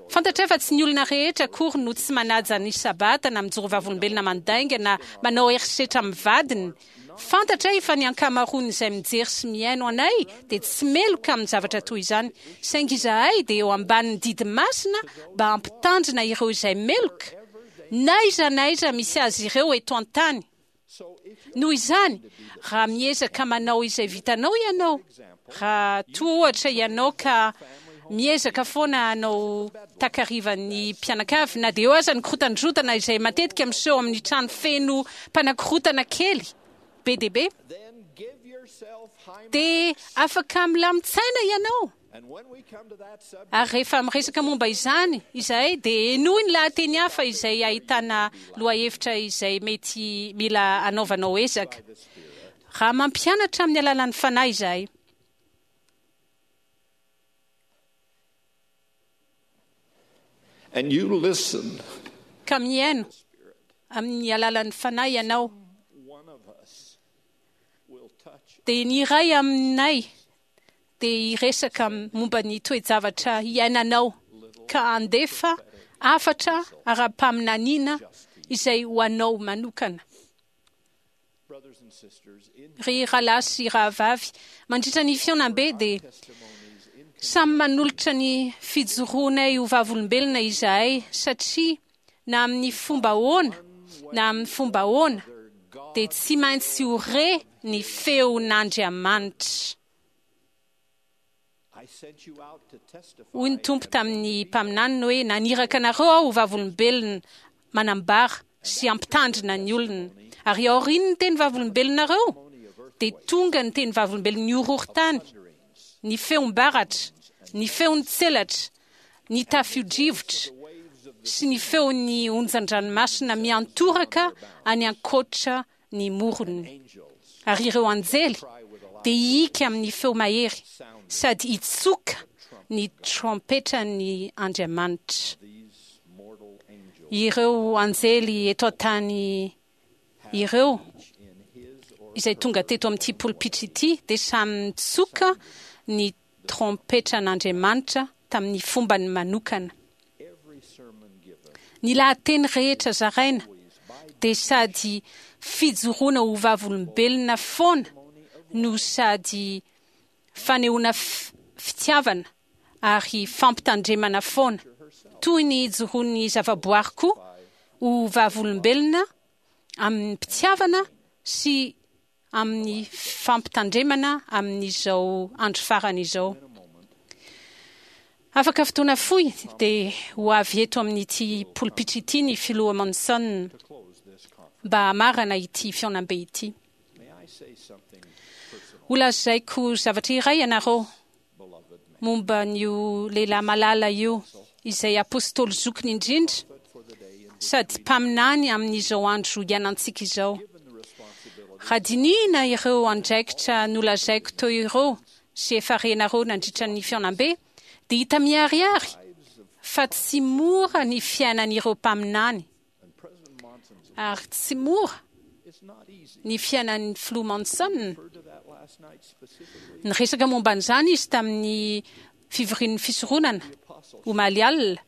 Fantatray fa tsy ny olona rehetra akory no tsy manaja ny Sabata na mijoro vavolombelona mandainga na manao herisetra amin'ny vadiny. Fantatray fa ny ankamaroan'izay mijery sy mihaino anay dia tsy meloka amin'ny zavatra toy izany, saingy izahay dia eo ambanin'ny didy masina mba hampitandrina ireo izay meloka, n'aiza n'aiza misy azy ireo eto an-tany. Noho izany, raha miezaka manao izay vitanao ianao, raha toa ohatra ianao ka miezaka foana hanao takarivan'ny mpianakavy, na dia eo aza ny korotandrotana izay matetika miseho amin'ny trano feno mpanakorotana kely be dia be, dia afaka milamin-tsaina ianao. Ary rehefa miresaka momba izany izahay dia henoy ny lahateny hafa izay ahitana lohahevitra izay mety mila hanaovanao ezaka. Raha mampianatra amin'ny alalan'ny Fanahy izahay. And you listen. Ka mihaino amin'ny alalan'ny Fanahy ianao, dia ny iray aminay dia hiresaka momba ny toe-javatra iainanao ka handefa hafatra ara-paminaniana izay ho anao manokana. Ry rahalahy sy rahavavy, mandritra ny fihaonambe dia samy manolotra ny fijoroanay ho vavolombelona izahay satria na amin'ny fomba ahoana na amin'ny fomba ahoana dia tsy maintsy ho re ny feon'Andriamanitra. Hoy ny Tompo tamin'ny mpaminaniny hoe, Naniraka anareo aho ho vavolombelona manambara sy hampitandrina ny olona. Ary aorian'ny teny vavolombelonareo, dia tonga ny teny vavolombelon'ny horohorontany, ny feom-baratra, ny feon'ny tselatra, ny tafio-drivotra sy ny feon'ny onjan-dranomasina miantoraka any ankoatra ny morony. Ary ireo anjely dia hihiaka amin'ny feo mahery sady hitsoka ny trompetran'ny Andriamanitra. Ireo anjely eto an-tany ireo izay tonga teto amin'ity polipitra ity dia samy nitsoka ny trompetran'Andriamanitra. tamin'ny fombany manokana. Ny lahateny rehetra zaraina dia sady fijoroana ho vavolombelona foana no sady fanehoana fitiavana ary fampitandremana foana, toy ny ijoroan'ny zavaboary koa ho vavolombelona amim-pitiavana sy amin'ny fampitandremana amin'izao andro farany izao. Afaka fotoana fohy dia ho avy eto amin'ity polipitra ity ny Filoha Monson mba hamarana ity fihaonambe ity. Holazaiko zavatra iray ianareo momba an'io lehilahy malala io, izay apostoly zokiny indrindra sady mpaminany amin'izao andro iainantsika izao. Raha dinihina ireo andraikitra nolazaiko teo ireo sy efa renareo nandritra ny fihaonambe, dia hita miharihary fa tsy mora ny fiainan'ireo mpaminany. Ary tsy mora ny fiainan'ny Filoha Monson. Niresaka momba an'izany izy tamin'ny fivorian'ny fisoronana, omaly alina.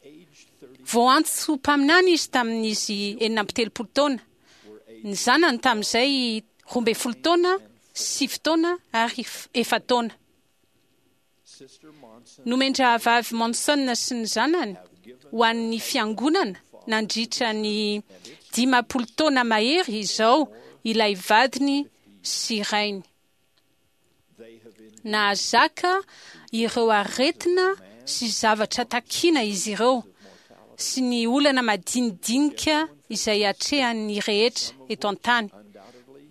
Voaantso ho mpaminany izy tamin'izy 36 taona. Ny zanany tamin'izay 12 taona, sivy taona ary efa-taona. Nomen-drahavavy Monson sy ny zanany ho an'ny Fiangonana nandritra ny 50 taona mahery izao ilay vadiny sy rainy. Nahazaka ireo aretina sy zavatra takiana izy ireo sy ny olana madinidinika izay atrehan'ny rehetra eto an-tany,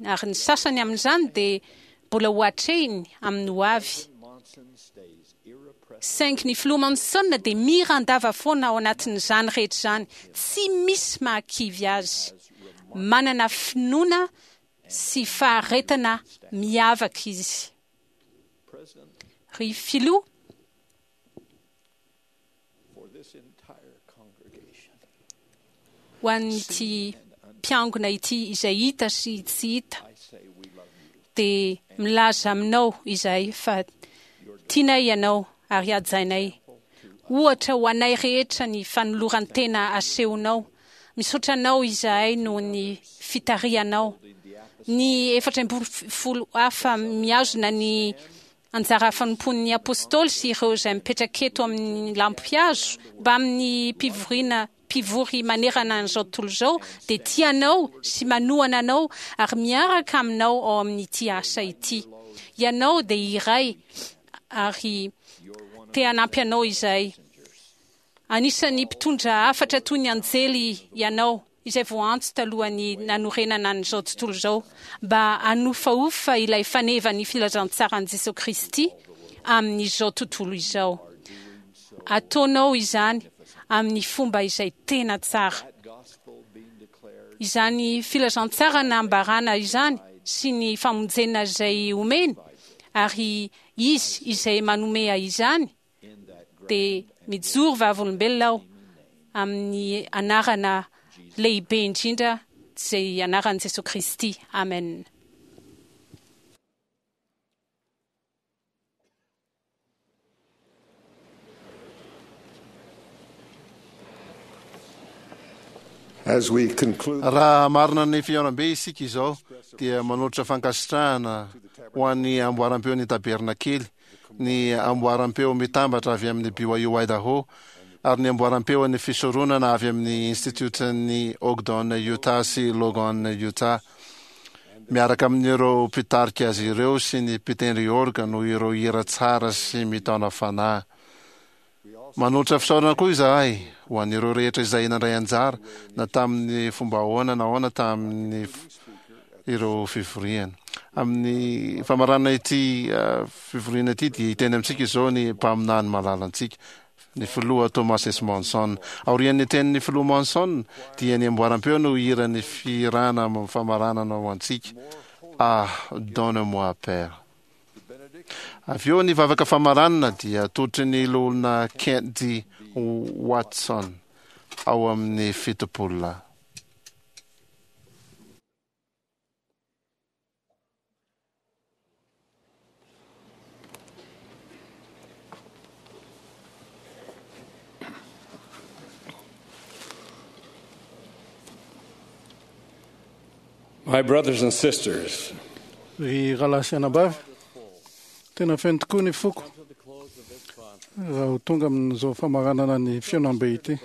ary ny sasany amin'izany dia mbola ho atrehiny amin'ny ho avy. Saingy ny Filoha Monson dia miran-dava foana ao anatin'izany rehetra izany, tsy misy mahakivy azy. Manana finoana sy faharetana miavaka izy. Ry Filoha, Ho an'ity mpiangona ity izay hita sy tsy hita, dia milaza aminao izahay fa tianay ianao ary hajainay. Ohatra ho anay rehetra ny fanoloran-tena asehonao. Misaotra anao izahay noho ny fitarihanao. Ny 14 hafa mihazona ny Anjara fanompoan'ny Apostoly sy ireo izay mipetraka eto amin'ny lampihazo mbamin'ny mpivoriana mpivory manerana an'izao tontolo izao dia tia anao sy manohana anao ary miaraka aminao ao amin'ity asa ity. Ianao dia iray ary te hanampy anao izahay. Anisan'ny mpitondra hafatra toy ny anjely ianao, izay voaantso talohan'ny nanorenana an'izao tontolo izao, mba hanofahofa ilay fanevan'ny filazantsaran'i Jesoa Kristy amin'izao tontolo izao. Ataonao izany amin'ny fomba izay tena tsara. Izany filazantsara nambarana izany sy ny famonjena izay omeny, ary Izy izay manome izany, dia mijoro vavolombelona aho amin'ny anarana lehibe indrindra izay anaran'i Jesoa Kristy. Amen. Raha hamarina ny fihaonambe isika izao dia manolotra fankasitrahana ho an'ny amboaram-peon'ny Tabernakely ny amboaram-peo mitambatra avy amin'ny BYU Idaho, ary ny amboaram-peon'ny fisoronana avy amin'ny Institiotan'ny Ogden Utah sy Logan Utah, miaraka amin'ireo mpitarika azy ireo sy ny mpitendry orga noho ireo hira tsara sy mitaona fanahy. Manolotra fisaorana koa izahay ho an'ireo rehetra izay nandray anjara na tamin'ny fomba ahoana na ahoana tamin'ny ireo fivoriana. Amin'ny famaranana ity fivoriana ity dia hiteny amintsika izao ny mpaminany malalantsika, ny Filoha Thomas S. Monson. Aorian'ny tenin'ny Filoha Monson dia ny amboaram-peo no hiran'ny fihirana famaranana ho antsika, Ah, donne-moi, Père. Avy eo ny vavaka famaranana dia atolotry ny Loholona Kent D. Watson ao amin'ny Fitopololahy. My brothers and sisters, Ry rahalahy sy anabavy, tena feno tokoa ny foko raha ho tonga amin'izao famaranana ny fihaonambe ity.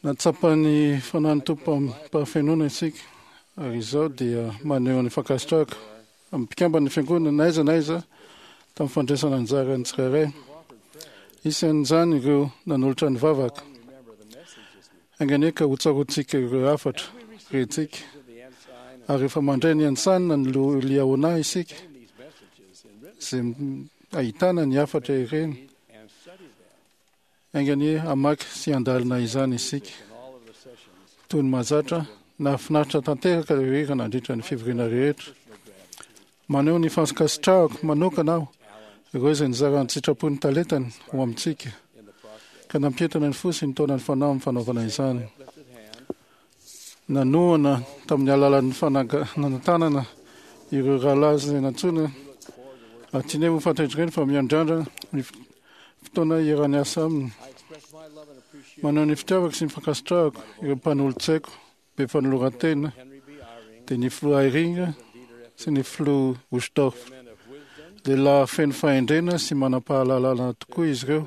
Nahatsapa ny fanahin'ny Tompo amim-pahafenoana isika, ary izao dia maneho ny fankasitrahako amin'ny mpikamban'ny Fiangonana na aiza na aiza tamin'ny fandraisana anjara ny tsirairay. Isan'izany ireo nanolotra ny vavaka. Enga anie ka hotsaroantsika ireo hafatra rentsika, ary rehefa mandray ny antsanina ny Liahona isika, izay ahitana ny hafatra ireny, enga anie hamaky sy handalina izany isika. Toy ny mahazatra, nahafinaritra tanteraka ireo hira nandritra ny fivoriana rehetra. Maneho ny fankasitrahako manokana aho ireo izay nizara an-tsitrapo ny talentany ho amintsika, ka nampientana ny fo sy nitaona ny fanahy amin'ny fanaovana izany. Nanohana tamin'ny alalan'ny fananganana ireo rahalahy izay nantsoina, ary tianay ho fantatr'izy ireny fa miandrandra ny fotoana hiara-niasa aminy. Maneho ny fitiavako sy ny fankasitrahako ireo mpanolotsaiko be fanoloran-tena, dia ny filoha Eyring sy ny filoha Uchtdorf. Lehilahy feno fahendrena sy manam-pahalalana tokoa izy ireo.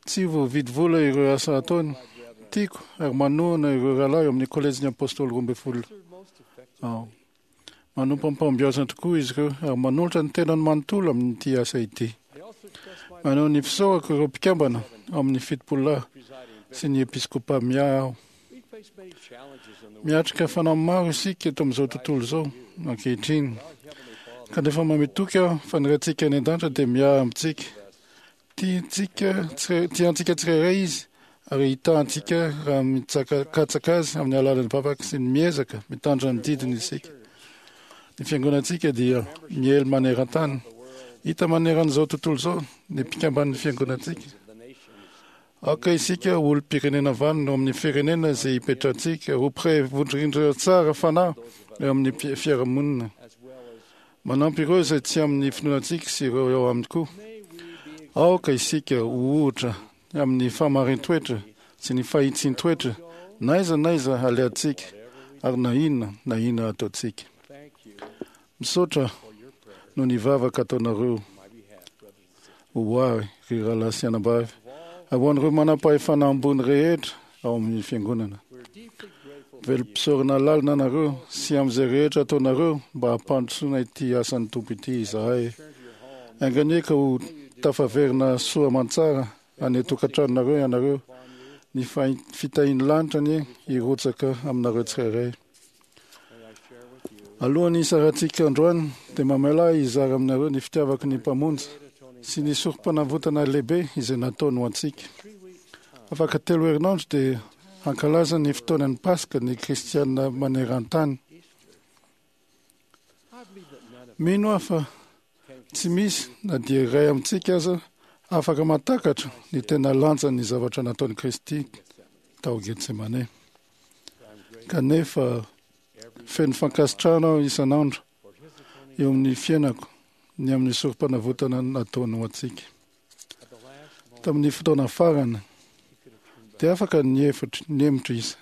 Tsy voavidy vola ireo asa ataony. Tiako ary manohana ireo rahalahy ao amin'ny Kolejin'ny Apôstôly 12 aho. Manompo amim-pahombiazana tokoa izy ireo ary manolotra ny tenany manontolo amin'ity asa ity. Maneho ny fisaorako ireo mpikambana ao amin'ny Fitopololahy sy ny Episkopa miahy aho. Miatrika fanamby maro isika eto amin'izao tontolo izao ankehitriny. Kanefa manome toky aho fa ny Raintsika any an-danitra dia miahy amintsika. Tiantsika tiantsika tsirairay Izy ary hitahantsika raha mitsakatsaka Azy amin'ny alalan'ny vavaka sy ny miezaka mitandrina ny didiny isika. Ny fiangonantsika dia miely maneran-tany. Hita maneran'izao tontolo izao ny mpikamban'ny fiangonantsika. Aoka isika ho olom-pirenena vanona ao amin'ny firenena izay ipetrahantsika, ho mpiray vondrindra tsara fanahy eo amin'ny fiarahamonina. Manampy ireo izay tsy amin'ny finoanantsika sy ireo eo aminy koa. Aoka isika ho ohatra amin'ny fahamarin-toetra sy ny fahitsin-toetra na aiza na aiza alehantsika ary na inona na inona ataontsika. Misaotra noho ny vavaka ataonareo ho ahy, ry rahalahy sy anabavy, ary ho an'ireo manam-pahefana ambony rehetra ao amin'ny Fiangonana. Velom-pisaorana lalina anareo sy amin'izay rehetra ataonareo mba hampandrosoana ity asan'ny Tompo ity izahay. Enga anie ka ho tafaverina soa aman-tsara any an-tokantranonareo ianareo. Ny fitahian'ny lanitra anie hirotsaka aminareo tsirairay. Alohan'ny hisarantsika androany dia mamela ahy hizara aminareo ny fitiavako ny Mpamonjy sy ny sorompanavotana lehibe izay nataony ho antsika. Afaka telo herinandro dia hankalaza ny fotoanan'ny Paska ny Kristiana maneran-tany. Mino aho fa tsy misy na dia iray amintsika aza afaka mahatakatra ny tena lanjan'ny zavatra nataon'i Kristy tao Getsemane. Kanefa feno fankasitrahana aho isan'andro eo amin'ny fiainako ny amin'ny sorompanavotana nataony ho antsika. Tamin'ny fotoana farany dia afaka nihevitra nihemotra izy,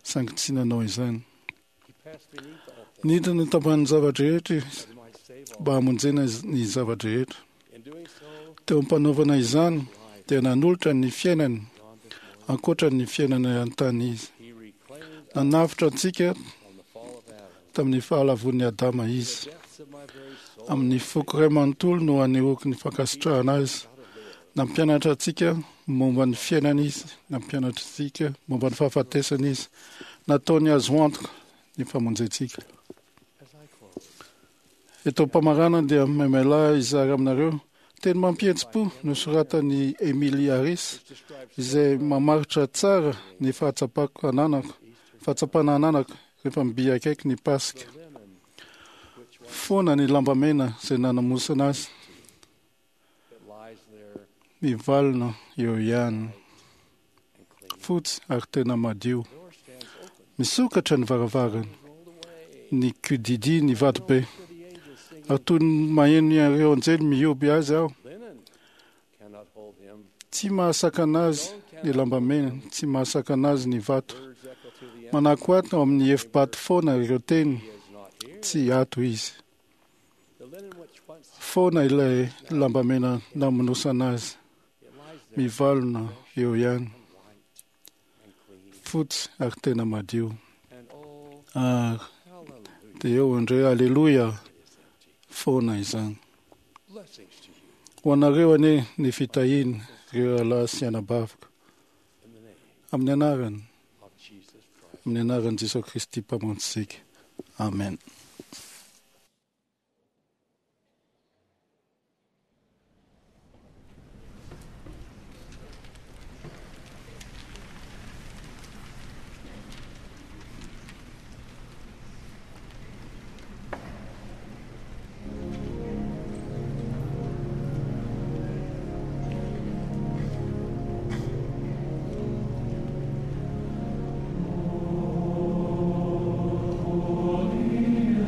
saingy tsy nanao izany. Nidina tambanin'ny zava-drehetra izy mba hamonjena ny zava-drehetra. Teo am-panaovana izany dia nanolotra ny fiainany ankoatra ny fiainana an-tany izy. Nanavotra antsika tamin'ny fahalavoan'i Adama izy. Amin'ny foko iray manontolo no anehoako ny fankasitrahana azy. Nampianatra antsika momba ny fiainana izy, nampianatra antsika momba ny fahafatesana izy. Nataony azo antoka ny famonjentsika. Eto am-pamaranana dia maimaila hizara aminareo teny mampihetsi-po nosoratan'i Emily Harris izay mamaritra tsara ny fahatsapako ananako, fahatsapana ananako rehefa mby akaiky ny Paska. Foana ny lambamena izay nanamosana azy. Mivalona eo ihany. Fotsy ary tena madio. Misokatra ny varavarana. Nikodidi ny vatobe. Ary toy ny maheno ireo anjely mihoby azy aho. Tsy mahasakana azy ny lambamena, tsy mahasakana azy ny vato. Manako ato amin'ny efi-bato foana ireo teny, tsy ato izy. Foana ilay lambamena namonosana azy, mivalona eo ihany. Fotsy ary tena madio. Ary dia eo indray, aleloia, foana izany. Ho anareo anie ny fitahiana, ireo rahalahy sy anabaviko. Amin'ny anarany, amin'ny anaran'i Jesoa Kristy Mpamonjintsika. Amen. Holy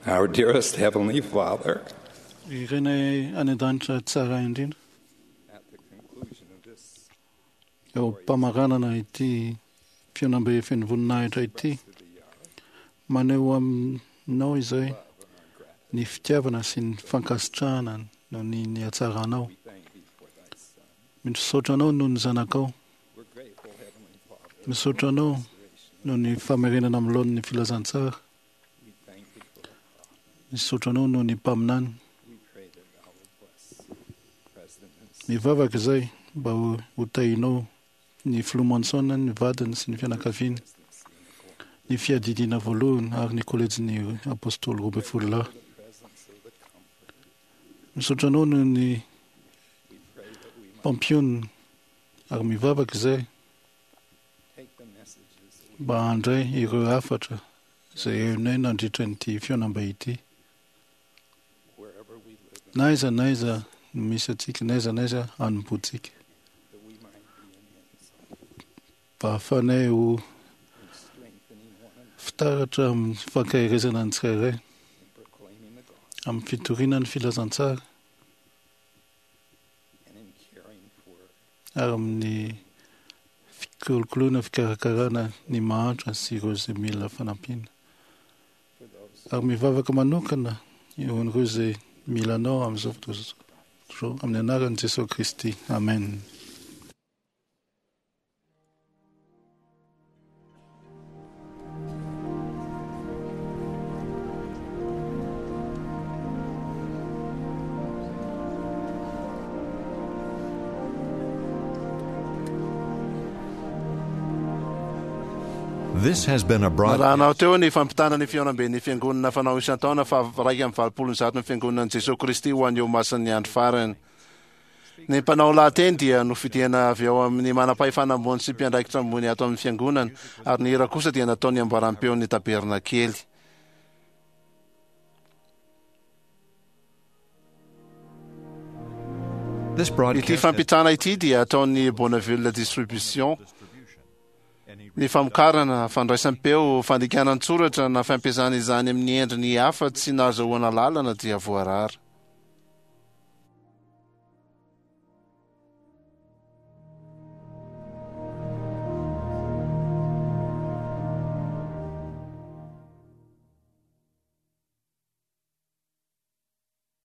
Our dearest Heavenly Father, Ry Rainay any an-danitra tsara indrindra, eo am-pamaranana ity fihaonambe feno voninahitra ity, maneho aminao izay ny fitiavana sy ny fankasitrahana noho ny ny hatsaranao. Misaotra anao noho ny zanakao. Misaotra anao noho ny famerenana amin'ny laoniny ny filazantsara. Misaotra anao noho ny mpaminany. Mivavaka izay mba ho tahinao ny filoha Monson, ny vadiny sy ny fianakaviany, ny fiadidiana voalohany ary ny kolejin'ny Apôstôly 12 lahy. Misaotra anao noho ny mpampionona ary mivavaka izay mba handray ireo hafatra izay henonay nandritra an'ity fihaonambe ity. Na aiza na aiza no misy antsika, na aiza na aiza hanompoantsika. Mba hahafahanay ho fitaratra amin'ny fankaherezana ny tsirairay, amin'ny fitoriana ny filazantsara, ary amin'ny fikolokoloana fikarakarana ny mahantra sy ireo izay mila fanampiana. Ary mivavaka manokana eo an'ireo izay mila Anao amin'izao fotoana izao, amin'ny anaran'i Jesoa Kristy. Amen. This has been a broadcast. Narahanao teo ny fampitana ny fihaonamben'ny Fiangonana fanao isan-taona faha 181 ny Fiangonan'i Jesoa Kristy ho an'ny Olomasin'ny Andro Farany. Ny mpanao lahateny dia nofidiana avy ao amin'ny manam-pahefana ambony sy mpiandraikitra ambony ato amin'ny Fiangonana, ary ny hira kosa dia nataon'ny amboaram-peon'ny Tabernakely. Ity fampitana ity dia ataon'ny Bonneville Distribution. Ny famokarana, fandraisam-peo, fandikana an-tsoratra na fampiasana izany amin'ny endriny hafa tsy nahazahoana alalana dia voarara.